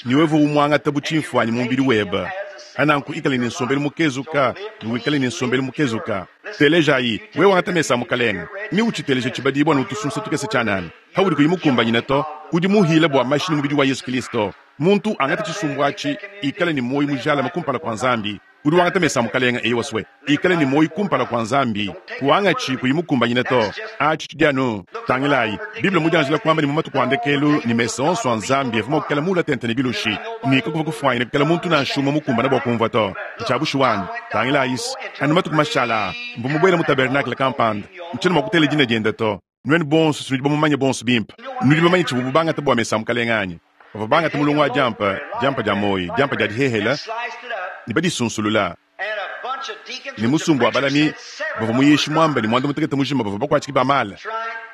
ne wewe uvua umuangata bu tshimfuanyi mu mubidi webe. Pananku ikala ne nsombelu mukezuka ne wikale ne nsombelu mukezuka. Telejayi, wewe wangata mesa a Mukalenge, ne utshiteleja tshibadibua ne utusunsa tukese tshianana, paudi kuyi mukumbanyine to, udi muhile bua mashi ne mubidi wa Yesu Kilisto. Muntu angate tshisumbu atshi, ikale ne muoyo mujalame kumpala kua Nzambi. Udi wangata mesa a Mukalenge, eyowa swe, ikale ne muoyo kumpala kua Nzambi. Kuangatshi kuyi mukumbanyine to. Atshi tshidi anu. Tangilayi, Bible mmudianjila kuamba ne mu matuku a ndekelu ne mesa onso a Nzambi avua mua kuikala muula tente ne bilushi, ne kakuvua kufuanyine kuikala muntu nansha umue mukumbane bua kumvua to. Ntshia bushuwa anyi? Tangilayi's, anu matuku mashala aa, mvua mubuele mu tabernakle kampanda. Ntshiena mua kutela dina diende to. Nuenu bonso nudi bamumanye bonso bimpe. Nudi bamanye tshivuabu bangata bua mesa a Mukalenge anyi? Bavua bangata mulongo wa diampa, diampa dia muoyo, diampa dia dihehela, ne badisunsulula. Ne musumba wa balami bavua muyishi muambe ne muanda-mutekete mujima bavua bakuatshiki ba mala.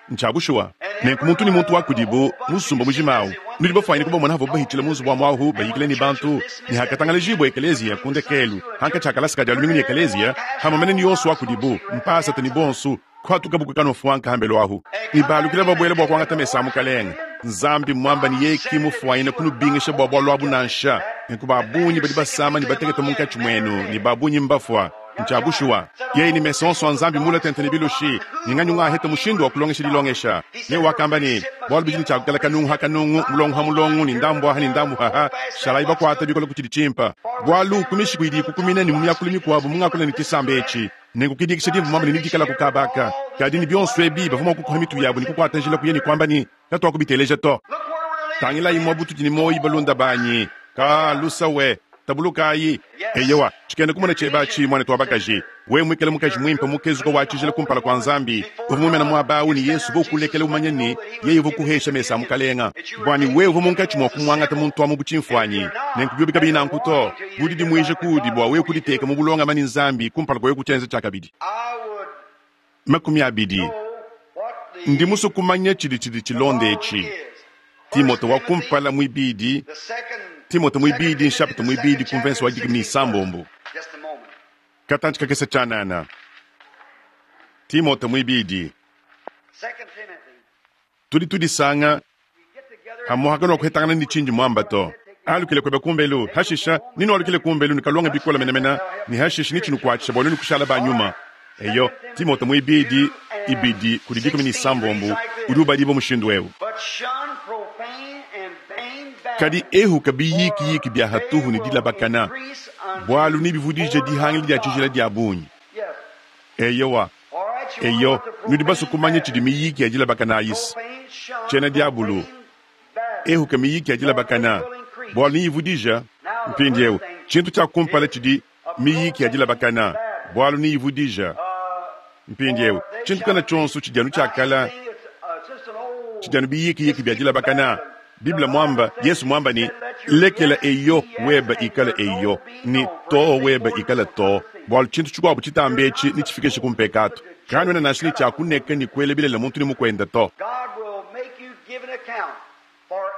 Ntshia bushuwa. Nenku muntu ne muntu wa kudibu, musumba mujima au, nudi bafuanyine kubamona havuabu bahitshila mu nzubu wa muahu bayikila ne bantu, ne hakatangalajibua ekeleziya ku ndekelu, hankatshi ha kalasa ka dia lumingu ne ekeleziya, hamue mene ne yonso wa kudibu, mpasata ne bonso, Kuhatukabu ku kanufuanka hambelu ahu, ne balukila babuela bua kuangata mesa a Mukalenge. Nzambi mmuamba ne yeye ki mufuanyine kunubingisha bua bualu abu nansha. Nenku ba bungi badi basama ne batekete munkatshi muenu, ne ba bungi mbafua. Ncya bushuwa. Yeye ne mesu onso a Nzambi mule tente ne bilushi, ne nganyi ungaheta mushindu wa kulongesha dilongesha? Yeye wakamba ne, Bualu bidi ne tshia kukala kanungu ha kanungu, mulongo ha mulongo, ne ndambu aha ne ndambu aha, shalayi bakuata bikole ku tshidi tshimpe. Bualu ku mishiku idi ikukumina ne mu miakulu mikuabu mungakula ne tshisamba etshi, nenku kidikisha dimvua muambe ne nedikala ku kaba aka. Kadi ne bionso ebi bavua mua kukuha mitu yabu ne kukuata njila kuya ne kuamba ne, Katuakubiteleja to. Tangilayi muabu tudi ne muoyo, balunda banyi. Ka lusa we, tabulukayi. Eyowa, tshikena kumona tshiebe atshi, muanetu wa bakaji. Wewe muikale mukaji muimpe mukezuka wa tshijila kumpala kua Nzambi, uvua mumena muaba au ne Yesu uvua ukulekela umanye ne, yeye uvua ukuhesha mesa a Mukalenga. Bua ne wewe uvua munkatshi mua kumuangata muntu amu bu tshimfuanyi. Nenku biobi kabiyi nanku to, bu didimuija kuudi bua wewe kuditeka mu bulongame ne Nzambi kumpala kua wewe kutshienza tshiakabidi. Makumi abidi. Ndi musue kumanya tshidi tshidi tshilonda etshi. Timote wa kumpala muibidi, Timote muibidi nshapita muibidi ku mvense wa dikumi ne isambombo. Katantshi kakese tshianana. Timote muibidi. Tudi tudisanga hamuhaka nuakuhetangana ne tshindi muamba to. Alukile kuebe kumbelu, hashisha ninualukile kumbelu nukalonga bikole menemene, ne hashisha nitshinukuatshisha bua nuenu kushala ba nyuma. Eyo, Timote muibidi ibidi kudi dikumi ne isambombo udi ubadibua mushindu eu. Kadi ehuka biyikiyiki bia hatuhu ne dilabakana, bualu nebivudije dihangila dia tshijila dia bungi. Eyowa, eyo, nudi basue kumanya tshidi miyiki ya dilabakana ayisi? Tshiena diabulu. Ehuka miyiki ya dilabakana, bualu neyivudija. Mpindieu, tshintu tshia kumpala tshidi miyiki ya dilabakana, bualu neyivudija. Mpindieu, tshintu kana tshionso tshidi anu tshiakala, tshidi anu biyikiyiki bia dilabakana. Bible muamba, Yesu muamba ne, lekela eyo weba ikala eyo, ne too weba ikala too, bualu tshintu tshikuabu tshitambe etshi netshifikishe ku mpekatu. Kanuena nansha ne tshia kuneka ne kuela bilele muntu ne mukuende to.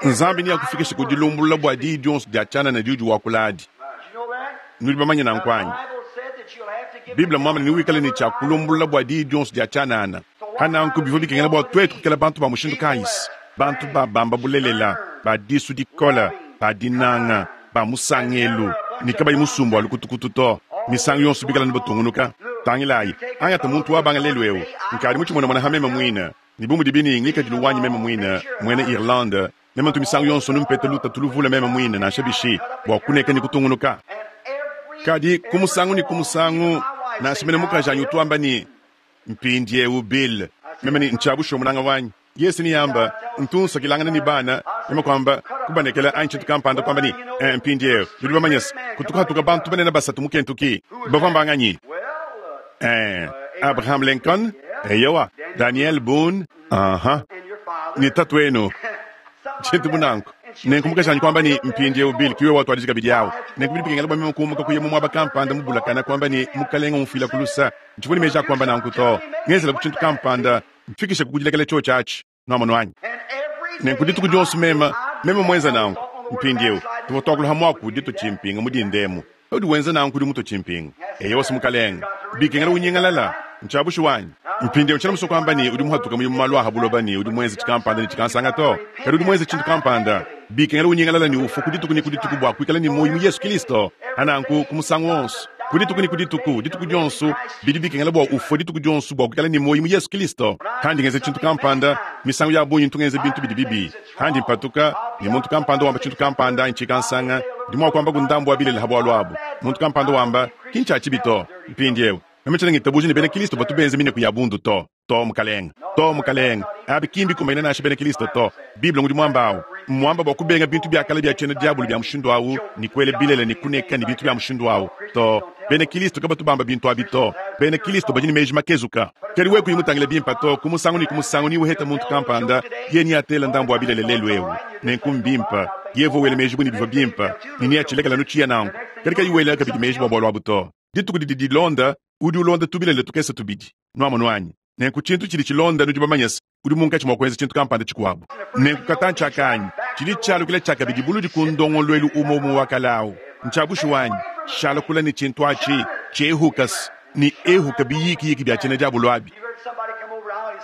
Nzambi neakufikishe ku dilumbulula bua diyi dionso dia tshianana diudi wakula adi. Nudi bamanye nanku anyi? Bible muamba ne, newikale ne tshia kulumbulula bua diyi dionso dia tshianana. Pa nanku bivua bikengela bua tuetu kuikala bantu ba mushindu kayi? Bantu ba bamba bulelela, ba disu dikole, ba dinanga, ba musangelu, ne kabayi musumba wa lukutukutu to. Misangu yonso bikala ne batungunuka. Tangilayi, angata muntu wa banga lelu eu, nkadi mutshimonemone ha meme muine, ne bu mudibi ne ngikadilu wanyi meme muine, muena Irlande, meme ntu misangu yonso numpeta lutatu luvule meme muine nansha bishi bua kuneka ne kutungunuka. Kadi ku musangu ne ku musangu, nansha mene mukajanyi utu wamba ne, Mpindieu Bill, meme ne ntshia bushuwa munanga wanyi. Yesu niyamba, ntu nsakilangana ne bana, meme kuamba kubanekela anyi tshintu kampanda kuamba ne, eh, mpindieu nudi bamanye se, kutu kuhatuka bantu banene basatu mu Kentucky. Bavua mbanganyi? Eh, Abraham Lincoln, eyowa, Daniel Boone, aha, ne tatuenu, tshintu bu nanku. Nenku mukajanyi kuamba ne, mpindieu Bill, ki wewe watuadiji kabidi awu. Nenku bidi bikengela bua meme kumuka kuya mu muaba kampanda mubulakana kuamba ne, Mukalenga umfuila ku lusa. Ntshivua ne meji a kuamba nanku to. Ngenzela ku tshintu kampanda, mfikishe ku kudilekela tshiotshi atshi. Nuamonu anyi? Nenku dituku dionso meme, meme muenza nanku. Mpindieu, tuvua tuakula ha muaku ditua tshimpinga mu dinda emu. Paudi wenza nanku udi mutua tshimpinga. Eyowa se Mukalenga. Bikengela unyingalala. Ntshia bushuwa anyi? Mpindieu tshiena musue kuamba ne udi muhatuka muye mu malu a ha buloba ne udi muenze tshikampanda ne tshikansanga to. Kadi udi muenze tshintu kampanda. Bikengela unyingalala ne ufua ku dituku ne ku dituku bua kuikala ne muoyo mu Yesu Kilisto. Ha nanku ku musangu wonso, ku dituku ne ku dituku, dituku dionso, bidi bikengela bua ufue dituku dionso bua kuikala ne muoyo mu Yesu Kilisto. Handi ngenza tshintu kampanda, misangu ya bungi ntu ngenza bintu bidi bibi. Handi mpatuka, ne muntu kampanda wamba tshintu kampanda anyi tshikansanga, ndi mua kuamba ku ndambu wa bilele ha bualu abu. Muntu kampanda wamba, ki ntshia tshibi to. Mpindieu, meme tshiena ngitabuja ne bena Kilisto batu benza mineku ya bundu to. To, Mukalenga. To, Mukalenga. Abi ki mbikumbanyine nansha bena Kilisto to. Bible ngudi muamba awu. Mmuamba bua kubenga bintu bia kale bia tshiena diabolo bia mushindu awu, ne kuela bilele ne kuneka ne bintu bia mushindu awu. To, bena Kilisto kabatu bamba bintu abi to. Bena Kilisto badi ne meji makezuka. Kadi wewe kuyi mutangile bimpe to, ku musangu ne ku musangu niwuheta muntu kampanda, yeye neatele ndambu wa bilele lelu eu. Nenku mbimpe. Yeye uvua wela meji bu ne bivua bimpe, ne neatshilekele anu tshiya nanku. Kadi kayi wela kabidi meji bua bualu abu to. Dituku didi dilonda, udi ulonda tubilele tukese tubidi. Nuamonu anyi? Nenku tshintu tshidi tshilonda, nudi bamanye se, udi munkatshi mua kuenza tshintu kampanda tshikuabu. Nenku katantshi aka anyi, tshidi tshialukila tshiakabidi buludi ku ndongoluelu umue umue wa kale au. Ntshia bushuwa anyi? Shala kule ne tshintu atshi, tshiehuka se ne ehuka biyikiyiki bia tshiena diabolo abi.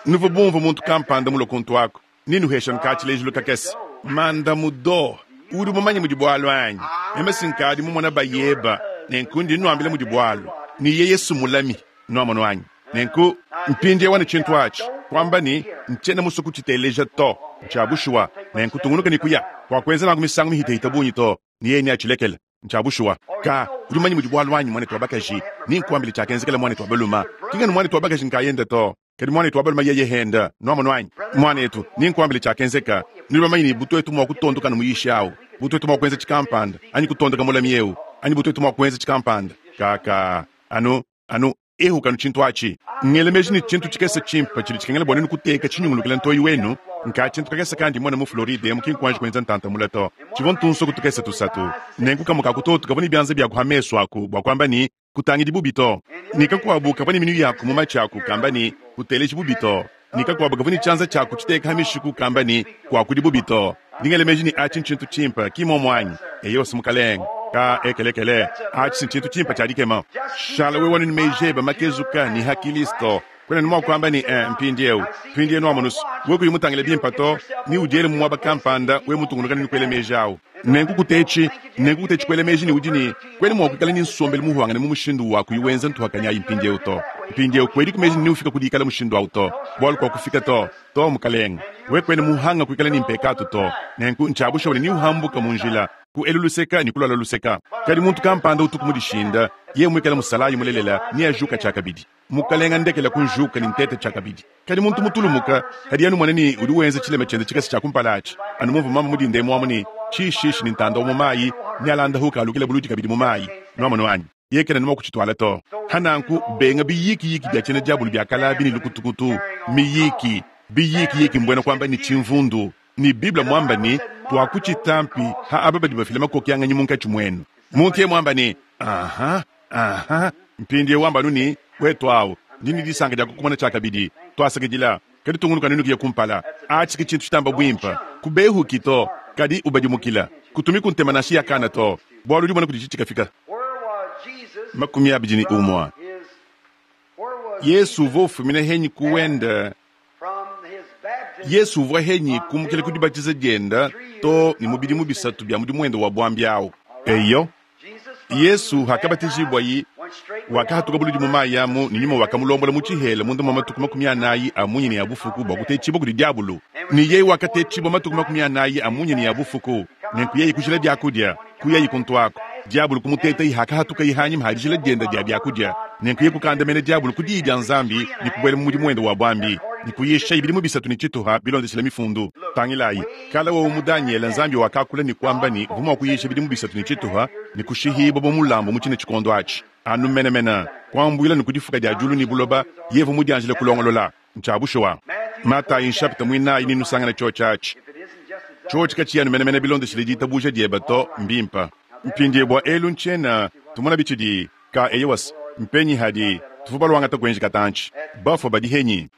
Nuvua bumvue muntu kampanda mulue kuntu aku, Nenuheshe nka tshilejilu kakese. Mandamudo, udi mumanye mudi bualu anyi? Meme si nkadi mumona bayeba, nenku ndi nnuambila mudi bualu. Ne yeye s'mmulami. Nwamonu anyi? Nenku, mpindyewu anu cintu aci, kwamba ne, Ncyena muswe kuciteeleja to. Ncya bushuwa. Nenku tungunuka ne kuya. Kwakwenza nanku misangu mihitehite bungi to, ne yeye neacilekele. Ncya bushuwa. Kaa, udi mumanye mudi bwalu anyi, mwaneetu wa bakaji? Nenkwambile cyakenzekela mwaneetu wa balume. Ki nganu mwaneetu wa bakaji nkaayende to, kadi mwaneetu wa balume yeye henda. Nwamonu anyi? Mwaneetu, nenkwambile cyakenzeka. Nudi bamanye ne butwetu mwa kutondoka anu muyishi awu, butwetu mwa kwenza cikampanda, anyi kutondoka mulami ewu, anyi butwetu mwa kwenza cikampanda. Kaa, kaa, anu, anu ehuka anu cintu aci. Ngela meji ne cintu cikese cimpe cidi cikengela bwa nwenu kuteeka cinyungulukila ntooyi wenu, nkaa cintu kakese kandi mwena mu Floride emu ki nkwanji kwenza ntanta mule to. Civwa ntunsoku tukese tusatu. Nenku kamwe ka kutotu kavwa ne byanza byaku ha mesu aku bwa kwamba ne, Kutangidi bubi to. Ne kakwabo kavwa ne minu yaku mu maci aku kamba ne, Kuteleji bubi to. Ne kakwabo kavwa ne cyanza cyaku citeeka ha mishiku kamba ne, Kwakudi bubi to. Ndi ngela meji ne aci ncintu cimpe, ki mmomo anyi? Eyo's, mukalenge. Kaa, ekelekele, aci ncintu cimpe cya dikema. Shala wewe anu ne meji ebe makezuka ne ha Kilisto. Kwena ne mwa kwamba ne, Ee, mpindyewu, mpindyewu nwamonu's, wewe kuyi mutangile bimpe to, ne udyele mu mwaba kampanda, wewe mutungunuka ne kwela meji awu. Nenku kuteeci, nenku kuteeci kwela meji ne udi ne, kwena mwa kwikala ne nsombelu muhwangane mu mushindu wa kuyi wenza ntuhakanyi ayi mpindyewu to. Mpindyewu kwediku meji ne neufika ku diikala mushindu awu to, bwalu kwakufika to. To, mukalenge. Wewe kwena muhanga kwikala ne mpekaatu to. Nenku ncya bushuwa ne neuhambuka mu njila, ku elu luseka ne ku lwala luseka. Kadi muntu kampanda utuku mudishinda, yeye mwikale musalaayi mulelela, neajuka cyakabidi. Mukalenga ndekela kunjuka ne nteta cyakabidi. Kadi muntu mutulumuka, kadi anu mone ne udi wenza cilema cyende cikese cya kumpala aci, anu mumvwa mama mudinda emu amu ne cishiishi ne ntanda wa mu mayi, nealandahuka alukila buludi kabidi mu mayi. Nwamonu anyi? Yeye kena ne mwa kucitwala to. Ha nanku, benga biyiikiyiki bya cyena dyabulu bya kale abi ne lukutukutu, miyiiki, biyiikiyiki mbwena kwamba ne cimvundu. Ne Bible mwamba ne, Twakucitampi ha aba badi bafila makokyanganyi munkaci mwenu. Muntu yeye mwamba ne, Aha, aha. Mpindyewu wamba anu ne, Wetu awu, ndi ne disanka dya kukumona cyakabidi. Twasakidila. Kadi tungunuka anu ne kuya kumpala. Aci ke cintu citamba bwimpe. Kubehuki to, kadi ubadimukila. Kutumiku ntema nansha ya kana to, bwalu udi umona kudici cikafika. Makumi abidi ne umwe. Yesu uvwa ufumina henyi ku wende? Yesu uvwa henyi kumukila ku dibatiza dyenda too ne mu bidimu bisatu bya mudimu wende wa bwambi awu? Eyo. Yesu hakabatijibwayi, wakahatuka buludi mu mayi amu, ne Nyuma wakamulombola mu tshihela munda mua matuku makumi anayi a munya ne a bufuku bua kutetshibua kudi diabulu. Ne yeye wakatetshibua matuku makumi anayi a munya ne a bufuku, nenku yeye kujila biakudia, kuyayi kuntuaku. Diabulu kumutetayi hakahatukayi hanyima ha dijila dienda dia biakudia, nenku yeye kukandamena diabulu ku diyi dia Nzambi ne kubuela mu mudimu wende wa buambi ne kuyishayi bidimu bisatu ne tshituha bilondeshile Mifundu. Tangilayi, kala wowu mu Danyele, Nzambi wakakula ne kuamba ne uvua mua kuyisha bidimu bisatu ne tshituha ne kushihibua bu mulambu mu tshine tshikondo atshi. Anu menemene, kuambuila ne ku difuka dia diulu ne buloba, yeye uvua mudianjile kulongolola. Ntshia bushuwa. Matayi nshapita muinayi nenusangane tshiotshi atshi. Tshiotshi katshiyi anu menemene bilondeshile ditabuja diebe to, mbimpe. Mpindiewu bua elu ntshiena tumona bitshidi ka eyowas mpenyi hadi tuvua baluangata kuenji katantshi bafua badi henyi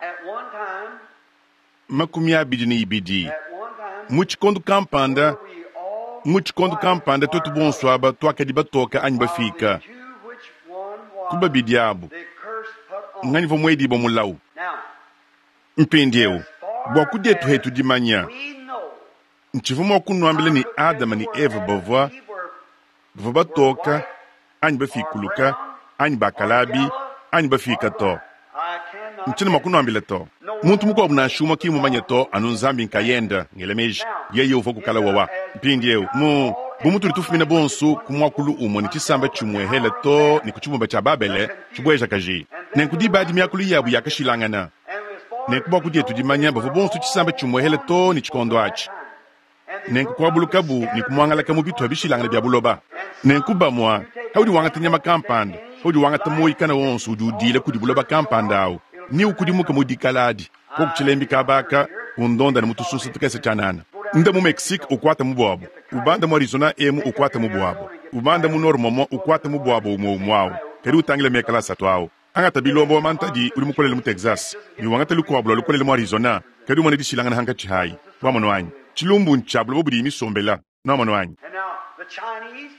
makumi abidi ne ibidi mu tshikondo kampanda mu tshikondo kampanda tuetu bonso aba tuakadi batoka anyi bafika ku babidi abu nganyi vua muedibua mulawu mpindiewu bua kudietu hetu dimanya ntshivua mua kunuambila ne Adama ne Eva bavua bavua batoka anyi bafikuluka anyi bakalabi anyi bafika to. Ntshiena mua kunuambila to. Muntu mukuabu nansha umue ki mmumanye to, anu Nzambi nkayende. Ngela meji yeye uvua ku kale wawa. Mpindieu mu bu mutudi tufumina bonso ku muakulu umue ne tshisamba tshimue hele too ne ku tshibumba tshia Babele tshibuejakaji. Nenku diba adi miakulu yabu yakashilangana. Nenku bua kudietu dimanya bavua bonso tshisamba tshimue hele too ne tshikondo atshi. Nenku kuabulukabu ne kumuangalaka mu bitupa bishilangane bia buloba. Nenku bamua, paudi wangata nyama kampanda, paudi wangata muoyi kana wonso udi udiila kudi buloba kampanda awu, ne ukudimuka mu dikala adi, koku tshilembi kaba aka, undonda ne mu tusunsa tukese tshianana. Nda mu Mexique ukwata mu buabu, ubanda mu Arizona emu ukwata mu buabu, ubanda mu Nord momo ukwata mu buabu umue umue awu, kadi utangile mekala asatu awu. Angata bilombo wa mantadi udi mukolele mu Texas ne wangata lukuabu lua lukolele mu Arizona, kadi umone dishilangana hankatshi hayi. Wamonu anyi? Tshilumbu ntshia buloba budiyi misombela. Nwamonu anyi?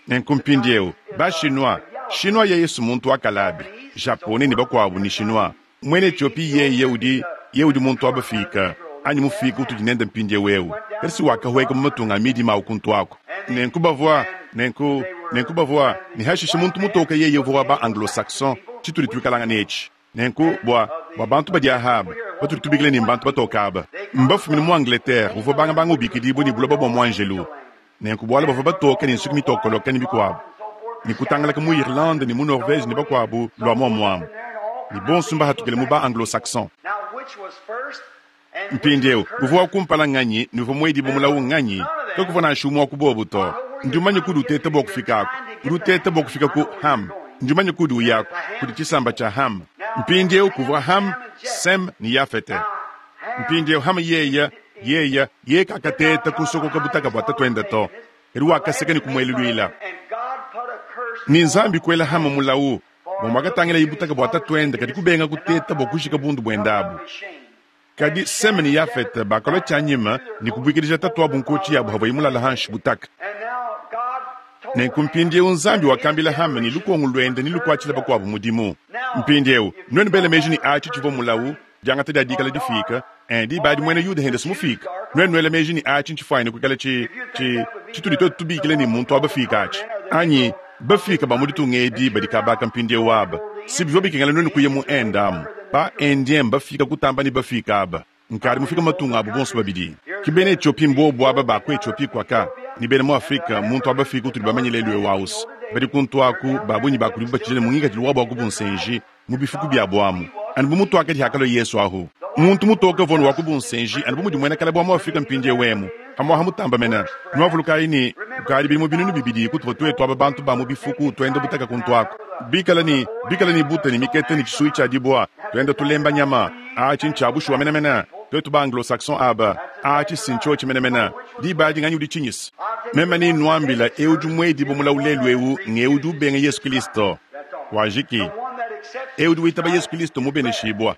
Nenku mpindiewu, ba-Chinois, Chinois yeye s'muntu wa kalabi, Japonais ne bakuabu ne Chinois. Muena Ethiopie yeye udi, yeye udi muntu wa bafiika, anyi mufiika utudi nende mpindiewu ewu, kadi si wakahueka mu matunga a midima awu kuntu aku. Nenku bavua, nenku, nenku bavua, ne hashishe muntu mutoke yeye uvua wa ba Anglo-Saxon, citudi twikalangana eci. Nenku, bwa, bwa bantu badi aha aba, batudi tubikila ne mbantu batooke aba, mbafumine mu Angleterre, uvwa bangabanga ubikidiibwa ne buloba bwa mwanjelu. Nenku bwalu bavwa batooke ne nsuki mitokoloke ne bikwabo, ne kutangalaka mu Irlande ne mu Norvège ne bakwabo lwa mwamwamu, ne bonso mbahatukile mu ba-Anglo-Saxon. Mpindieu, uvwa wa kumpala nnganyi ne uvwa mwedibwe mulawu nnganyi? Kakuvwa nansha umwe wa ku bobo to. Ndi mumanye kudi uteta bwa kufikaku. Udi uteta bwa kufika ku Ham. Ndi mumanye kudi uyaku, kudi tshisamba tshia Ham. Mpindieu kuvwa Ham, Sem ne Yafete. Mpindieu Ham yeya, yeya, yeye kakateta kusokoka butaka bwa tatuende to, kadi wakaseka ne kumueluluila. Ne Nzambi kuela Ham mulawu bwa mwakatangilaye butaka bwa tatuende, kadi kubenga kuteta bwa kujika bundu buende abu. Kadi Sem ne Yafete bakalua tshianyima ne kubuikidija tatuabu nkotshi yabu havuaye mulale hanshi butaka. Nenku mpindieu Nzambi wakambila Ham ne lukongo luende ne lukuatshile bakuabu mudimu. Mpindieu, nuenu bele meji ne atshi tshivua mulawu, diangata dia dikala difika, eh, diba adi muena Yuda hende mufika. Nuenu nuele meji ne atshi ntshifwanyine kuikala tshi, tshi, tshitudi twetu tubikila ne muntu wa bafika atshi. Anyi, bafika ba mu ditunga edi badi kabaka mpindieu aba. Si bivua bikengela nuenu kuya mu Inde amu. Ba Indien bafika kutamba ne bafika aba. Nkadi mufika matunga abu bonso babidi. Ki bena Ethiopie mbobu aba ba ku Ethiopie kwaka, ne bena mu Afrika muntu wa bafika utudi bamanye lelu eu ausi. Badi kuntu aku, ba bungi ba kudibu batshidile mu ngikadilu wabu wa ku bunsenji, mu bifuku biabu amu. Anu bu mutuakadi hakalua Yesu ahu. Muntu mutoke vono wa ku bunsenji, anu bu mudi muena kala bua mu Afrika mpindieu emu. Hamuaha mutamba mena. Nuavulukayi ne, kukadi bidimu binunu bibidi kutuvua tuetu aba bantu ba mu bifuku tuenda butaka kuntu aku. Bikala ne, bikala ne buta ne mikete ne tshisuyi tshia dibua, tuenda tulemba nyama. Atshi ntshia bushuwa menemene. Tuetu ba Anglo-Saxon aba, atshi si ntshiotshi menemene. Diba adi nganyi udi tshinyisa? Meme ne nuambila, eu udi muedibue mulawu lelu eu ng'eu udi ubenga Yesu Kristo. Wajiki. Eu udi witaba Yesu Kristo mubeneshibua.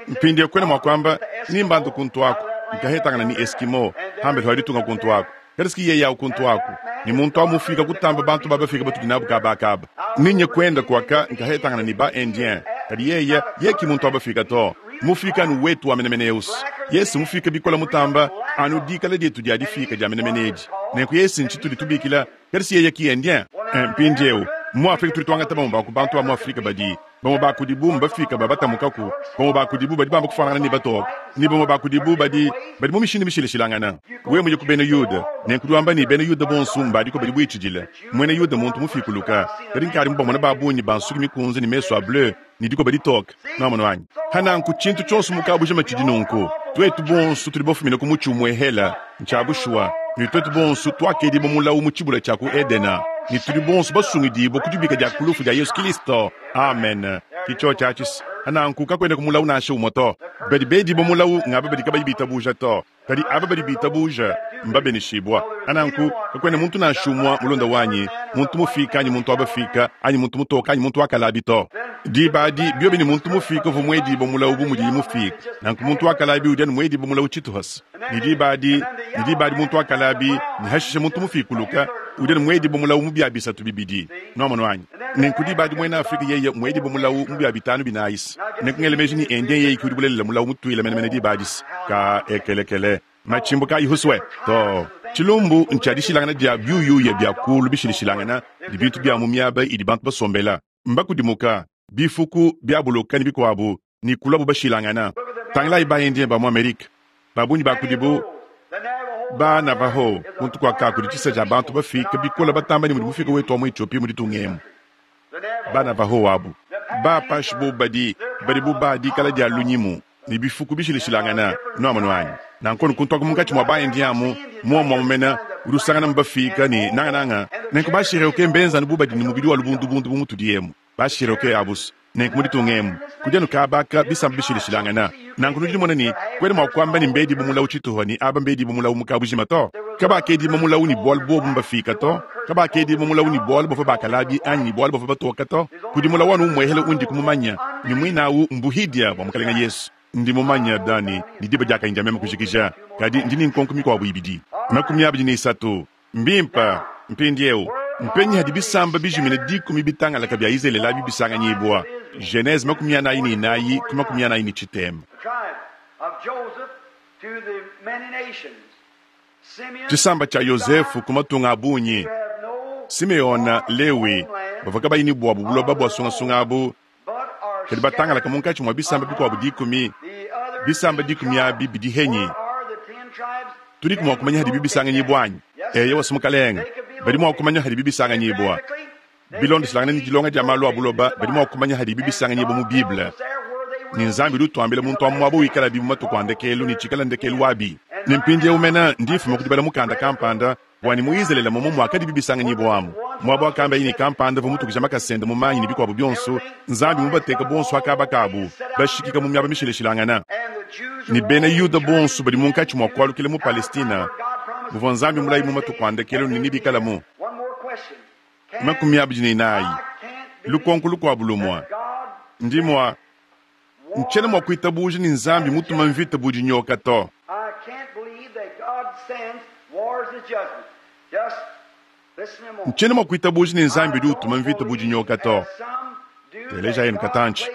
Mpindieu kwena mua kuamba, nimbandu kuntu aku, nkahetangana ne Eskimo, hambele wa ditunga kuntu aku. Kadi siki yeye awu kuntu aku, ne muntu awu mufika kutamba bantu ba bafika batudi nabu kaba kaba. Ninye kwenda kwaka nkahetangana ne ba Indien, kadi yeye, yeye ki muntu wa bafika to. Mufika anu wetu wa menemene eusi. Yesu mufika bikola mutamba, anu dikala dietu dia difika dia menemene edi. Nenku Yesu ntshitudi tubikila, kadi si yeye ki Indien. Mpindieu, mu Afrika tudi tuangata bamue ba ku bantu ba mu Afrika badi bamue ba kudibu mbafika ba batamukaku, bamue ba kudibu badi bamba kufuanangana ne batoke, ne bamue ba kudibu badi, badi mu mishindu mishilashilangana. Wewe muye ku bena Yuda, nenku udi wamba ne bena Yuda bonso mbadiko badi buitshidile. Muena Yuda muntu mufikuluka, kadi nkadi mubamona ba bungi ba nsuki mikunze ne mesu a bleu ne dikoba ditoke. Nwamona wanyi? Hananku tshintu tshionso mu kabujima tshidi nunku. Twetu bonso tudi bafumine ku mutshi umue hela, ntshia bushuwa, ne twetu bonso tuakedibua mulawu mu tshibula tshia ku Edena, ne tudi bonso basungidibua ku dibika dia ku lufu dia Yesu Kristo. Amen. Ki tshiotshi atshi. Hananku kakuena ku mulawu nansha umue to. Badi bedibua mulawu ngaba badi kabayi bitabuja to, kadi aba badi bitabuja mbabeneshibua. Hananku kakuena muntu nansha umue mulonda wanyi, muntu mufika anyi muntu wa bafika, anyi muntu mutoka anyi muntu wa kalabi to. Diba adi biobi ne muntu mufika uvua muedibua mulawu bu mudiye mufika. Nanku muntu wa kalabi udi anu muedibua mulawu tshituhasa. Ne diba adi, ne diba adi muntu wa kalabi, ne hashishe muntu mufikuluka, udi anu muedibua mulawu mu bia bisatu bibidi. Nwamonu anyi? Nenku diba adi muena Afrika yeye muedibua mulawu mu bia bitanu binayisi. Nenku ngele meji ni Indien yeye ki udi bulelela mulawu mutuile menemene diba adisi. Ka ekelekele. Machimbu kayi huswe to. Tshilumbu ntshia dishilangana dia biuyuya bia kulu bishilishilangana ne bintu bia mu miaba idi bantu basombela. Mbakudimuka, bifuku, biabuluka ne bikuabu, ne kuluabu bashilangana. Tangilayi ba Indien ba mu Amerika, ba bungi ba kudibu ba Navajo, kuntu kua ka kudi tshisa tshia bantu bafika bikola batamba ne mudi mufika wetu wa mu Ethiopie mu ditunga emu. Ba Navajo abu, ba Apache bo badi, badi bu ba dikala dia lunyimu ne bifuku bishilishilangana. Nwamonu anyi? Nanku kuntu aku munkatshi mua ba Indien amu, muomu amu mena, udi usangana mbafika ne nangananga. Nenku ba Cherokee mbenza anu bu badi ne mubidi wa lubundubundu bu mutudi emu. Ba Cherokee abusu. Nenku mu ditunga emu, kudi anu kabaka bisamba bishilishilangana. Nanku nudi numona ne, kwena mua kuamba ne mbedibu mulawu tshituha ne aba mbedibu mulawu mu kabujima to. Kabakedibu mulawu ne bualu bobu mbafika to. Kabakedibu mulawu ne bualu bavua bakalabi anyi ne bualu bavua batoka to. Kudi mulawu anu umuehele undi kumumanya, ne muinawu mbuhidia bua Mukalenga Yesu. Ndi mumanya dani ne diba diakanyi dia meme kujikija, kadi ndi ne nkonko mikuabu ibidi. Makumi abidi ne isatu. Mbimpa, mpindieu, mpenyi hadi bisamba bijimine dikumi bitangalaka bia Izraele abi bisanganyibua. Genese makumi anayi ne inayi ku makumi anayi ne tshitema. Tshisamba tshia Yozefu ku matunga a bungi, Simeona, Lewi, bavua kabayi ne buabu buloba bua sungasunga abu, Kadi batangalaka munkatshi mua bisamba bikuabu dikumi. Bisamba dikumi abi bidi henyi? Tudiku mua kumanya hadibi bisanganyibua anyi? Eyowa, mukalenge, badi mua kumanya hadibi bisanganyibua. Bilondeshilangana ne dilonga dia malu a buloba, badi mua kumanya hadibi bisanganyibua mu Bible. Ne Nzambi udi utuambila muntu wa muaba wikalabi mu matuku a ndekelu ne tshikala ndekelu wabi. Ne mpindieu mena ndi mfuma ku dibala mukanda kampanda bua ne mu Izalele momo muakadibi bisanganyibua amu. Muaba wakamba ne kampanda uvua mutukija makasende mu manyi ne bikuabu bionso, Nzambi mubateka bonso akaba kabu, bashikika mu miaba mishilashilangana. Ne bena Yuda bonso badi munkatshi mua kualukila mu Palestina, muvua Nzambi mulayi mu matuku a ndekelu ne nebikalamu. Makumi abidi ne inayi. Lukonko lukuabu lumue. Ndi mua ntshiena mua kuitabuja ne Nzambi mutuma mvita bu dinyoka to. I can't believe that God sends wars as judgment. Just listen a moment. Ntshiena mua kuitabuja ne Nzambi udi utuma mvita bu dinyoka to. Teleja yenu katantshi.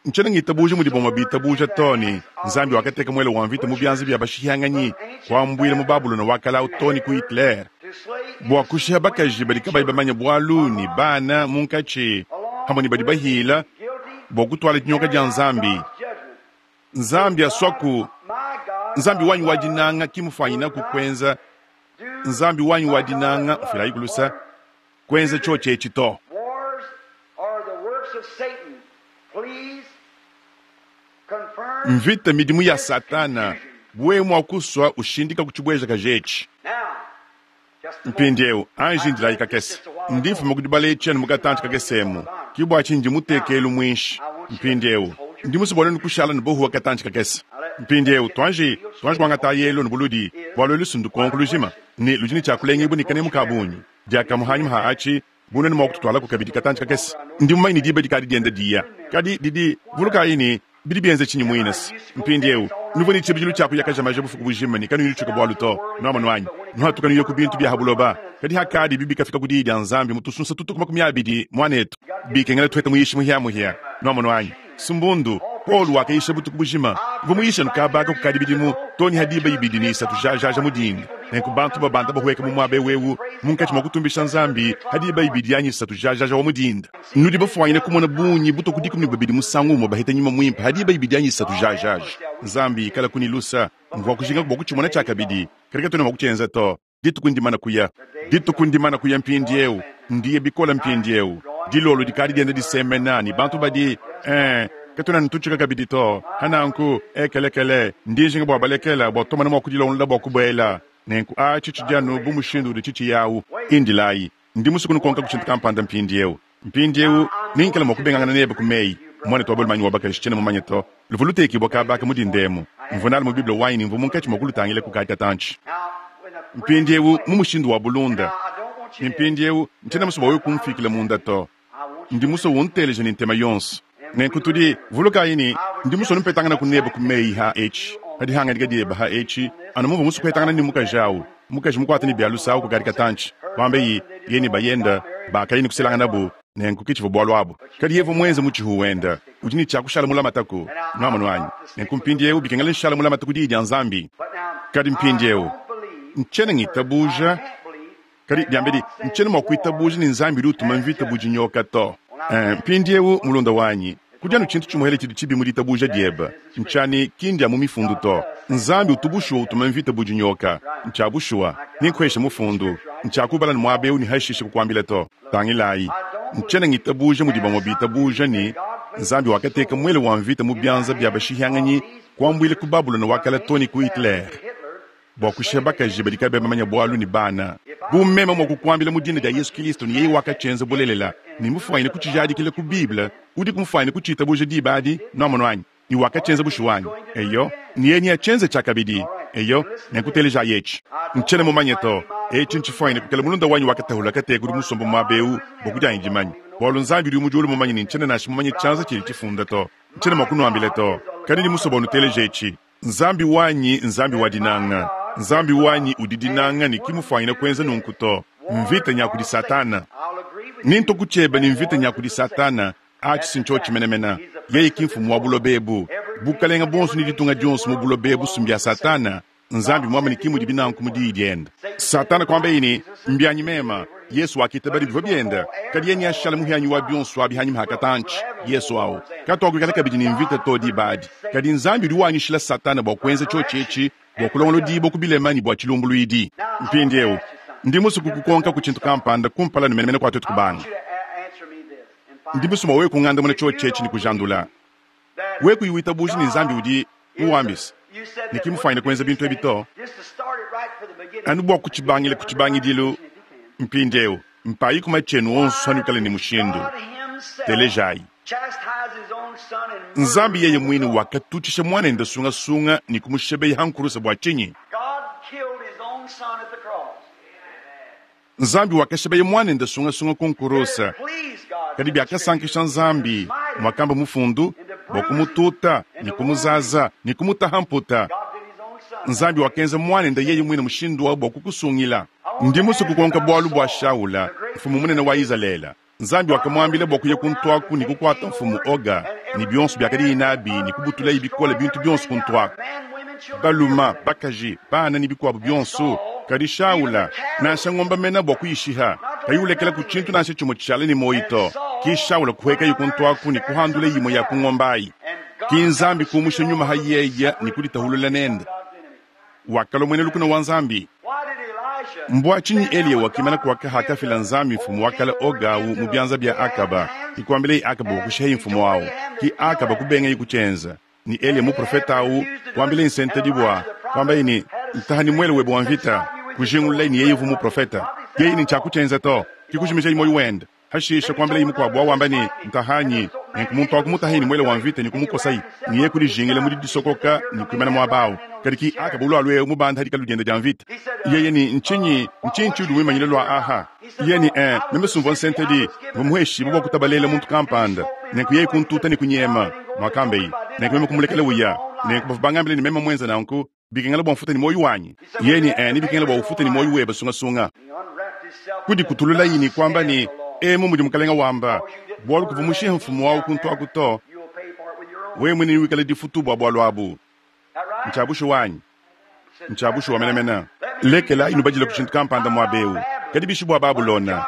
Ntshiena ngitabuja mudi bamue bitabuja to ne Nzambi wakateka muele wa mvita mu bianza bia bashihanganyi kuambuila mu Babulona wa kale to ne ku Hitler bua kushiha bakaji badi kabayi bamanye bualu ne bana munkatshi hamwe ne badi bahila bua kutuala dinyoka dia Nzambi. Nzambi aswaku Nzambi wanyi wa dinanga kimufanyina kukwenza Nzambi wanyi wa dinanga mfilayi kulusa kwenza choche echi to. Wars are the works of Satan. Please confirm Mvita midimu ya Satana bwe mwa kuswa ushindika kuchibweja kajechi. now. Just a moment. Mpindieu anji ndilayi kakese ndi mfuma kudibala etshianu mukatantshi kakesemu kibwa tshindi mutekelu mwinshi. Mpindieu ndi musubone nukushala ne bohuwa katantshi kakese. Mpindieu twanji twanji kuangata yelo ne buludi bua lusundu konko lujima ne ludi ne tshiakulenga ibu ne kanemu ka bungi diakamuhanyima ha atshi bunene mua kututwalaku kabidi katantshi kakese. Ndi mumanyi ne diba dikadi dienda diya kadi didi vulukayi ne bidi bienze tshinyi muinasi. Mpindieu nuvua ne tshibidilu tshia kuyakaja maja bufuku bujima ne kanuyi nutshuka bualu to nuamanu anyi nuhatuka nuye ku bintu bia habuloba kadi hakadi bibi kafika ku diyi dia Nzambi mutusunsa tutuku makumi abidi mwanetu bikengela tuheta muyishi muhiamuhia nuamanu anyi sumbundu Paul wakayisha butuku bujima mvua muyisha nukabaka kukadi bidimu toni hadiba ibidi ne isatu jajaja mudinda nenku bantu babanda bahueka mu muaba ewu munkatshi mua kutumbisha Nzambi hadiba ibidi anyi isatu jajaja wa mudinda nudi bafuanyine kumona bungi butuku dikumi ne bubidi musangu umue baheta nyuma mwimpe hadiba ibidi anyi isatu jajaja Nzambi ikala kunilusa mvua kujinga bua kutshimona tshiakabidi kadi katuena mua kutshienza to dituku ndimana kuya dituku ndimana kuya mpindieu ndiye bikola mpindieu dilolo dikadi dienda disemena ne bantu badi eh, katuena ntutshika kabidi to hananku ekelekele ndijinga bua balekela bua tumana mua kudilongolola bua kubuela nenku a tshitshi dianu bu mushindu udi tshitshi yawu indilayi ndi musuku nukonka kutshintu kampanda mpindieu mpindieu ninkela mua kubengangana nebe ku meyi mwana twa bolumanyi wa bakaji tshiena mumanye to luvu lutekibua kabaka mudindemu mvua nali mu Bible wanyi ne mvua munkatshi mua kulutangila ku kadi katantshi Now, when a friend mpindieu mu mushindu wa bulunda I don't want you ne to mpindieu ntshiena musue bua wewe kumfikila munda to I want you ndi musue unteleje ne ntema yonso nenku tudi vulukayi ne ndi musue numpetangana ku nebe ku meyi ha etshi padi hangadika dieba ha etshi anu muvua musue kuhetangana ne mukaji awu mukaji mukuate ne bialusa awu kukadi katantshi wambe yi ye ne bayenda bakayi ne kuselangana bu nenku kitshivua bualu abu kadi yevu muenze mutshihu wenda udi ne tshiakushala mulamataku nuamanu anyi nenku mpindieu bikengela nshala mulamata ku diyi dia Nzambi But now, kadi mpindieu I don't believe, ntshiena ngitabuja I can't believe kadi diambedi ntshiena mua kuitabuja ne Nzambi udi utuma mvita bu dinyoka to. Eh, mpindieu mulunda wanyi kudianu tshintu tshimuhele tshidi tshibi mu ditabuja dieba ntshiani kindia mu mifundu to. Nzambi utubushuwa utuma mvita bu dinyoka ntshia bushuwa ninkuhesha mufundu ntshia kubala ne muaba eu ne hashishe kukuambila to. Tangilayi ntshiena ngitabuja mudi bamue bitabuja ne Nzambi wakateka muele wa mvita mu bianza bia bashihanganyi kuambuila ku Babulona wa kale to ne ku Hitler bua kushiha bakaji badi kabayi bamanya bualu ne bana bu meme mua kukuambila mu dina dia Yesu Kristo ne yeye wakatshienza bulelela ne mufuanyine kutshijadikila ku Bible udi kumufuanyine kutshitabuja diba adi nuamonu anyi ne wakatshienza bushuwa anyi eyo ne yeye neatshienze tshiakabidi eyo nenkuteleja yetshi ntshiena mumanye to etshi ntshifuanyine kukela mulunda wanyi wakatahula kateka udi musomba muaba eu bua kudianyi dimanya bualu Nzambi udi mu diulu mumanye ne ntshiena nansha mumanye tshianza tshidi tshifunda to ntshiena mua kunuambila to kadi ndi musue bua nuteleje etshi Nzambi wanyi Nzambi wa dinanga Nzambi wanyi udi dinanga ne kimufuanyine kuenza nunku to mvita nya kudi Satana I'll agree with ninto kutshieba ne mvita nya kudi Satana atshi sintsho tshimenemena yeye ki mfumu wa buloba ebu bukalenga bonso ne ditunga dionso mu buloba ebu sumbi ya Satana Nzambi mwamane kimudi binanku mu diyi diende. Satana kwambaye ne, mbyanyi mema. Yesu wakitaba bivua biende. Kadi yeye ashala muhyanyi wa bionso abi hanyima hakatanchi. Yesu awo katwakwikala kabidi ne mvita to dibadi. Kadi Nzambi udi wanyishila Satana bua kuenza tshiotshi bua kulongolola dibo ku bilema ne bua tshilumbuluidi. Mpindieu ndi musue kukukonka ku tshintu kampanda kumpala ne menemene kwa twetu kubanga. Ndi musue wewe kungandamuna tshiotshi ne kujandula. Wewe kuyiwitabuji ne Nzambi udi muwambisa ne kimufanyine kuenza bintu ebi to. Anu bua kutshibangira ku tshibangidilu. Mpindieu mpayi kuma tshienu onso anukale ne mushindu. Telejayi. Nzambi yeye mwine wakatutshisha mwanende sungasunga ne kumushebeya hankurusa bua tshinyi? Nzambi wakashebeya mwanende sungasunga kunkurusa. Kadi byakasankisha Nzambi mwakamba mufundu bua kumututa ne kumuzaza ne kumutaha mputa. Nzambi wakenza mwanende yeye mwine mushindu wa bua kukusungila. Ndi musue kukonka bualu bua Shaula, mfumu munene wa Izalele. Nzambi wakamwambila bua kuya kuntwaku ne kukwata mfumu Oga ne bionso byakadi nabi ne kubutula bikole bintu bionso kuntwaku. Baluma, bakaji, bana ne bikuabu bionso. Kadi Shaula nansha ngomba mena bua kuyishiha, kayulekela ku tshintu nansha tshimue tshishala ne moyi to. Ki Shaula kuhekayi kuntwaku ne kuhandula yimue ya kungombayi. Ki Nzambi kumusha nyuma ha yeye ne kuditahulula nende. Wakalwa mwene lukuna wa Nzambi. Mbwa tshinyi Eliya wakimana kwaka hakafila Nzambi mfumu wakala Ogawu mu byanza bya Akaba. Ikwambile Akaba wakushehi mfumu wawo. Ki Akaba kubenga ikuchenza. Ni Eliya muprofeta awu kwambile nsentedi bwa kwamba ni ntahani mwele webe wa mvita kujingulula ni yeye vu muprofeta. Yeye ni chakuchenza to. Kikujimisha moyo wende. Hashisha kwambile imukwabwa wamba ni ntahanyi nenku akumutahini mwele wa mvita ni kumukosai niye kulijingila mudi disokoka ni kuimana mwabao. Kadi ki Akaba ulwalwe mubanda hadika ludienda dia mvita. Yeye ni nchinyi nchinchi udi mwimanyile lwa aha. Yeye ni eh memesumva nsentedi vumuheshimu bwa kutabalela muntu kampanda. Nenku yeye kuntuta ni kunyema mwakambei. Nenku meme kumulekela uya. Nenku bavubangambile ni meme mwenza nanku bikengela bwa mfuta ni moyo wanyi. Yeye ni eh ni bikengela bwa ufuta ni moyo weba sungasunga. Kudi kutulula yini kwamba ni emu mudi mukalenga wamba bwalu kuvumushiha mfumu wawu kuntwaku to. Wewe mwene wikale difutu bwa bwalu abu. Nchabushu wanyi. Nchabushu wa menemena. Lekela inubajila kushintu kampanda mwabeu. Kadi bishi bwa Babulona.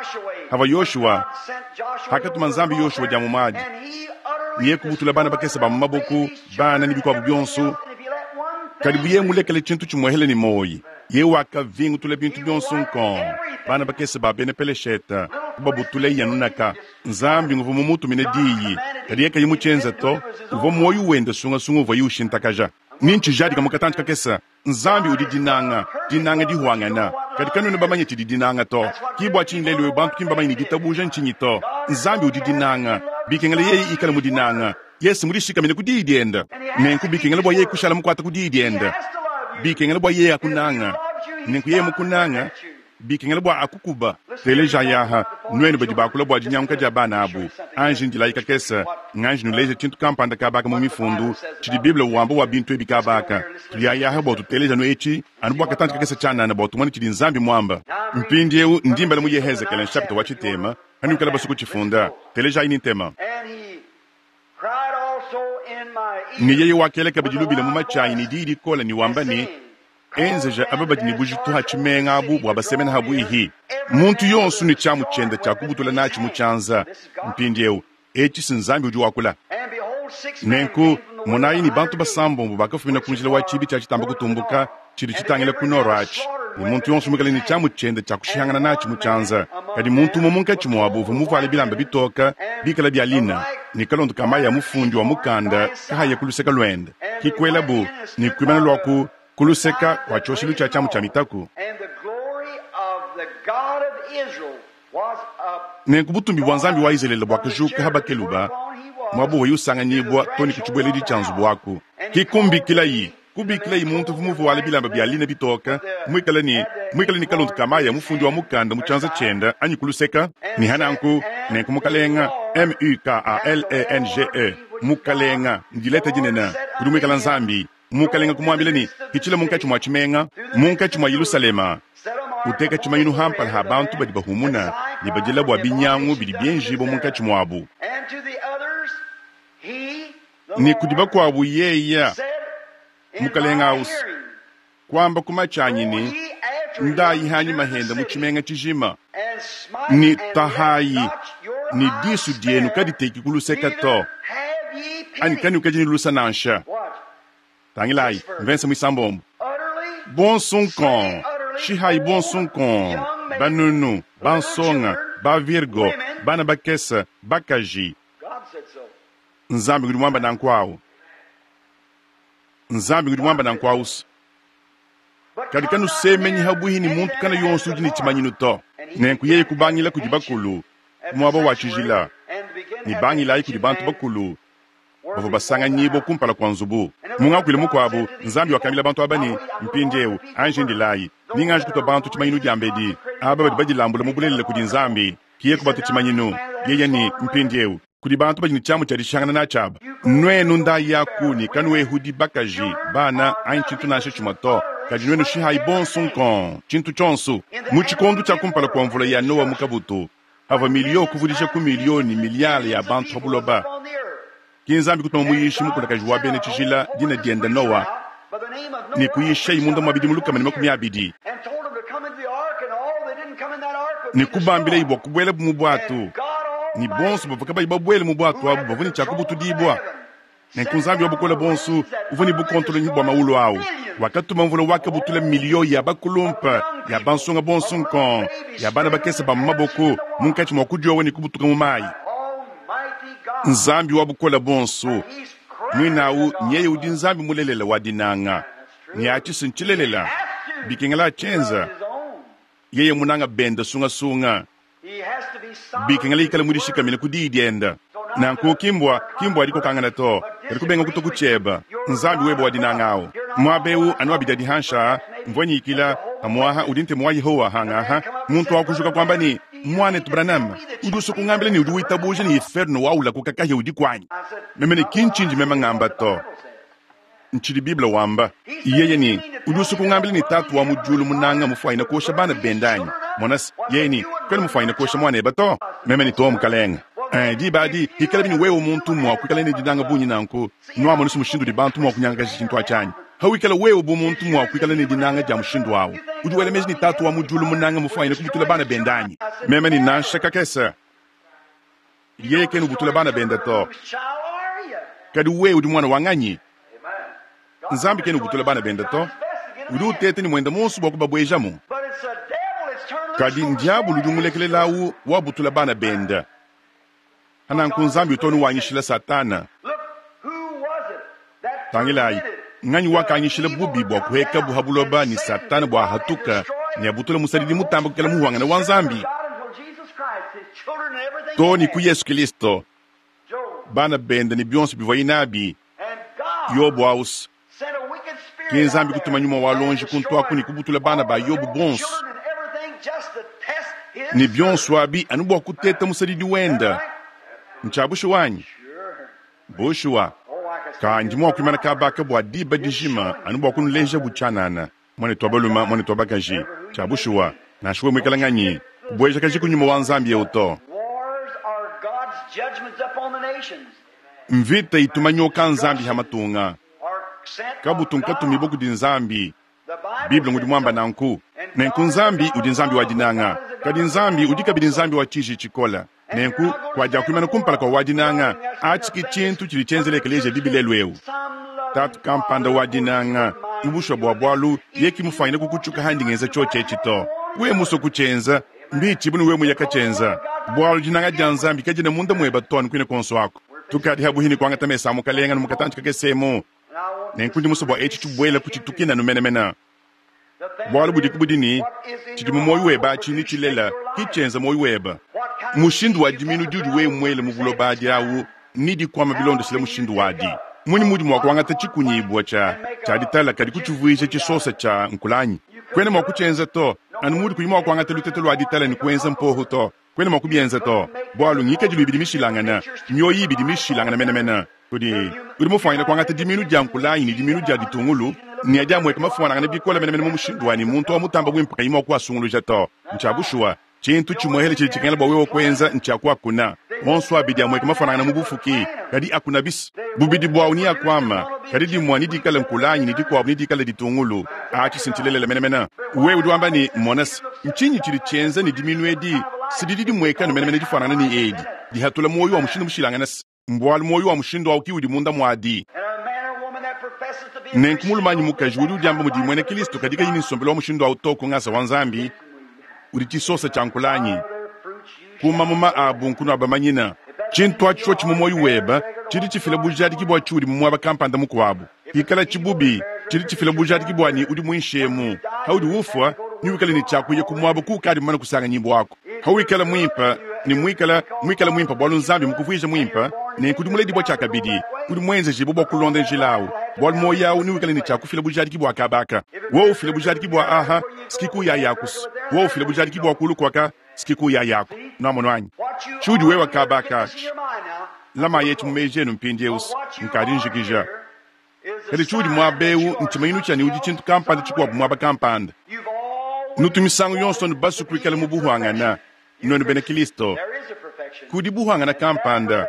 Hava Yoshua. Hakatuma Nzambi Yoshua dia mumaji. Niye kubutula bana bakesa ba maboku, bana ni bikwabu byonso. Kadi buye mulekele chintu chimwehele ni moyi. Ye wakavingutula bintu byonso nkongo. Bana bakesa ba bene pelesheta. Babutule yanunaka. Nzambi nguvu mumutu mine diyi. Kadi yeka yimuchenza to. Uvo moyo wenda sunga sunga uvo yushintakaja. Ninchi jadi kamukatanchi kakesa. Nzambi udi dinanga, dinanga dihuangana. Kadi kanuna bamanye tshidi dinanga to. Kibwa tshinlelwe bantu kimbamanye ni ditabuja nchinyi to. Nzambi udi dinanga. Bikengela yeye ikala mu dinanga. Yesu mudishikamine ku diyi dienda. Nenku bikengela bwa yeye kushala mukwata ku diyi dienda. Bikengela bwa yeye akunanga. Nenku yeye mukunanga. Bikengela bwa akukuba. Teleja yaha nwenu badi bakula bwa dinyanguka dia bana abu. Anji ndilayika kesa. Nganji nuleja tshintu kampanda kabaka mu mifundu. Tshidi Bible wamba wa bintu ebi kabaka. Tulia yaha bwa tuteleja no echi. Anu bwa katanti kakesa tshanana bwa tumone tshidi Nzambi mwamba. Mpindiewu ndimbala mu Yehezekele nchapita wa tshitema. Hanukala basuku tshifunda. Teleja ini ntema. Ni yeye wakeleka bidilubila mu machayi ni diyi dikola ni wamba ni enzeja ababadi ni bujitu ha tshimenga abu bwa basemena habu ihi. Muntu yonso ni tshamu tshienda tshia kubutula natshi mu tshianza. Mpindiewu etshi si Nzambi udi wakula. Nenku monayi ni bantu basambombo bakafumina ku njila wa tshibi tshia tshitamba kutumbuka tshidi tshitangila ku noro atshi. Ni muntu yonso mukale ni tshamu tshienda tshia kushihangana natshi mu tshianza. Kadi muntu umwe munkatshi mwabu uvua muvuale bilamba bitoka bikala bya lina ni kalondo ka mayi ya mufundi wa mukanda kahaya kuluseka lwende. Kikwelabu ni kuimana lwaku kuluseka kwa tshoshilu tshia tshamu tshia mitaku. Nenku butumbi bwa Nzambi wa Izalele bwa kujuka habakeluba mwabu weyusanganyibwa toni kuchibweledi tshia nzubu waku. Kikumbikilayi kubikilayi muntu vumuvuale bilamba bya lina bitoka mwikala ni mwikala ni kalondo ka mayi ya mufundi wa mukanda mu tshianza tshienda anyi kuluseka. Ni hananku nenku mukalenga M U K A L E N G E mukalenga ndileta dinene kudi mwikala Nzambi. Mukalenga kumwambila ni kichila munkatshi mwa tshimenga munkatshi mwa Yerusalema uteka tshimayinu hampala ha bantu badi bahumuna ne badila bwa binyangu bidi bienjibo munkatshi mwabu. Ni kudi bakwabu yeya mukalenga ausi Kwamba kumachanyi ni ndayi hanyi mahenda muchimenga chijima ni tahayi ni disu dienu kaditeki kuluseka to ani kani ukajini lusa nansha tangilayi mvense mwisambombo bonsunkon shihayi bonsunkon banunu bansonga bavirgo bana bakesa bakaji nzambi ngudi mwamba nankwawu nzambi ngudi mwamba nankwawusa kadi kanusemenyi habuhi ni muntu kana yonso udi ni tshimanyinu to nenku yeye kubangila kudi bakulu muaba wa tshijila ni bangilayi kudi bantu bakulu bavua basanganyibwa kumpala kua nzubu mungakuile mukuabu nzambi wakambila bantu aba ne mpindiewu anji ndilayi ninganji kutua bantu tshimanyinu diambedi aba badi badilambula mu bulelela kudi nzambi kiye kubatu tshimanyinu yeye ni mpindiewu kudi bantu badi ne tshiamu tshia dishangana natshiaba nwenu ndayi yakuni kanuehudi bakaji bana anyi tshintu nansha tshimue to kadi nwenu shihayi bonso nkon tshintu tshonso mu tshikondu tshia kumpala kua mvula ya nowa mu kabutu havua milio kuvudisha ku milioni miliyale ya bantu pa buloba ki nzambi kutuma muyishi mukulakaji wa bena tshijila dina diende nowa ni kuyishayi munda mua bidimu lukama ne makumi abidi ni kubambilayi bua kubuela mu bwatu ni bonso bavua kabayi babuele mu bwatu abu bavua ne tshia kubutudibua nenku nzambi wa bukola bonso uvua ne bukontolonyi bua mawulu awu wakatuma mvula wakabutula miliyo ya bakulumpa ya bansonga bonso nkon ya bana bakese ba mu maboko munkatshi mua kudiowa ne kubutuka mu mayi nzambi wa bukola bonso mwinawu nyeye udi nzambi mulelela wa dinanga ne atshisi ntshilelela bikengela tshienza yeye munanga benda sungasunga bikengela ikala mudishikamine ku diyi dienda nanku kimbwa kimbwa adikokangana to kadi kubenga kuto kutshieba nzambi webe wa dinanga awu muaba ewu anu abidi adihansha mvua nyikila amuaha udi ntemu wa yehowa hangaha muntu wakujuka kwamba ni mwanetu branham udi usukungambila ni udi witabuja ni inferno waula kukakahya udi kwanyi meme ne kinchinji meme ngamba to ntshidi biblia wamba yeye ni udi usukungambila ni tatu wa mujulu munanga mufuayina kosha bana bendanyi monasi yeye ni kweli mufuayina kosha mwaneba to meme ni to mukalenga Eh, diba adi hikala bini wewe muntu mua kuikala ne dinanga bunyi nanku nuamonusu mushindu di bantu mua kunyangakaja tshintu atshanyi hawikala wewe bu muntu mua kuikala ne dinanga dia mushindu awu udi wela meji ni tatu wa mujulu munanga mufuayina kubutula bana bendanyi meme ni nansha kakesa yeye kena ubutula bana benda to kadi wewe udi mwana wa nganyi nzambi kena ubutula bana benda to udi utete ni mwenda monso bua kubabwejamu kadi ndiabulu udi umulekelelawu wabutula bana benda hananku nzambi utonu wanyishila satana tangilayi nganyi wakanyishila bubi bua kuheka buhabuloba ni satana bua hatuka ni abutula musalidi mutamba kukela muhwangana wa nzambi to ni ku yesu kilisto bana benda ni bionso bivua nabi yobu ausi ki nzambi kutuma nyuma wa lonji kuntuaku ni kubutula bana ba yobu bonso ni bionso abi anu bua kuteta musalidi wenda ntshiabushi wanyi bushuwa kandi mua kuimana kabaka bua diba dijima anu bua kunuleja butshanana mwane twa baluma mwane twa bakaji tshiabushuwa nansha we muikala nganyi kubueja kaji kunyuma wa nzambi eu to mvita ituma nyoka nzambi ha matunga kabutu nkatumibwa kudi nzambi biblia ngudi mwamba nanku nenku nzambi udi nzambi wa dinanga kadi nzambi udi kabidi nzambi wa tshiji tshikola nenku kuadia kuimana kumpala kua wa dinanga atshiki tshintu tshidi tshienzela ekeleziya bibi lelu eu tatu kampanda wa dinanga mubushwa bua bualu ye mufanyine kukutshuka handi ngenza tshiotshi to we muso kutshienza mbitshi bunu we muyaka tshienza bualu dinanga dia nzambi kadina munda mueba to anu kuine konso ako tukadi habuhini kuangata mesa mukalenga nu mukatanji kakesemu nenku ndi muso bua etshi tshibuela kutshitukina numenemena bualu budi kubudi ni tshidi mu moyo weba atshi tshilela kitshienza moyo weba mushindu wa diminu diudi we mwele mu buloba adi awu ni dikwama bilondeshile mushindu wadi muni mudi mua kuangata tshikunyibua tshia tshia ditala kadi kutshivuija tshisosa tshia nkulanyi kwene mua kutshienza to anu mudi kuyi mua kuangata lutete lua ditala ni kuenza mpohu to kwene mua kubienza to bualu ngikadilu ibidi mishilangana mioyo ibidi mishilangana menemene kudi udi mufuanyine kuangata diminu dia nkulanyi ni diminu dia ditungulu ni adi amueka mafuanangana bikola menemene mu mushindu wani muntu wa mutamba bwimpe kayi mua kuasunguluja to ntshiabushuwa tshintu tshimuehele tshidi tshikengela bua wewe kuenza ntshiakuakuna Onso abidi amweka mafanangana mu bufuki, kadi akuna bis. Bubidi bwawu ni akwama, kadi dimwa ni dikala nkulanyi ni dikwabu ni dikala ditungulu. Achi sintilelela menemene. Wewe udi wamba ni monas, nchinyi chili chenza ni diminu edi, sididi dimweka no menemene difanana ni edi. Dihatula moyo wa mushindu mushilangana mbwalu moyo wa mushindu awu ki udi munda mwadi. Nenku mulumanyi mukaji udi udiamba mudi mwene Kristo kadika yini nsombelo wa mushindu awu to kungasa wa Nzambi, udi chisosa cha nkulanyi. Kuma muma abu nkunu abamanyina. Chintu acho chimu moyo weba, chili chifila bujadiki bwa chudi mu mwaba kampanda mukwabu. Ikala chibubi, chili chifila bujadiki bwa ni udi mwinshemu. Haudi ufwa, ni wikala ni chakuye kumwaba kukadi mwana kusanga nyimbo wako. Hauikala mwimpa, ni mwikala, mwikala mwimpa bwalu Nzambi mukuvwija mwimpa, ne kudi muledi bwa chakabidi, kudi mwenze jibo bwa kulonda njilawu. Bwalu moyo ni wikala ni chakufila bujadiki bwa kabaka. Wo ufila bujadiki bwa aha, sikiku ya yakus. Wo ufila bujadiki bwa kulu kwaka, sikiku ya yako. Namono anyi. Chudi wewa kabaka. Lama yetu mumejenu mpindieus, nkadi njikija. Kadi chudi mwabeu ntimayinu chani udi chintu kampanda chikwabu mwaba kampanda. Nutu misangu yonso nubasu kuikala mu buhwangana. Nwenu bena Kristo. Kudi buhwangana kampanda.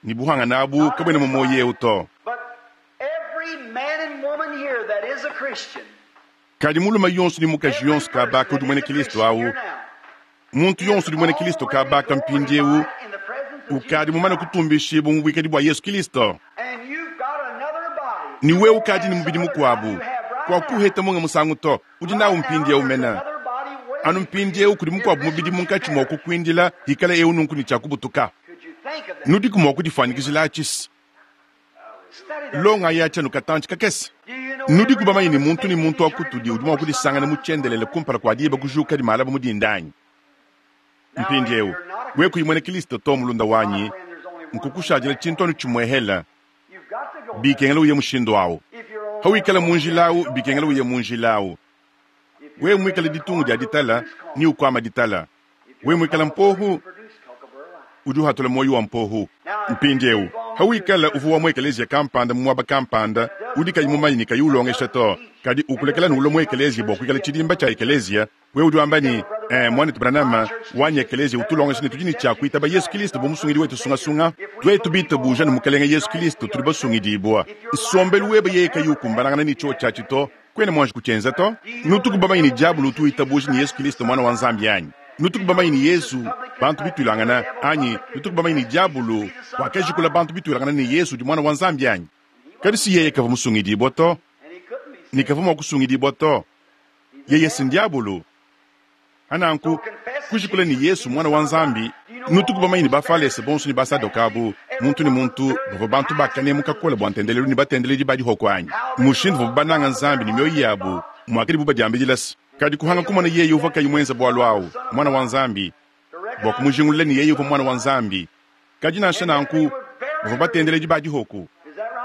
Ni buhwangana abu kabwena mu moyo to. Kadi muluma yonso ni mukaji yonso kabaka udi mwene Kristo awu. Muntu yonso udi mwene Kristo kabaka mpindiewu. Ukadi mumana kutumbishibu mu bwikadi bwa Yesu Kristo. Ni wewe ukadi ni mubidi mukwabu. Kwa kuheta munga musangu to, udi nawu mpindiewu mena. Anu mpindiewu kudi mukwabu mubidi munkachi mwa kukwindila hikala ewu nunku ni chakubutuka. Nudi kumwa kudifanikizila achisi. Longa ya chanu katanchi kakesi. Nudi kubamanya ni muntu ni muntu akutudi udi mwa kudisangana muchendelele kumpala kwa diba kujuka di malaba mudindanyi. Mpindiewu, we kuyimwene Kristo to mulunda wanyi, nkukushajila chintonu chimwehela, bikengela uye mushindu awu. Hawikala munjilawu, bikengela uye munjilawu. We mwikala ditungu dia ditala, ni ukwama ditala. We mwikala mpohu, udi uhatula moyo wa mpohu. Mpindiewu, hawikala uvu wa mwekelezia kampanda mwaba kampanda, udi kayi mumanyi ni kayi ulongesha to. Kadi ukulekela nulo mwekelezia bwa kuikala chidimba cha ekelezia, we udi wamba ni, eh, mwana Branham, wanyi ekelezia utulongesha ni tudi ni cha kuitaba Yesu Kristo bo musungidi wetu sungasunga. Twetu bita buja ni mukelenge Yesu Kristo tuli basungidibwa. Nsombelu webe yeye kayi ukumbanangana ni cho chachi to, kwene mwanji kuchenza to. Nutukubamanyi ni diabulu tuitabuja ni Yesu Kristo mwana wa Nzambi yanyi. Nutukubamanyi ni Yesu bantu bitulangana anyi. Nutukubamanyi ni diabulu wakejikula bantu bitulangana ni Yesu di mwana wa Nzambi yanyi. Kadi si yeye kava musungidibwa to, ni kava mwa kusungidibwa to. Yeye si ndiabulu. Ananku kujikula ni Yesu mwana wa Nzambi. Nutukubamanyi ni bafalese bonso ni basadokabu. Muntu ni muntu bava bantu bakane mukakola bwa ntendelelu ni batendeleli badi hoko anyi. Mushindu bava bananga Nzambi ni mioyo yabu mwakili buba diambidilasi. Kadi kuhanga kumona yeye uva kayi mwenza bwalu awu mwana wa Nzambi. Bwa kumujingulula ni yeye uva mwana wa Nzambi. Kadi nansha nanku bava batendeleli badi hoko.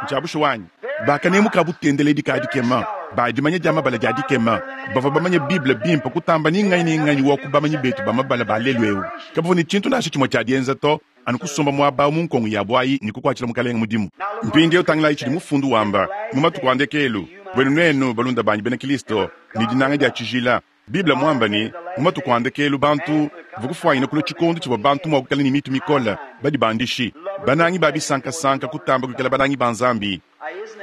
Nchabushu wanyi. Bakane mukabutendeleli kadi kema. Badimanya dia mabala dia dikema. Bava bamanya Bible bimpe kutamba ni nganyi ni nganyi wa kubamanyi betu ba mabala ba lelu ewu. Kabavo ni chintu nasha chimwe cha dienza to, anu kusomba mwaba mu nkongo ya bwayi ni kukwachila mukalenga mudimu. Mpindiewu tangila ichili mufundu wamba, mu matuku andekelu, bwenu nenu balunda banyi bena Kristo, ni dinanga dia chijila. Bible mwamba ni, mu matuku andekelu bantu, vukufwanyina kulo chikondo chibwa bantu mwa kukala ni mitu mikola, badi bandishi. Banangi babi sanka sanka kutamba kukala banangi banzambi.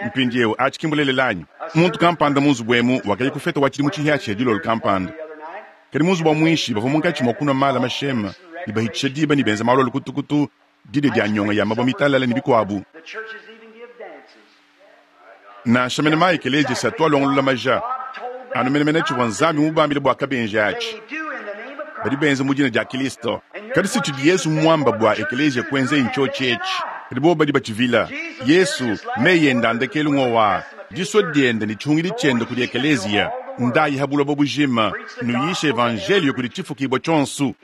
Mpindiewu achikimbulelelanyi. Muntu kampanda munzu bwemu wakayi kufeta wachili muchihiachi dilolo kampanda. Kadi munzu bwa mwishi bava munkachi mwa kunwa mala mashema, ni bahitisha diba ni benza malolo kutukutu, dide dia nyonga ya mabwa mitalala ni bikwabu. Na shamene mai keleje sa twa longolola maja. Anu mene mene chibwa Nzambi mubambile bwa kabenje achi. Badi benza mujina dia Kristo. Kadi si chidi Yesu mwamba bwa ekeleje kwenze incho chechi. Kadi bo badi bachivila. Yesu meye ndandekelu ngowa. Diso diende ni chungili chende kuli ekelezia. Ndayi habula bobujima. Nuyishe evangelio kuli chifukibwa chonsu.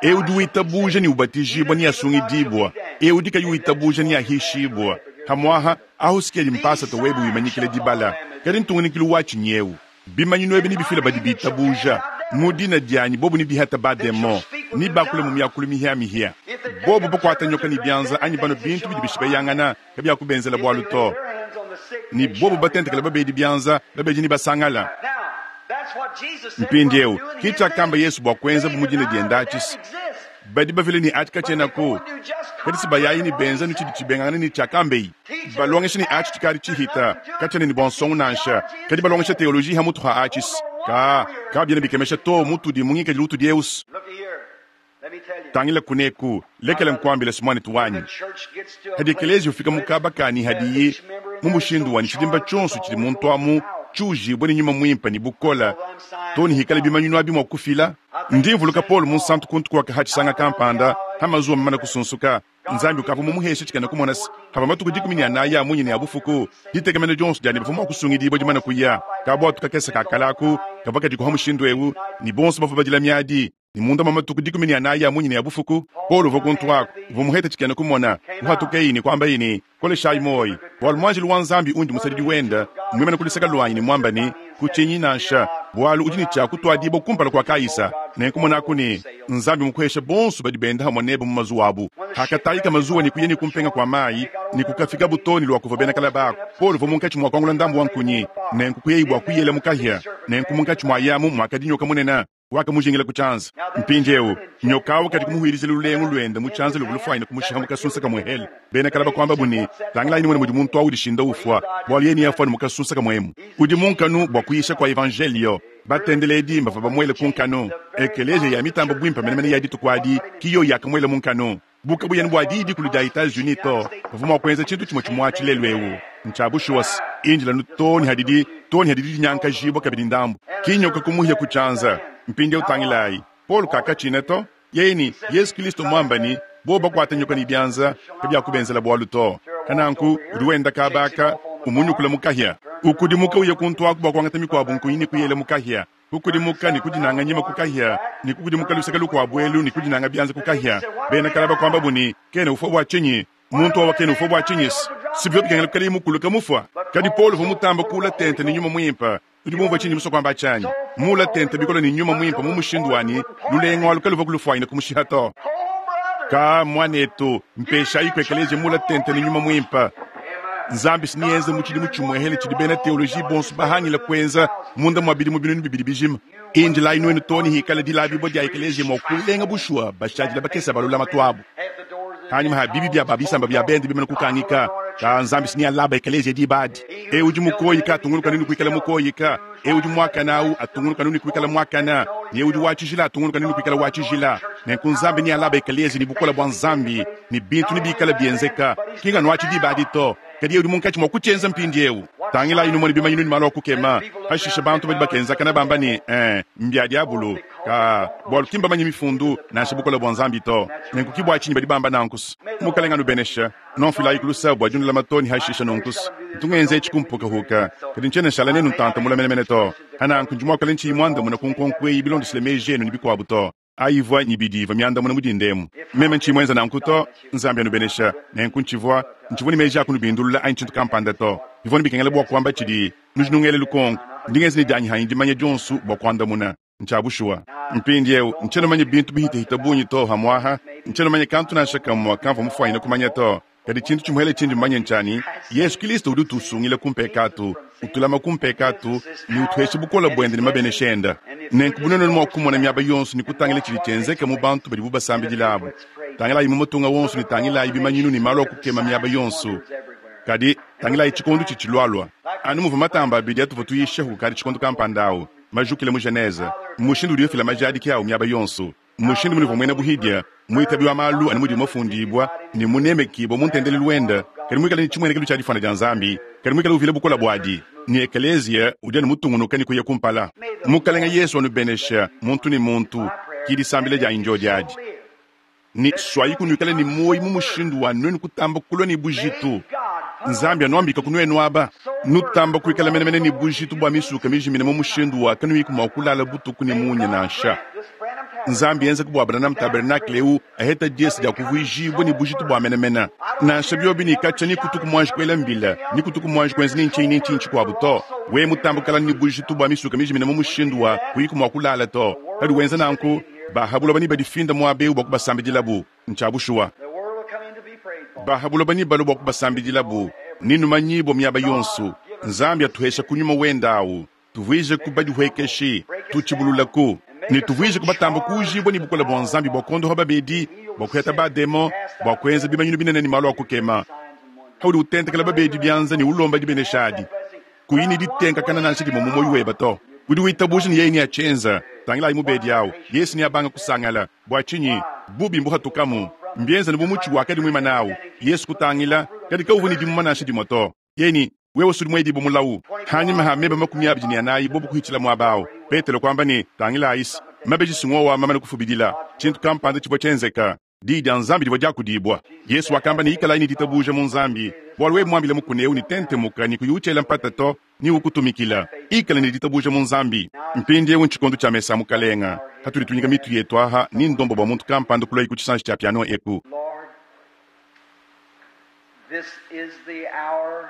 Eudi uitabuje ni ubatijibwa ni asungidibwa. Eudi kayi uitabuje ni ahishibwa. Hamwaha ahusikeli mpasa towebu wimanyikile dibala. Kadi ntunganikilu wachi nyeu. Bimanyinu ebi ni bifila badi bitabuja. Mudina dianyi bobu ni bihata bademo. Ni bakule mu myakulu mihia mihia. Bobu bakwata nyoka ni byanza anyi bano bintu bidi bishibeyangana kabya kubenzela bwalu to. Ni bobu batentekela babedi byanza babedi ni basangala. Mpindiewu kicha kamba Yesu bwa kwenza bumudina diendachisi. Badi bavile ne achi kachenako. Kadi sibayayi ne benza ne tshidi tshibengangana ne tshiakambeyi. Balongesha ne achi tshikadi tshihita, kachena ne bua nansha. Kadi balongesha teoloji ha mutu ha achis. Ka, ka biena bikemesha to mutudi mu ngikadilu utudi eusi. Look here. Let me tell you. Tangila kuneku, lekela nkuambila simwane tuwanyi. The church gets to a Hadi place ekelezi ufika mukabakani hadiyi mu mushindu wa tshidimba tshionso tshidi muntu amu tshiujibwe ne nyuma mwimpe ne bukola to ne hikala bimanyinu abi mua kufila. Ndi mvuluka Paul munsantu kuntu kwaka hachisanga kampanda hamazuwa mamana kusunsuka. Nzambi ukavua mumuheshe tshikena kumona se hava matuku dikumi ne anayi a munyi ne a bufuku ditekemena dionso dia ne bavua mua kusungidibua dimana kuya kabwatu kakese kakalaku kavua kadikuha mushindu ewu ne bonso bavua badila miadi ne munda mwa matuku dikumi ne anayi a munyi ne a bufuku. Paul uvua kuntu ako uvua muhete tshikena kumona uhatukeyi ne kwambayi ne koleshayi moyi bwalu mwanjelu wa Nzambi undi musadidi wenda mwimene kulisaka lwanyi ne mwamba ne kutshinyi nansha bwalu udi ne tshia kutwadibwa kumpala kwa Kaisa. Nenkumona ne Nzambi mukuhesha bonso badi benda hamwe nebe mu mazuwa abu. Hakatayika mazuwa ne kuya ne kumpenga kwa mayi ne kukafika butoni lwa kuva bena kalabako. Paul uvua munkatshi mwa kuangula ndambu wa nkunyi nenku kuyeyi bwa kuyela mukahya nenku munkatshi mwa yamu mwakadinyoka munene wakamujingila kuchanza. Mpindieu nyoka awu kadi kumuhwirizila lulengu lwenda muchanza luvua lufuanyina kumushiha mukasunsa kamwehele. Bena kalaba kwamba buni tangilayi nimwene mudi muntu awu udishinda ufwa bwalu yeni yafwa ni mukasunsa kamwemu. Udi munkanu bwa kuyisha kwa evangelio batendeledi mbava bamwele kunkanu. Ekeleziya ya mitambo bwimpa menemene ya dituku adi kiyo yakamwele munkanu. Buka buyeni bwa didi kulu dia Etats-Unis to bavua mua kuenza tshintu tshimwe tshimwe atshi ewu. Ntshabushuwasi injila nu toni hadidi toni hadidi dinyankajibwa kabidi ndambu kinyoka kumuhya kuchanza. Mpindieu tangilayi Paul kakatshina to yeni Yesu Kristo mwambani bo bakwata nyoka ni byanza kabyakubenzela bwalu to. Kananku udi wenda kabaka umunyukula mukahya ukudimuka uye kuntu aku bwa kuangata mikwabu nkunyi ni kuyela mukahya kukudimuka ni kudinanga nyima kukahya ni kukudimuka lusaka lukwabu elu ni kudinanga byanza kukahya. Bena kalaba kwamba buni kene ufwa bwa chinyi muntu wawa kene ufwa bwa chinyisi sibyo bikengela kukala mukulu kamufwa. Kadi Paul uvua mutamba kula tente ni nyuma mwimpa udi bumva chinyi muso kwamba chanyi mula tente bikola ni nyuma mwimpa mu mushindu wani lulengo alu kaluva kulufwanyina kumushiha to. Oh, brother. Ka mwanetu mpeshayi kwekeleje mula tente ni nyuma mwimpa. Nzambi sinienze mu tshidimu tshimwehele tshidi bena teoloji bonso bahangila kuenza munda mwa bidimu binunu bibidi bijima. Injilayi nwenu toni hikala dilabibwa dia ekeleziya mua kulenga bushuwa bashadila bakesa balulama twabu. Half the doors of the Hanyuma ha bibi bya babisamba bya bende bimene kukangika ka Nzambi sinialaba ekeleziya dibadi. E udi mukoyika atunguluka nini kuikala mukoyika. E udi mwakana awu atunguluka nini kuikala mwakana. Ne udi wachijila atunguluka nini kuikala wachijila. Nenku Nzambi nialaba ekeleziya ni bukola bwa Nzambi ni bintu ni bikala bienzeka. Kinga nwachi dibadi to. Kadi udi munkatshi mwa kutshenza mpindiewu. Tangila inu mone bimanyinu ni malu akukema. Hashisha bantu badi bakenzakana bamba ni eh mbya diabulu ka bwalu kimba manyi mifundu nansha bukola bwa Nzambi to. Nenku kibwa tshinyi badi bamba nankusu. Mukalenga nubenesha nonfilayi kulusa bwa junula matoni hashisha nonkusu. Ntungenze tshikumpuka huka. Kadi ntshiena nshala nenu ntanta mula menemene to. Hananku ndi muakale ntshiyi mwandamuna ku nkonko eyi bilondeshile meji enu ne bikuabu to. Ayivua nyibidiva myandamuna mudindemu. Meme ntshiyi mwenza nanku to. Nzambi anubenesha. Nenku ntshivua ntshivua ne meji akunubindulula anyi tshintu kampanda to. Bivua ne bikengela bua kuamba tshidi nujinungele lukonko. Ndingenza ne dianyi hanyi dimanya dionso bua kuandamuna. Ntshabushuwa. Mpindieu ntshiena manya bintu bihitahita bungi to hamwaha. Ntshiena manya kantu nansha kamwa kamvua mufuanyina kumanya to. Kadi tshintu tshimuhele tshindi mmanye ntshani Yesu Kristo udi utusungila kumpekatu, utulama kumpekatu ne utuhesha bukola bwende ne mabenesha enda. Nenku bunene mua kumona miaba yonso ne kutangila tshidi tshienzeka mu bantu badibu basambidila abu. Tangilayi mu matunga wonso ne tangilayi bimanyinu ne malu akukema miaba yonso. Kadi tangilayi tshikondo tshitshilwalwa. Anu muvua matamba abidi atuvua tuyisha kukadi tshikondo kampanda awu majukile mu Genese. Mushindu udi ufila majadiki awu miaba yonso. Mushindu munivua muena buhidia mwitabi wa malu anu mudi mafundibwa ne munemekibwa mu ntendelelu wenda kadi mwikale ne tshimuenekelo tshia difana dia Nzambi kadi mwikale uvila bukola bwadi ni ekeleziya udi anu mutungunuka ne kuya kumpala. Mukalenga Yesu anubenesha muntu ne muntu kidisambila dia injo diadi. Ni swayi kunuikale ni moyi mu mushindu wa nwenu kutamba kulwa ni bujitu. Nzambi anuambika kunuenu aba nutamba kuikala menemene ni bujitu bwa misuka mijimine mu mushindu wa kanuyiku mua kulala butuku ni munya nansha. Nzambi yenza kubwa Branham Tabernacle eu aheta diesi dia kuvuijibwa ni bujitu bwa menemene. Nansha byobi ni kacha ni kutuku mwanji kwela mbila ni kutuku mwanji kwenza ni nchi ni nchi nchi kwa buto. We mutambukala ni bujitu bwa misuka mijimine mu mushindu wa kuyiku mua kulala to. Kadi wenza nanku bahabula bani badifinda mwabe bwa kubasambidilabu nchabushuwa. The world will come in to be prayed for. Bahabula bani balo bwa kubasambidilabu ninu manyibo miaba yonso. Nzambi atuhesha kunyuma wendawu tuvuije kubadihwekeshi tuchibululaku Ne tuvuije kubatamba kuujibwa ne bukole bua Nzambi bua kuondoha babedi, bua kuheta bademo, bua kuenza bimanyinu binene ne malu a kukema. Haudi utentekela babedi bianza ne ulomba dibenesha adi, kuyi ne ditenkakana nansha dimue mu muoyo webe to. Udi witabuja ne yeye neatshienza. Tangilayi mubedi awu, Yesu neabanga kusangala. Bua tshinyi? Bubi mbuhatukamu. Mbienza ne bu mutshi wakadi muimane awu. Yesu kutangila, kadi kawuvua ne dimuma nansha dimue to. Yeye ne, wewe usudi muedibue mulawu. Hanyima ha meba makumi abidi ne anayi bobu kuhitshila muaba awu. Petelo kuamba ne, tangilayi, mabeji singowa mamane kufubidila. Tshintu kampanda tshivua tshienzeka. Diyi dia Nzambi divua diakudibua. Yesu wakamba ne, ikalayi ne ditabuja mu Nzambi, bualu wewe muambile mukuna eu ne tentemuka ne kuyi utshela mpata to, ni ukutumikila. Ikala ne ditabuja mu Nzambi. Mpindieu ntshikondo tshia mesa a Mukalenga. Hatudi tunyika mitu yetu aha ni ndombo bua muntu kampanda kulua ku tshisanji tshia piano eku. Lord, this is the hour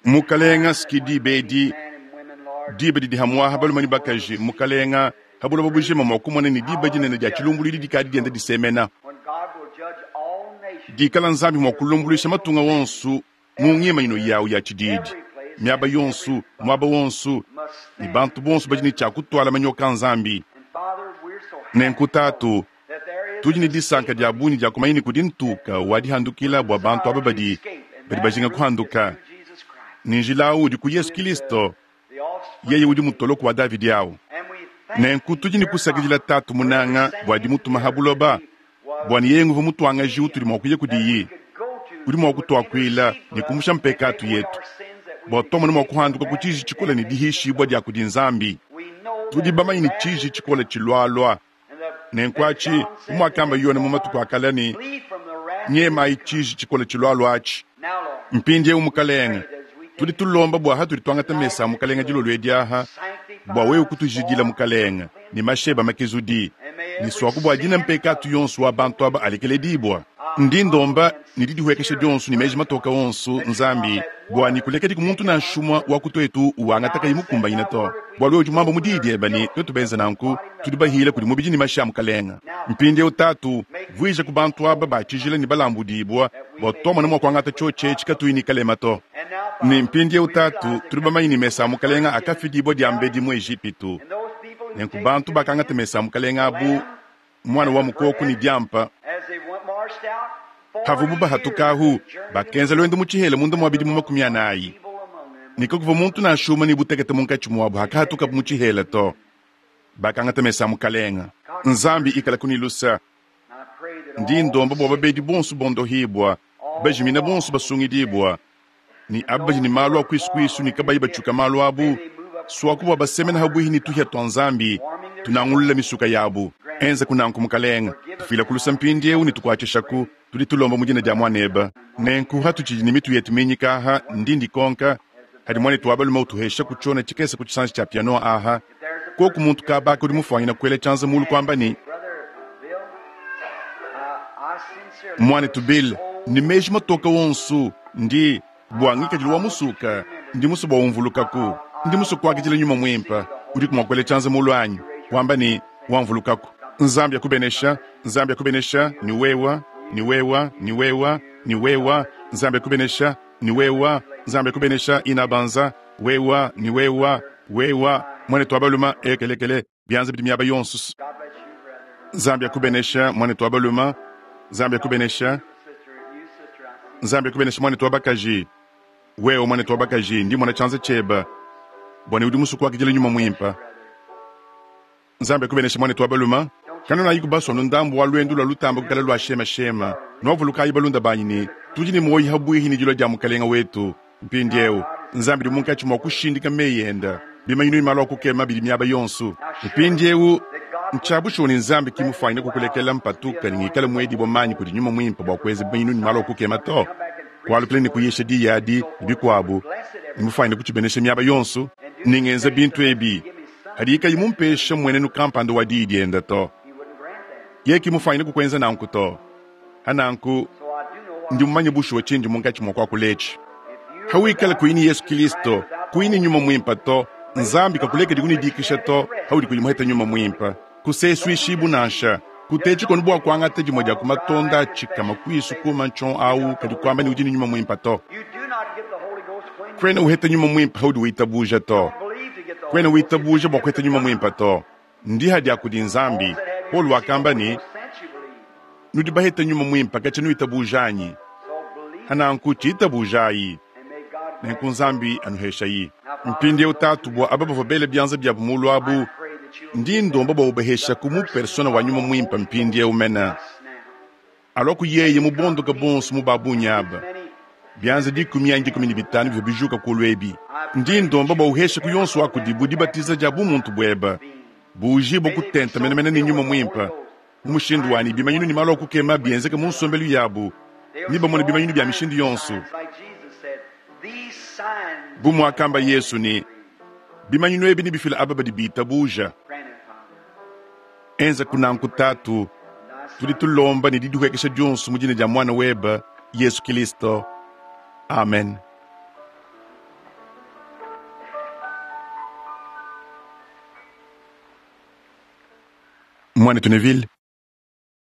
Mukalenga skidi bedi men and women, Lord, diba didi hamuaha balume ne bakaji. Mukalenga habuloba bujima mua kumona ne diba dinene dia tshilumbuluidi dikadi dienda disemena. when God will judge all nations, Dikala Nzambi mua kulumbuluisha matunga wonsu mu ngimanyino yawu ya tshididi, miaba yonsu, muaba wonsu, must ne stand. bantu bonso badi ne tshia kutwala manyoka a Nzambi. And Father, we're so happy Nenku tatu, that there is tudi ne disanka dia bungi dia kumanya ne kudi ntuka wa dihandukila bua bantu aba badi badi bajinga kuhanduka. Jesus Christ, Ni njila awu udi ku Yesu Kristo, the offspring. yeye udi mutoloko wa Davidi awu. And we thank Nenku tudi ne kusakidila tatu munanga bua dimutuma ha buloba, bua ne yeye nguvu mutuangaji utudi mua kuya kudiyi, could go to udi mua kutuakuila ne kumusha mpekatu yetu, bua tuamone mua kuhanduka ku tshiji tshikole ne dihishibua dia kudi Nzambi. we know Tudi bamanye ne tshiji tshikole tshilualua. and the Nenku atshi, umuakamba Yona mu matuku a kale ne, flee from the wrath. nyemayi tshiji tshikole tshilualua atshi. Now, Lord, Mpindieu mukalenga, tudi tulomba bua hatudi tuangata mesa a mukalenga dilolo edi aha, bua wewe kutujidila mukalenga ne masheba makezudi, ne swaku bua dina mpekatu yonsu wa bantu aba alekeledibua. Ndi ndomba ne didihuekesha dionsu ne meji matoka onsu Nzambi, bua nikulekedi ku muntu nansha umue wa kutuetu wangata kayi mukumbanyine to. Bualu wewe udi muamba mu diyi diebe ne tuetu benze nanku, tudi bahile kudi mubidi ne mashi a mukalenga. Mpindieu tatu, vuija ku bantu aba ba tshijila ne balambudibua, bua tuamone mua kuangata tshiotshi etshi katuyi ne kalema to. and now, Ne mpindieu tatu, tudi bamanye ne mesa a mukalenga akafidibua diambedi mu Ejipitu. and those people who Nenku take bantu bakangata mesa a mukalenga abu, mwana wa mukoko ne diampa, as they went marched out, havubu bahatuka ahu, bakenza lwendo mu tshihela munda mua bidimu makumi anayi. evil among them. Ne kakuva muntu nansha umue ne butekete munkatshi muabu hakahatukabu mu tshihela to. Bakangata mesa a mukalenga. Nzambi ikala kunilusa. And I pray that Ndi all ndomba bua babedi bonso bondohibwa, bajimina bonso basungidibwa, ni aba badi ne malu a kwisukuisu ne kabayi batshuka malu abu, swaku bua basemena habuihi ne tuhia tua Nzambi, tunangulula misuka yabu. Enza kunanku mukalenga, tufila kulusa mpindieu ne tukuatshishaku, tudi tulomba mu dina dia muaneba. Nenku hatutshidi ne mitu yetu minyika aha, ndi ndikonka, hadi muanetu wa balume utuhesha kutshiona tshikese ku tshisanji tshia piano aha, koku muntu kabaka udi mufuanyina kuela tshianza mulu kuamba ne, Brother Bill, uh, I sincerely muanetu Bill, ne meji matoka wonsu ndi bua ngikadilu wa musuka, ndi musu bua umvulukaku, ndi musu kuakidila nyuma muimpa, udi kumua kuela tshianza mulu anyi, wamba ne wamvulukaku. Nzambi akubenesha, Nzambi akubenesha, ni wewa, ni wewa, ni wewa, ni wewa, Nzambi akubenesha, ni wewa, Nzambi akubenesha inabanza, wewa, ni wewa, wewa, mwanetu wa baluma ekelekele, bianza bidi miaba yonsu. God bless you, brother. Nzambi akubenesha, mwanetu wa baluma, Nzambi akubenesha, Sister, you sister, I see. Nzambi akubenesha mwanetu wa bakaji. Wewe mwanetu wa bakaji, ndi mwana tshianza tshieba, bwana udi musu kuakidila nyuma muimpa. Nzambi akubenesha mwanetu wa baluma. Kanona yiku baswa ndambu wa lwendu lwa lutamba kukala lwa shema shema. Nwavulukayi balunda banyi ne tudi ne moyi habwihi ni dilua dia mukalenga wetu. Mpindieu Nzambi di munkatshi mua kushindika meyi enda. Bimanyinu imalo kukema bidi miaba yonsu. Mpindieu ntshiabushuwa ne Nzambi kimufuanyine kukulekela mpatuka ne ngikale muedibua manyi kudi nyuma muimpe bua kuenza bimanyinu ne malu akukema to. Kualukile ne kuyisha diyi adi ne bikuabu, ne mufuanyine kutshibenesha miaba yonsu, ningenza bintu ebi. Hadi ikayi mumpesha mmuenenu kampanda wa diyi dienda to. He wouldn't grant that. Ye kimufuanyine kukuenza nanku to. Hananku So I do know what ndi mumanye bushuwa tshindi munkatshi mua kuakuletshi. if you Hawikala kuyini Yesu Kristo, kuyini nyuma muimpa to, Nzambi kakulekedi kunidikisha to, haudi kulimuheta nyuma muimpa. Kuseswishibu nansha, kutechi kono bua kuangata dimue dia kumatonda tshikama kuisu kuma nchon au kadi kuamba ni udi ni nyuma muimpa to. you do not get the Holy Ghost when you Kwena uheta nyuma muimpa haudi witabuja to. believe to get the Kwena Holy Ghost. witabuja bua kuheta nyuma muimpa to. Ndiha dia kudi Nzambi. Paulo wakamba ne, nudi bahete Nyuma Muimpe katshia nuitabuja anyi? Hananku tshitabujayi. Nenku Nzambi anuheshayi. Mpindieu Tatu, bua aba bavua bele bianza biabu mulu abu, ndi ndomba bua ubaheshaku mu persona wa Nyuma Muimpe mpindieu mena. Alua ku yeye mu bondoka bonso mu babunyi aba. Bianza dikumi anyi dikumi ne bitanu bivua bijuka kulu ebi. Ndi ndomba bua uheshaku yonso wa kudibu dibatiza dia bumuntu buebe. Buujibue kutenta menemene ne Nyuma Muimpe. Mu mushindu wanyi bimanyinu ne malu a kukema bienzeke mu nsombelu yabu, ne bamone bimanyinu bia mishindu yonso. Bu muakamba Yesu ne, bimanyinu ebi nebifile aba badi bitabuja. Enza kunanku Tatu, tudi tulomba ne didihuekesha dionso mu dina dia Muana webe Yesu Kristo. Amen. Mwanetu Neville.